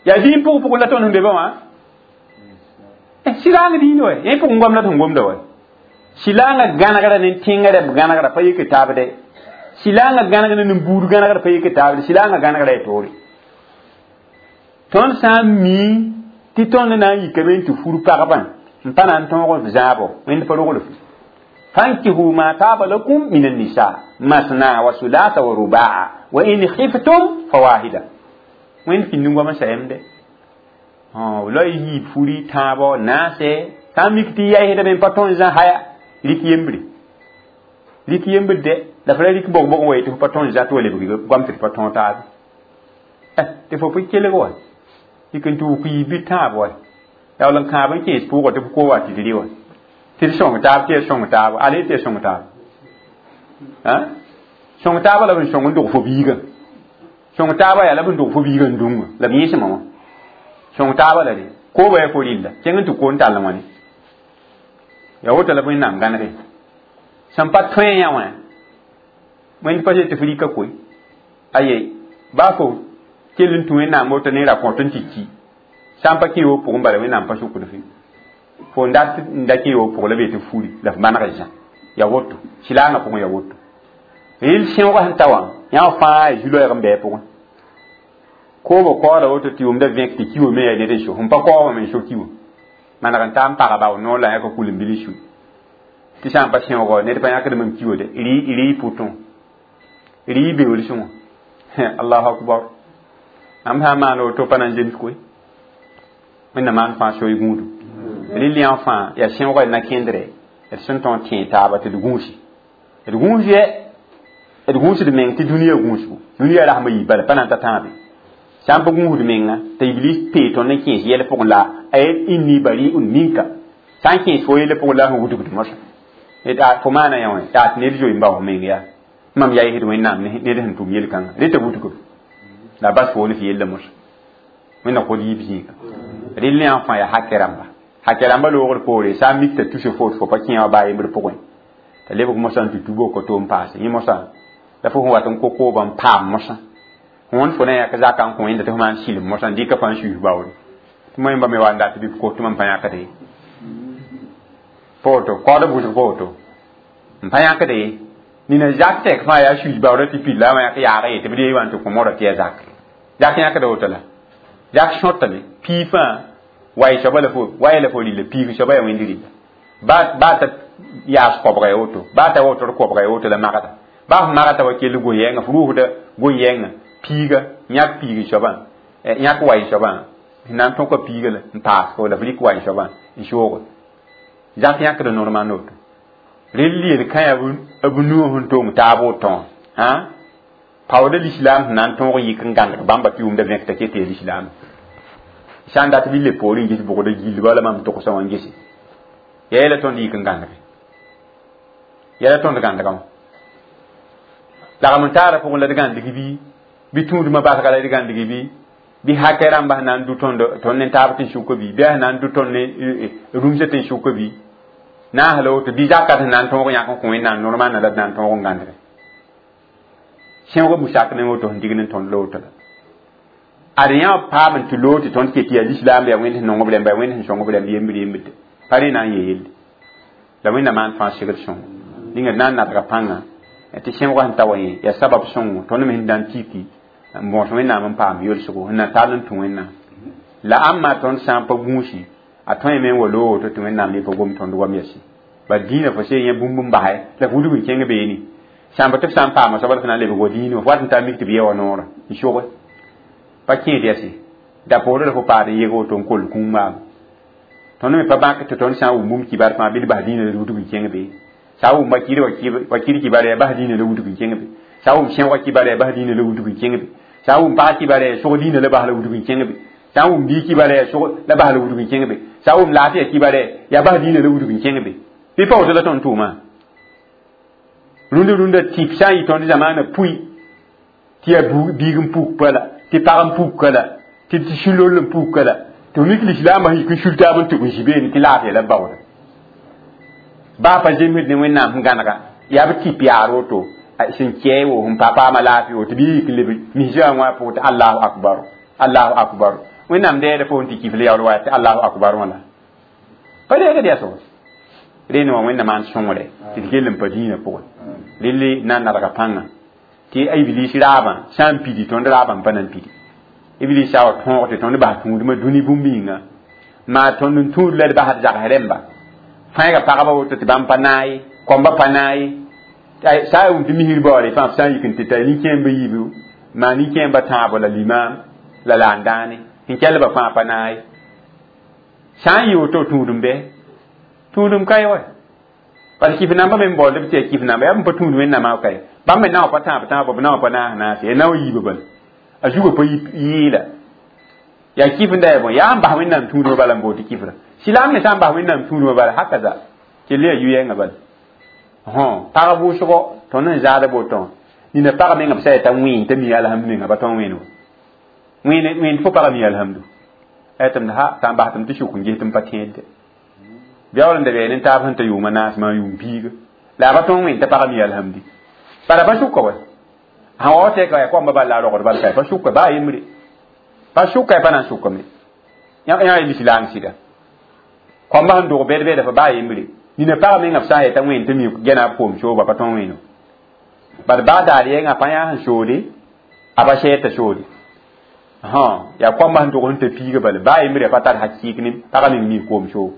yaa dĩin pʋg pʋgẽ la tõnd sẽn be ba wã sɩlaang dĩin wɛ yẽ pʋgẽ goam la sẽn gomda wɛ sɩlaangã gãnegra ne tẽngrã b gãnegra pa yik taabde sɩlaangã gãnegr ne buud gãnegra pa yik taabde sɩlaangã gãnegra ya toore tõnd sã n mi tɩ tõnd na n yikame n tɩ fur pagbã n pa na n tõog f zãabo wẽnd pa rogl f fankihu ma taaba lakum min annisa masna wa sulasa wa rubaa wa in khiftum fawahida wẽnd pĩnd goam n sayemde la y yiib furi tãabo naase sã n mik tɩ yaɩsdame n pa tõnd zã haya rik yembre rik yembr de la f ra rik bog-bog n wa tɩ f pa tõnd zã tɩ wa lebg goam tɩ d pa tõog taabe tɩ fo pʋ kelg wa yik n tɩ wʋk yiib bɩ tãab wa yaool n kãab n kẽes pʋʋgã tɩ f ko wa tɩ d rɩ wa tɩ d sõng taab tɩ ya sõng taab ale tɩ ya sõng taab sõng taabã la b n sõng n dog fo biigã sõng taabã yaa la b n dog fo biigã n dũngã la b yẽsmã wã sõng taabã la de Kooba yaa fo rɩlla kẽng n tɩ ko n tall wãne yaa woto la Wẽnnaam gãnege sẽn pa tõe yã wã wẽnd pa tɩ f rɩka koe aye baa fo kell n tũ Wẽnnaam woto ne ra kõt n tɩ ki sã n pa kẽ yoog pʋgẽ bala Wẽnnaam pa sʋkd f fo n dat n da kẽ yoog pʋg la be tɩ furi la f maneg zã ya woto silaangã pʋgẽ ya woto rɩl sẽoogã sẽn ta wã yã fãa ya zu-loɛɛg n bɩ a pʋgẽ koobã kaooda woto tɩ yʋmda vẽk tɩ kiwã me yaa ned n so sẽn pa kaoobã me n so kiwã maneg n taa n paga bao noor la yãka kul n bil n sui tɩ sã n pa sẽoogɔ ned pa yãkd mam kiwã de rɩ pʋtõ rɩ beool sõŋo allahu akbar am sã n maan woto pa na n zems koe Wẽnnaam maan fãa soy gũudu rɩl yã fãa yaa sẽoogã na kẽndre d sẽn tõog tẽ taaba tɩ d gũusi d gũus yɛ d gũusd meng tɩ dũniyã gũusgu dũniyã rasmã yii bala pa na n ta tãabe sã n pa gũusd menga t'a iblis pee tõnd n kẽes yɛl pʋgẽ la a inni bari'un minka sã n kẽes fo yelle pʋgẽ la sẽn wudgd mosã fo maana yã wã yaa tɩ ned zoe n bao meng yaa mam yaa yesd Wẽnnaam ned sẽn tʋm yel-kãngã reta wudgb la bas fo ne f yella mosã Wẽnna kod yiib zĩiga rɩl yã fãa yaa hakɛ rãmba hakɛ rãmba loogr poore sã n mik t'a tus fo fo pa kẽ wã baa yembr pʋgẽ t'a lebg mosã n tɩ tubo ko n paase yẽ mosã la fo sẽn wat n ko koobã n paam mosã wõnd fo na yãk zaka n kõ wẽnda tɩ fo maan silem mosã n dɩka fãa n suis baoore tɩ moẽmba me wa n dat bɩ b kos tɩ mam pa yãkde ye pa woto kaood b wʋsg pa woto n pa yãkde ye nina zak tɛk fãa yaa suis baoora tɩ pid la a wã yãk yaag ye tɩ b dee wã n tɩ kõ modã tɩ yaa zak zak yãkda woto la zak sõtame pii fãa way soaba la fo waya la fo rɩlla piig soaba yaa wẽnd rɩlla baa ta yaas koabga ya woto baa ta wotr koabga ya woto la magda baa f magta wa kell goy-yɛɛngã f rʋʋsda goy-yɛɛngã piiga yãk piig soabã yãk way soabã na n tõka piiga la n paas fo la f rɩk way soabã n sooge zak yãkda normal woto rel yel-kã b nuã sẽn tong taab wotõ hã paooda lislaam sẽn na n tõog yik n gãneg bãmba tɩ yʋʋmda vẽk t'a ket tɩ yaa lislaam sã n dat bɩ le poorẽ n ges bʋgda gill bala mam togsã wã n gese yaa yɛla tõnd yik n gãnege yɛla tõnd gãndgã wã lagm n taara pʋgẽ la d gãndg bɩ bɩ tũudmã basga la d gãndg bɩ bɩ hakɛ rãmba sẽn na n dʋ tõnd tõnd ne taab tɩ n sʋka bɩ bɩ sẽn na n dʋ tõnd ne rũmsã tɩ n sʋka bɩ naas la woto bɩ zakat sẽn na n tõog yãk n kõ Wẽnnaam normalã la d na n tõog n gãndge sẽoogã busak ne woto sẽn digd n tõnd la woto la ad yã paam n tɩ loog tɩ tõnd ket yaa lislaam yaa Wẽnd sẽn nong b rãmba yaa Wẽnd sẽn sõng b rãmb yembr yembrde pa rẽ na n yee yelle la Wẽnnaam maan fãa segd sõngo ninga d na n nadga pãnga tɩ sẽoogã sẽn ta wa yẽ yaa sabab sõngo tõnd me sẽn na n tiki n bõos Wẽnnaam n paam yolsgo sẽn na tall n tũ Wẽnnaam la ãmba tõnd sã n pa gũusi a tõe me n wa loog woto tɩ Wẽnnaam ne pa gom tõnd wam yɛsi ba dĩinã fo see yẽ bũmb n basɛ la f wudg n kẽng beene sãmba tɩ f sã n paama soaba la f na n lebg wa dĩinã f wat n taa mik tɩ b yɛ wa noorã n soge pa kẽed yɛse da-poorã la fo paad n yeg woto n koll kũum maam tõnd me pa bãk tɩ tõnd sã n wʋm bũmb kibar fãa bɩ d bas dĩinã la d wudg n kẽng bee sã n wʋm wa kir kibar yaa bas dĩinã la wudg n kẽng be sã n wʋm sẽoogã kibar yaa bas dĩinã la wudg n kẽng be sã n wʋm pag kibar yaa sog dĩinã la bas la wudg n kẽng be sã n wʋm bii kibar yaa sog la bas la wudg n kẽng be sã n wʋm laafɩya kibar yaa bas dĩinã la wudg n kẽng be bɩ pa woto la tõnd tʋʋmã rũndã rũndã tɩp sã n yɩ tõnd zamaanã pʋi tɩ yaa biig n puk pa la tɩ pag n puk la tɩ tɩ sũ-loll n puk la tɩ mik lislaambã yik n sul taab n tʋg n zĩ beene tɩ laafɩya la baooda baa pa zemsd ne Wẽnnaam sẽn gãnega yaa b tɩp yaar woto sẽn kɛɛ wo sẽn pa paama laafɩ woto bɩ yik n leb misã wã pʋgẽ tɩ allahu akbar allahu akbar Wẽnnaam dɛɛda fo n tɩ kif la yaool wa tɩ allahu akbar wã la pa deegd yaa sogs rẽnd wã Wẽnnaam maan sõngre tɩ d kell n pa dĩinã pʋgẽ relle na n nadga pãnga tɩ iblis raabã sã n pidi tõnd raabã n pa na n pidi iblis sã wa tõog tɩ tõnd bas tũudmã dũni bũmb yĩnga maa tõnd n tũud la d basd zags rẽmba fãiga pagba woto tɩ bãmb pa naay kõmba pa naay sã n wʋm tɩ misir baoore fãa f sã n yik n tɩ ta nin-kẽemba yiibu maa nin-kẽemba tãabo la limaam la laandãane sẽn kelba fãa pa naay sã n yɩ woto tũudum bɛ tũudum ka ye wa parce kif namba me n baood b tɩ yaa kif namba yaa b pa tũud Wẽnnaamã kae bãmb me naoã pa tãab tãabo b naoã pa naas naase yaa nao yiibã bala a zugã pa yɩɩla yaa kif n da yaa bõe yaa n bas Wẽnnaam tũudmã bala n bood tɩ kifra silaam ne sã n bas Wẽnnaam tũudmã bala hakaza kell yaa yu-yɛɛngã bala pag vʋʋsgo tõnd n zaad botõ nina pag menga b sã yaa t'a wẽen t'a mi alhamdu menga pa tõn wẽen wa wẽnd fo pag mi alhamdu Tɩm ha sã n bas tɩm tɩ sʋk n ges tɩ m pa tẽedde beool n da bɩ nin-taab sẽn ta yʋʋma naas maa yʋʋm piiga la a pa tõog wẽnd t'a pagã mi alhamdi bara pa sʋka wa sã wa tɛka yaa koamba bal la a rogd bal ka pa sʋka baa yembre pa sʋka pa na n sʋkame yã lislaang sɩda koamba sẽn dog bɛd bɛda fa baa yembre nina pag menga b sã n yeta wẽnd tɩ mi gɛna b koom sooba pa tõog wẽno bad baa daar yɛngã pa yã sẽn soode a pa sɛɛd t'a soode yaa koamba sẽn dog sẽn ta piiga bala baa yembre pa tar hakɩɩk ne pagã meng mi koom soog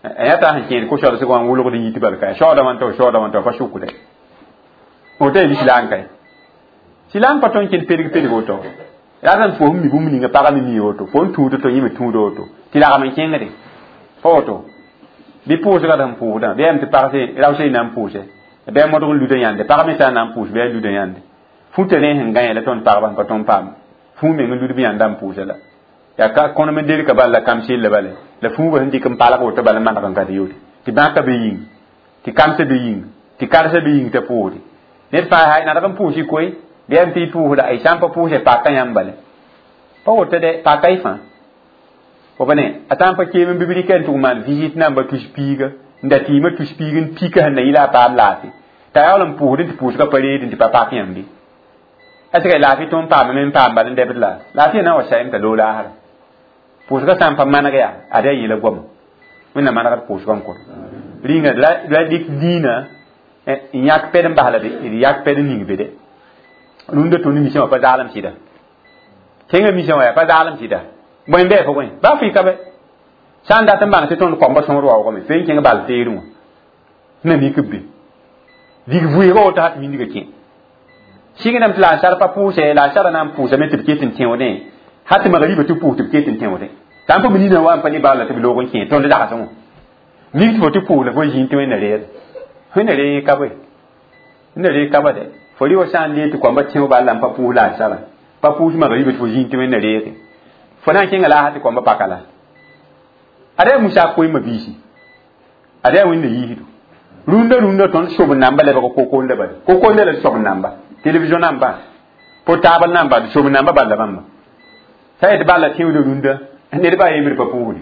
yã t'a sẽn kẽed ko-soalsg wã n wʋlgd n yit bal ka shaooda wã tɩ shaooda wã tɩ pa sʋkde woto yaa lislaang kae silaang pa tõe n kẽnd pedg pedg woto rat n fo sẽn mi bũmb ninga pagã me mi woto fo n tũud to yẽ me tũud woto tɩ lagm n kẽngde pa woto bɩ pʋʋsga d sẽn pʋʋsdã bɩ yam tɩ pag raosã y na n pʋʋse bɩ a modg n luda yãnde pag me sã n na n pʋʋs bɩ a luda yãnde futa ne sẽn gã la tõnd pagba sẽn pa tõnd paam fũu meng n ludb yãnda n pʋʋsa la yaa ka kõnem n derka bal la kam sella bale la fuuga sẽn dɩk n palg woto bala n maneg n gat yoore tɩ bãka be yĩng tɩ kamsã be yĩng tɩ karsã be yĩng t'a pʋʋsde ned fãa nadg n pʋʋs y koe bɩ yam tɩ y pʋʋsda y sã n pa pʋʋse paka yãmb bale pa woto de paka y fãa fo pa ne a sã n pa keem n bibri ka n tʋg maan visite namba tus piiga n da tɩɩmã tus piig n pika sẽn na yɩla a paam laafɩ t'a yaool n pʋʋsd tɩ pʋʋsgã pa reed tɩ pa pak yãmb est-ce que laafɩ tõnd paam me n paam bal n dɛbd la laafɩ na n wa sayem t'a loog laasra pʋʋsgã sã n pa maneg yaa ad yaa yeela goama wẽnnaam manegd pʋʋsgã n kõt rĩnga la dɩk dĩinã n yãk pɛd n bas la d yak pɛd n ning be de rũndã tõnd misã wã pa zaalem sɩda kẽngã misã wã yaa pa zaalem sɩda bõe n bɩ fo bõe baa fɩ ka bɛ sã n dat n bãng tɩ tõnd koamba sõor waoogame fo n kẽng bal teerẽ wã na mik b be dig vʋɩɩga woto hat mindiga kẽ sɩngdame tɩ la n sar pa pʋʋsɛ la n sara na n pʋʋsame tɩ b ket n tẽodẽ hat tɩ magriba tɩ pʋʋs tɩ b ket n tẽodẽ t'a n pa nina wa n pa ne bal la tɩ b loog n kẽ tõnd dagsẽ wã mik tɩ fo tɩ pʋʋs la fo zĩig tɩ wẽnna reer wẽnna reeg ka bõe wẽnna reeg ka ba dɛ fo rɩ wa sã n lee tɩ koamba tẽo bal la n pa pʋʋs la n sara pa pʋʋs magriba tɩ fo zĩig tɩ wẽnna reege fo na n kẽnga la a tɩ koamba paka la ada yaa musa koeemã biisi ada yaa wẽnna yiisdo rũndã rũndã tõnd sob namba lebg kokonda bale kokonda la sob namba télévision namba portable namba d sob namba balla bãmba sã yet balla tẽoda rũndã ned baa yembr pa pʋʋsde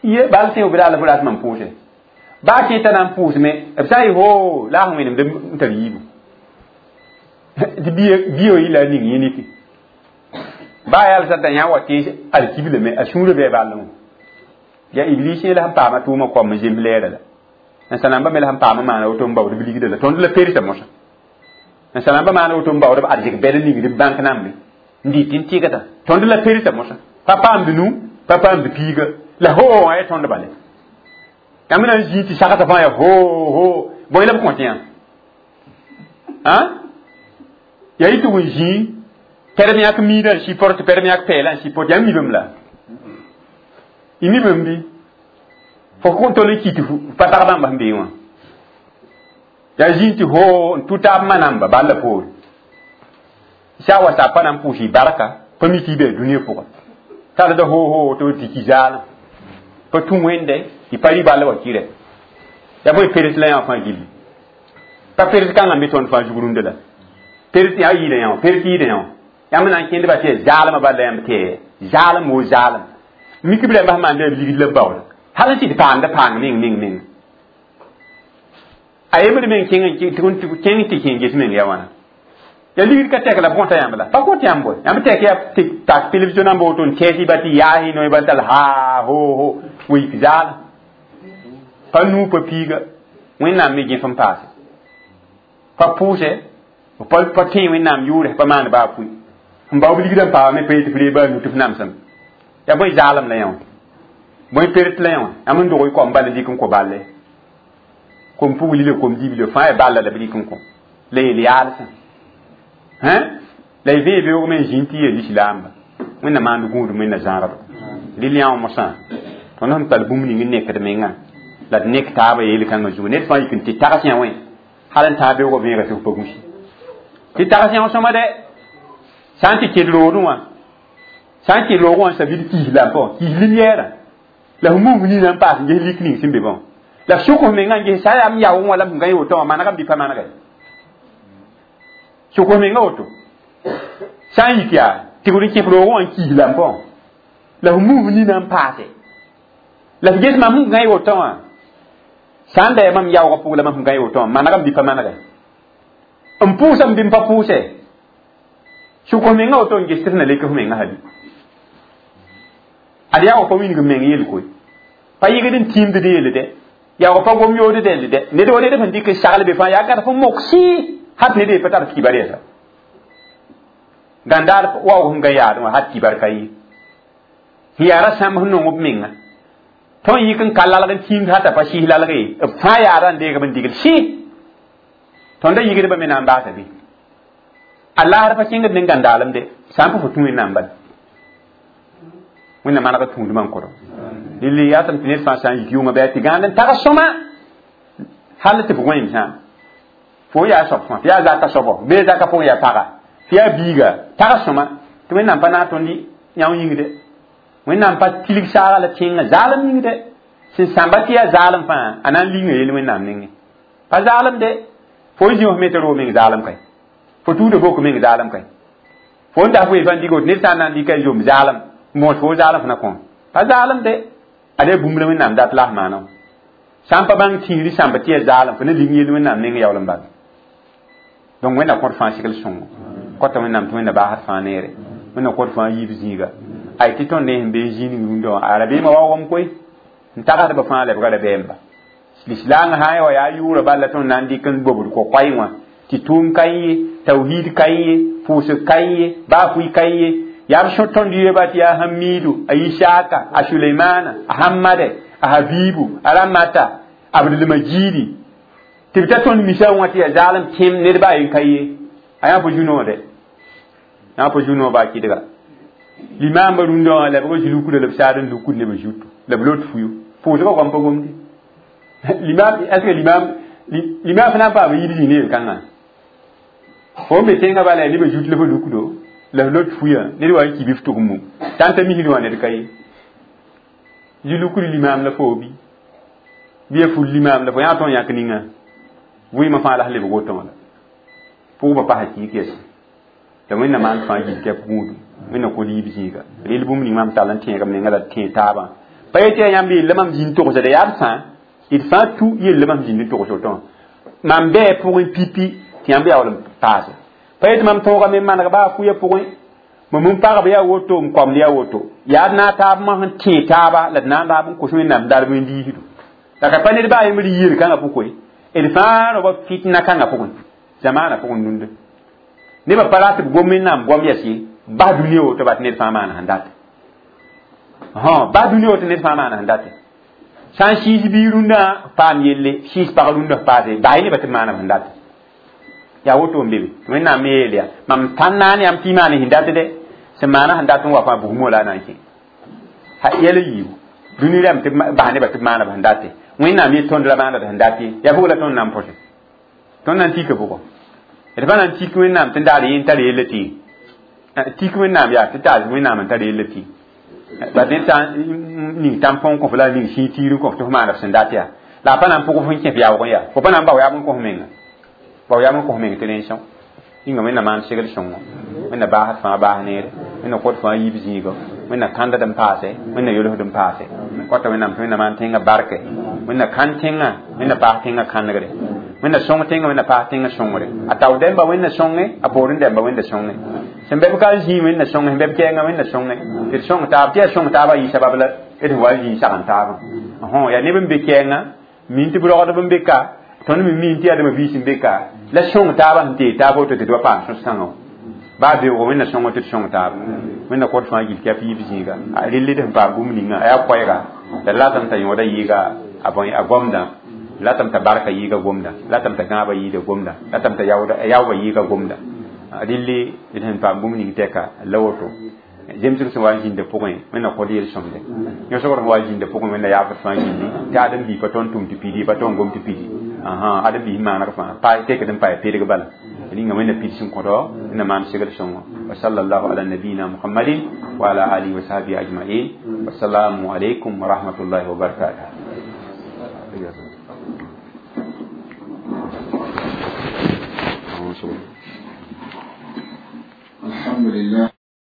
ye bal tẽo bɩ la fo rat mam pʋʋse baa kẽeta na n pʋʋsme b sã n yɩ ho la a sẽn wẽnemd n tar yiibu tɩ bia wã yɩla a ning yẽ niki baa yalsã t'a yã wa tẽes alkiblame a sũurã bɩ a ball wã yaa iblis yẽ la sẽn paama tʋʋmã koam n zems lɛɛra la n sãnamba me la sẽn paama maana woto n baood b ligda la tõnd la persa mosã n sãnamba maana woto n baood b arzɩk bɛd n ningd b bãnk nambe n dɩt n tɩgda tõnd la persa mosã pa paamd nu pa paamd piiga la ho wã yaa tõnd bale yãmb na n zĩig tɩ sagsã fãa yaa ho ho bõe la b kõt yã yaa yɩ tɩ wẽn zĩig pɛrem yãk miidã n sɩport pɛrem yãk pɛɛlã n sɩport yãmb mi bãmb la y mi bãmb bɩ fo kõn tol n kɩ tɩ pa tag bãmba sẽn bee wã yaa zĩig tɩ ho n tʋ taab ma namba bal la poore sã wa sa pa na n pʋʋs y barka pa mi tɩ y bee dũniyã pʋga talda ho ho tɩ tɩ ki zaalã pa tũ wẽnde tɩ pa rɩ ball wa kɩrɛ yaa bõe peres la yã fãa gilli pa peres kãngã me tõnd fãa zug rũndã la peres yaa yɩɩda yã wã peres yɩɩda yã wã yãmb na n kẽndba tɩ yaa zaalmã bala yãmb tɩ zaalem wo zaalem mik b rãmba sẽn maanda b ligd la b baooda hal n sɩd paamda paang meng meng meng a yembr meng kẽng kẽng tɩ kẽng ges meng ya wãna ya ligd ka tɛk la b kõta yãmb la pa kõt yãmb boe yãmb tɛk yaa tɩ tak télévision namba woto n tɛɛs ba tɩ yaasɩ noe ba tal ha ho ho wik zaal pa nuu pa piiga wẽnnaam me gẽf n paase pa pʋʋsɛ pa pa tẽ wẽnnaam yʋʋrɛ pa maan baa pʋi n bao b ligdã n paama me pa yetɩ f reeg baa nu tɩ f namsem yaa bõe zaalem la yã wã bõe pert la yã wã yãmb n dog y koam bal n dɩk n kõ balle kom pugli la kom dibla fãa yaa balla la b dɩk n kõ la yel yaalsã la y vẽe beoog me n zĩnd tɩ yeel lislaamba wẽnna maand gũudum wẽnna zãagdo rɩl yã wã mosã tõnd sẽn tall bũmb ning n nekd mengã la d nek taabã yeel-kãngã zugu ned fãa yik n tɩ tags yã wẽ hal n taa beoogã vẽega tɩ f pa gũsi tɩ tags yã sõma dɛ sã n tɩ ked roodẽ wã sã n kɩ roogẽ wã n sabid kiis lampa wã kiis limyɛɛrã la f mum nina n paas n ges lik ning sẽn be bã la f sʋk f mengã n ges sã yaa m yaoong wã la m gã woto wã manegame bɩ pa manege sʋk f mengã woto sã n yik yaa tɩgd n kẽf roogẽ wã n kiis lampa wã La f muf nina n paase la f ges mam sẽn gãe woto wã sã n da yaa mam yaoogã pʋg la mam sẽn gãe woto wã manegame bɩ pa manege n pʋʋsame bɩ n pa pʋʋse sʋk f menga woto n ges tɩ f na lek f menga hali ad yaoog pa wilg meng yel koe pa yɩgd n tiimd d yelle dɛ yaoog pa gom yood dẽnd dɛ ned wa ned sẽn dɩk n sagl be fãa yaa gãd f moksi hat ned ye pa tar kibar yɛsa gãndaar waoog sẽn gã yaadẽ wã hat kibar ka ye sẽn yaa ra sãmb sẽn nong b menga tõnd yik n ka lalg n tiimd hata pa sɩs lalg ye b fãa yaada n deegb n digl sɩ tõnd da yigdbã me na n baasa bɩ a laasd pa kẽngd ne gãndaalem de sã n pa fo tũ wẽnnaam bala wẽnnaam maneg tũudmã n kʋdɔ lili yaa tɩ ned fãa sã n yik yʋngã bɩ a tɩ gãand n tag sõma hal tɩ f gõeem sã fo yaa soab fãa tɩ yaa zaka soabɔ bee zaka pʋgẽ yaa paga tɩ yaa biiga tag sõma tɩ wẽnnaam pa naag tõnd yão yĩng de wẽnnaam pa tilg saaga la tẽngã zaalem yĩng de sẽn sãmba tɩ yaa zaalem fãa a na n linga yel wẽnnaam nengẽ pa zaalem de fo n zĩ f me tɩ roog meng zaalem kae fo tuuda bok meng zaalem kae fo n das wee fãa n dig woto ned sã n na n dɩka zom zaalem n moos fo zaalem fo na kõ pa zaalem de ad yaa bũmb la wẽnnaam dat la f maana sã n pa bãng tĩiri sãmba tɩ yaa zaalem fo na ling yel wẽnnaam neng yaool n bala donc wẽnna kõt fãa segl sõngo kota wẽnnaam tɩ wẽnna baasd fãa neere wẽnna kõt fãa yiib zĩiga ay tɩ tõnd ne sẽn bee zĩig rũndã wã a rabeemã waoogame koe n tagsdbã fãa lebga rabeemba lislaangã sã n wa yaa yʋʋra bala tõnd na n dɩk n bobd ko-koɛɛ wã tɩ tʋʋm ka ye tawhiid ka ye pʋʋsg ka ye baa fʋɩ ka ye yaa b sõ tõnd yeba tɩ yaa hamiidu a isaka a suleimana a hamade a habibu a ramata abdulmajidi tɩ b ta tõnd misã wã tɩ yaa zaalem tẽm ned baa yen ka ye a yaa fo zu-noode yaa fo zu-noog baa kɩdga limaambã rũndã wã la b zĩ-lukuda la b saad n lukud nebã zutu la b lot fuyo pʋʋsgã goam pa gomde limam est ce que limam limam fo na n paam yid zĩ ne yel-kãngã fo n be tẽngã bala yaa nebã zut la fo lukdo la f lot fuyã ned wa n ki bɩ f tʋg mum tãn t'a misd wã ned ka ye zĩ-lukd limaam la fo bɩ bɩ ya ful limaam la fo yã tõnd yãk ninga vɩɩmã fãa la sẽn lebg woto wã la pʋʋgba pasa kiik yɛs la wẽnnaam maan fãa yil tɩ yaa gũudum wẽnna kod yiib zĩiga rel bũmb ning mam tall n tẽegame menga la tẽeg taabã pa yetɩ yaa yãmb yella mam zĩnd togsda yaa b sã d fãa tu yella mam zĩnd n togs woto wã mam bɛɛ pʋgẽ pipi tɩ yãmb yaool n paase pa yetɩ mam tõogame n maneg baa fʋyã pʋgẽ mam n pagb yaa woto n koamd yaa woto yaa d naag taab masẽn tẽeg taaba la d na n raab n kos wẽnnaam darb n diisdo la ka pa ned baa yembr yel kãngã pʋgẽ d fãa roaba fitna kãngã pʋgẽ zamaanã pʋgẽ rũndã nebã pa rat b gom wẽnnaam goam yɛs ye bas dũniyã woto bat ned fãa maana sẽn date bas dũniyã woto ned fãa maana sẽn date sã n sɩɩs bii rũndã paam yelle sɩɩs pag rũndã f paase bas nebã tɩ b maana sẽn date yaa woto n be be tɩ wẽnnaam me yeel yaa mam tãn naan yãmb tɩ y maana sẽn dat de sẽn maana sẽn dat n wa fãa bugmo la a na n kẽ yɛl yiibu dũni rãmb tɩ bas nebã tɩ b maana b sẽn date wẽnnaam yet tõnd ra maana d sẽn dat ye yaa bʋg la tõnd na n põse tõnd na n tika bʋgɔ d pa na n tik wẽnnaam tɩ n daar yẽ n tar yella tɩ tik wẽnnaam yaa tɩ taas wẽnnaam n tar yella tɩ bat ned sã n ning tãn-põn kõ f la ning sĩig tiir n kõ f tɩ f maana f sẽn dat yaa la a pa na n pʋg f n kẽ f yaoog n yaa fo pa na n bao yaab n kõ f menga bao yaab n kõ f meng tɩ rẽn sõng yĩnga wẽnna maan segl sõngo wẽnna baasd fãa baas neere wẽnna kõt fãa yiib zĩiga wẽnna kãndd n paase wẽnna yolsd n paase kota wẽnnaam tɩ wẽnna maan tẽngã barke wẽnna kãn tẽngã wẽnna paas tẽngã kãnegre wẽnna sõng tẽngã wẽnna paas tẽngã sõngre a tao dẽmba wẽnna sõnge a poorẽ dẽmba wẽnda sõnge sẽn bɛ b ka n zĩig wẽnna sõnge sẽn bɛ b kɛɛngã wẽnna sõnge tɩ d sõng taab tɩ yaa sõng taabã yɩ sabab la d sẽn wa n zĩig sagn taabã yaa neb n be kɛɛngã min tɩ b rogdb n be ka tõnd me min tɩ yaa dãmba biis n be ka la sõng taabã sẽn tee taab woto tɩ d wa paam sõs-kãngã baa beoogo wẽnna sõngo tɩ d sõng taaba wẽnna kõt fãa gil tɩ yaa piib zĩiga a relle d sẽn paam bũmb ninga a yaa koɛɛga la ratame t'a yõoda yɩɩga a gomdã ratame t'a barka yɩɩga gomdã ratame t'a gãabã yɩɩda gomdã ratame t'a yaoobã yɩɩga gomdã relle d sẽn paam bũmb ning tɛka la woto zemsg sẽn wa n zĩnda pʋgẽ wẽnna kod yel-sõmde yõsgr sẽn wa n zĩnda pʋgẽ wẽnna yaafd fãa gilli tɩ ãdem-biig pa tõnd tʋm tɩ pidi pa tõnd gom tɩ pidi ãdem-biis maaneg fãa tekd n pa pedg bala ninga wẽnna pids n kõdo wẽnna maan segl sõngo wa sallallahu ala nabiyina muhammadin wa ala alihi wa sahbihi ajmain wassalamu alaikum wa rahmatullahi wa barakatuh. Alhamdulillah.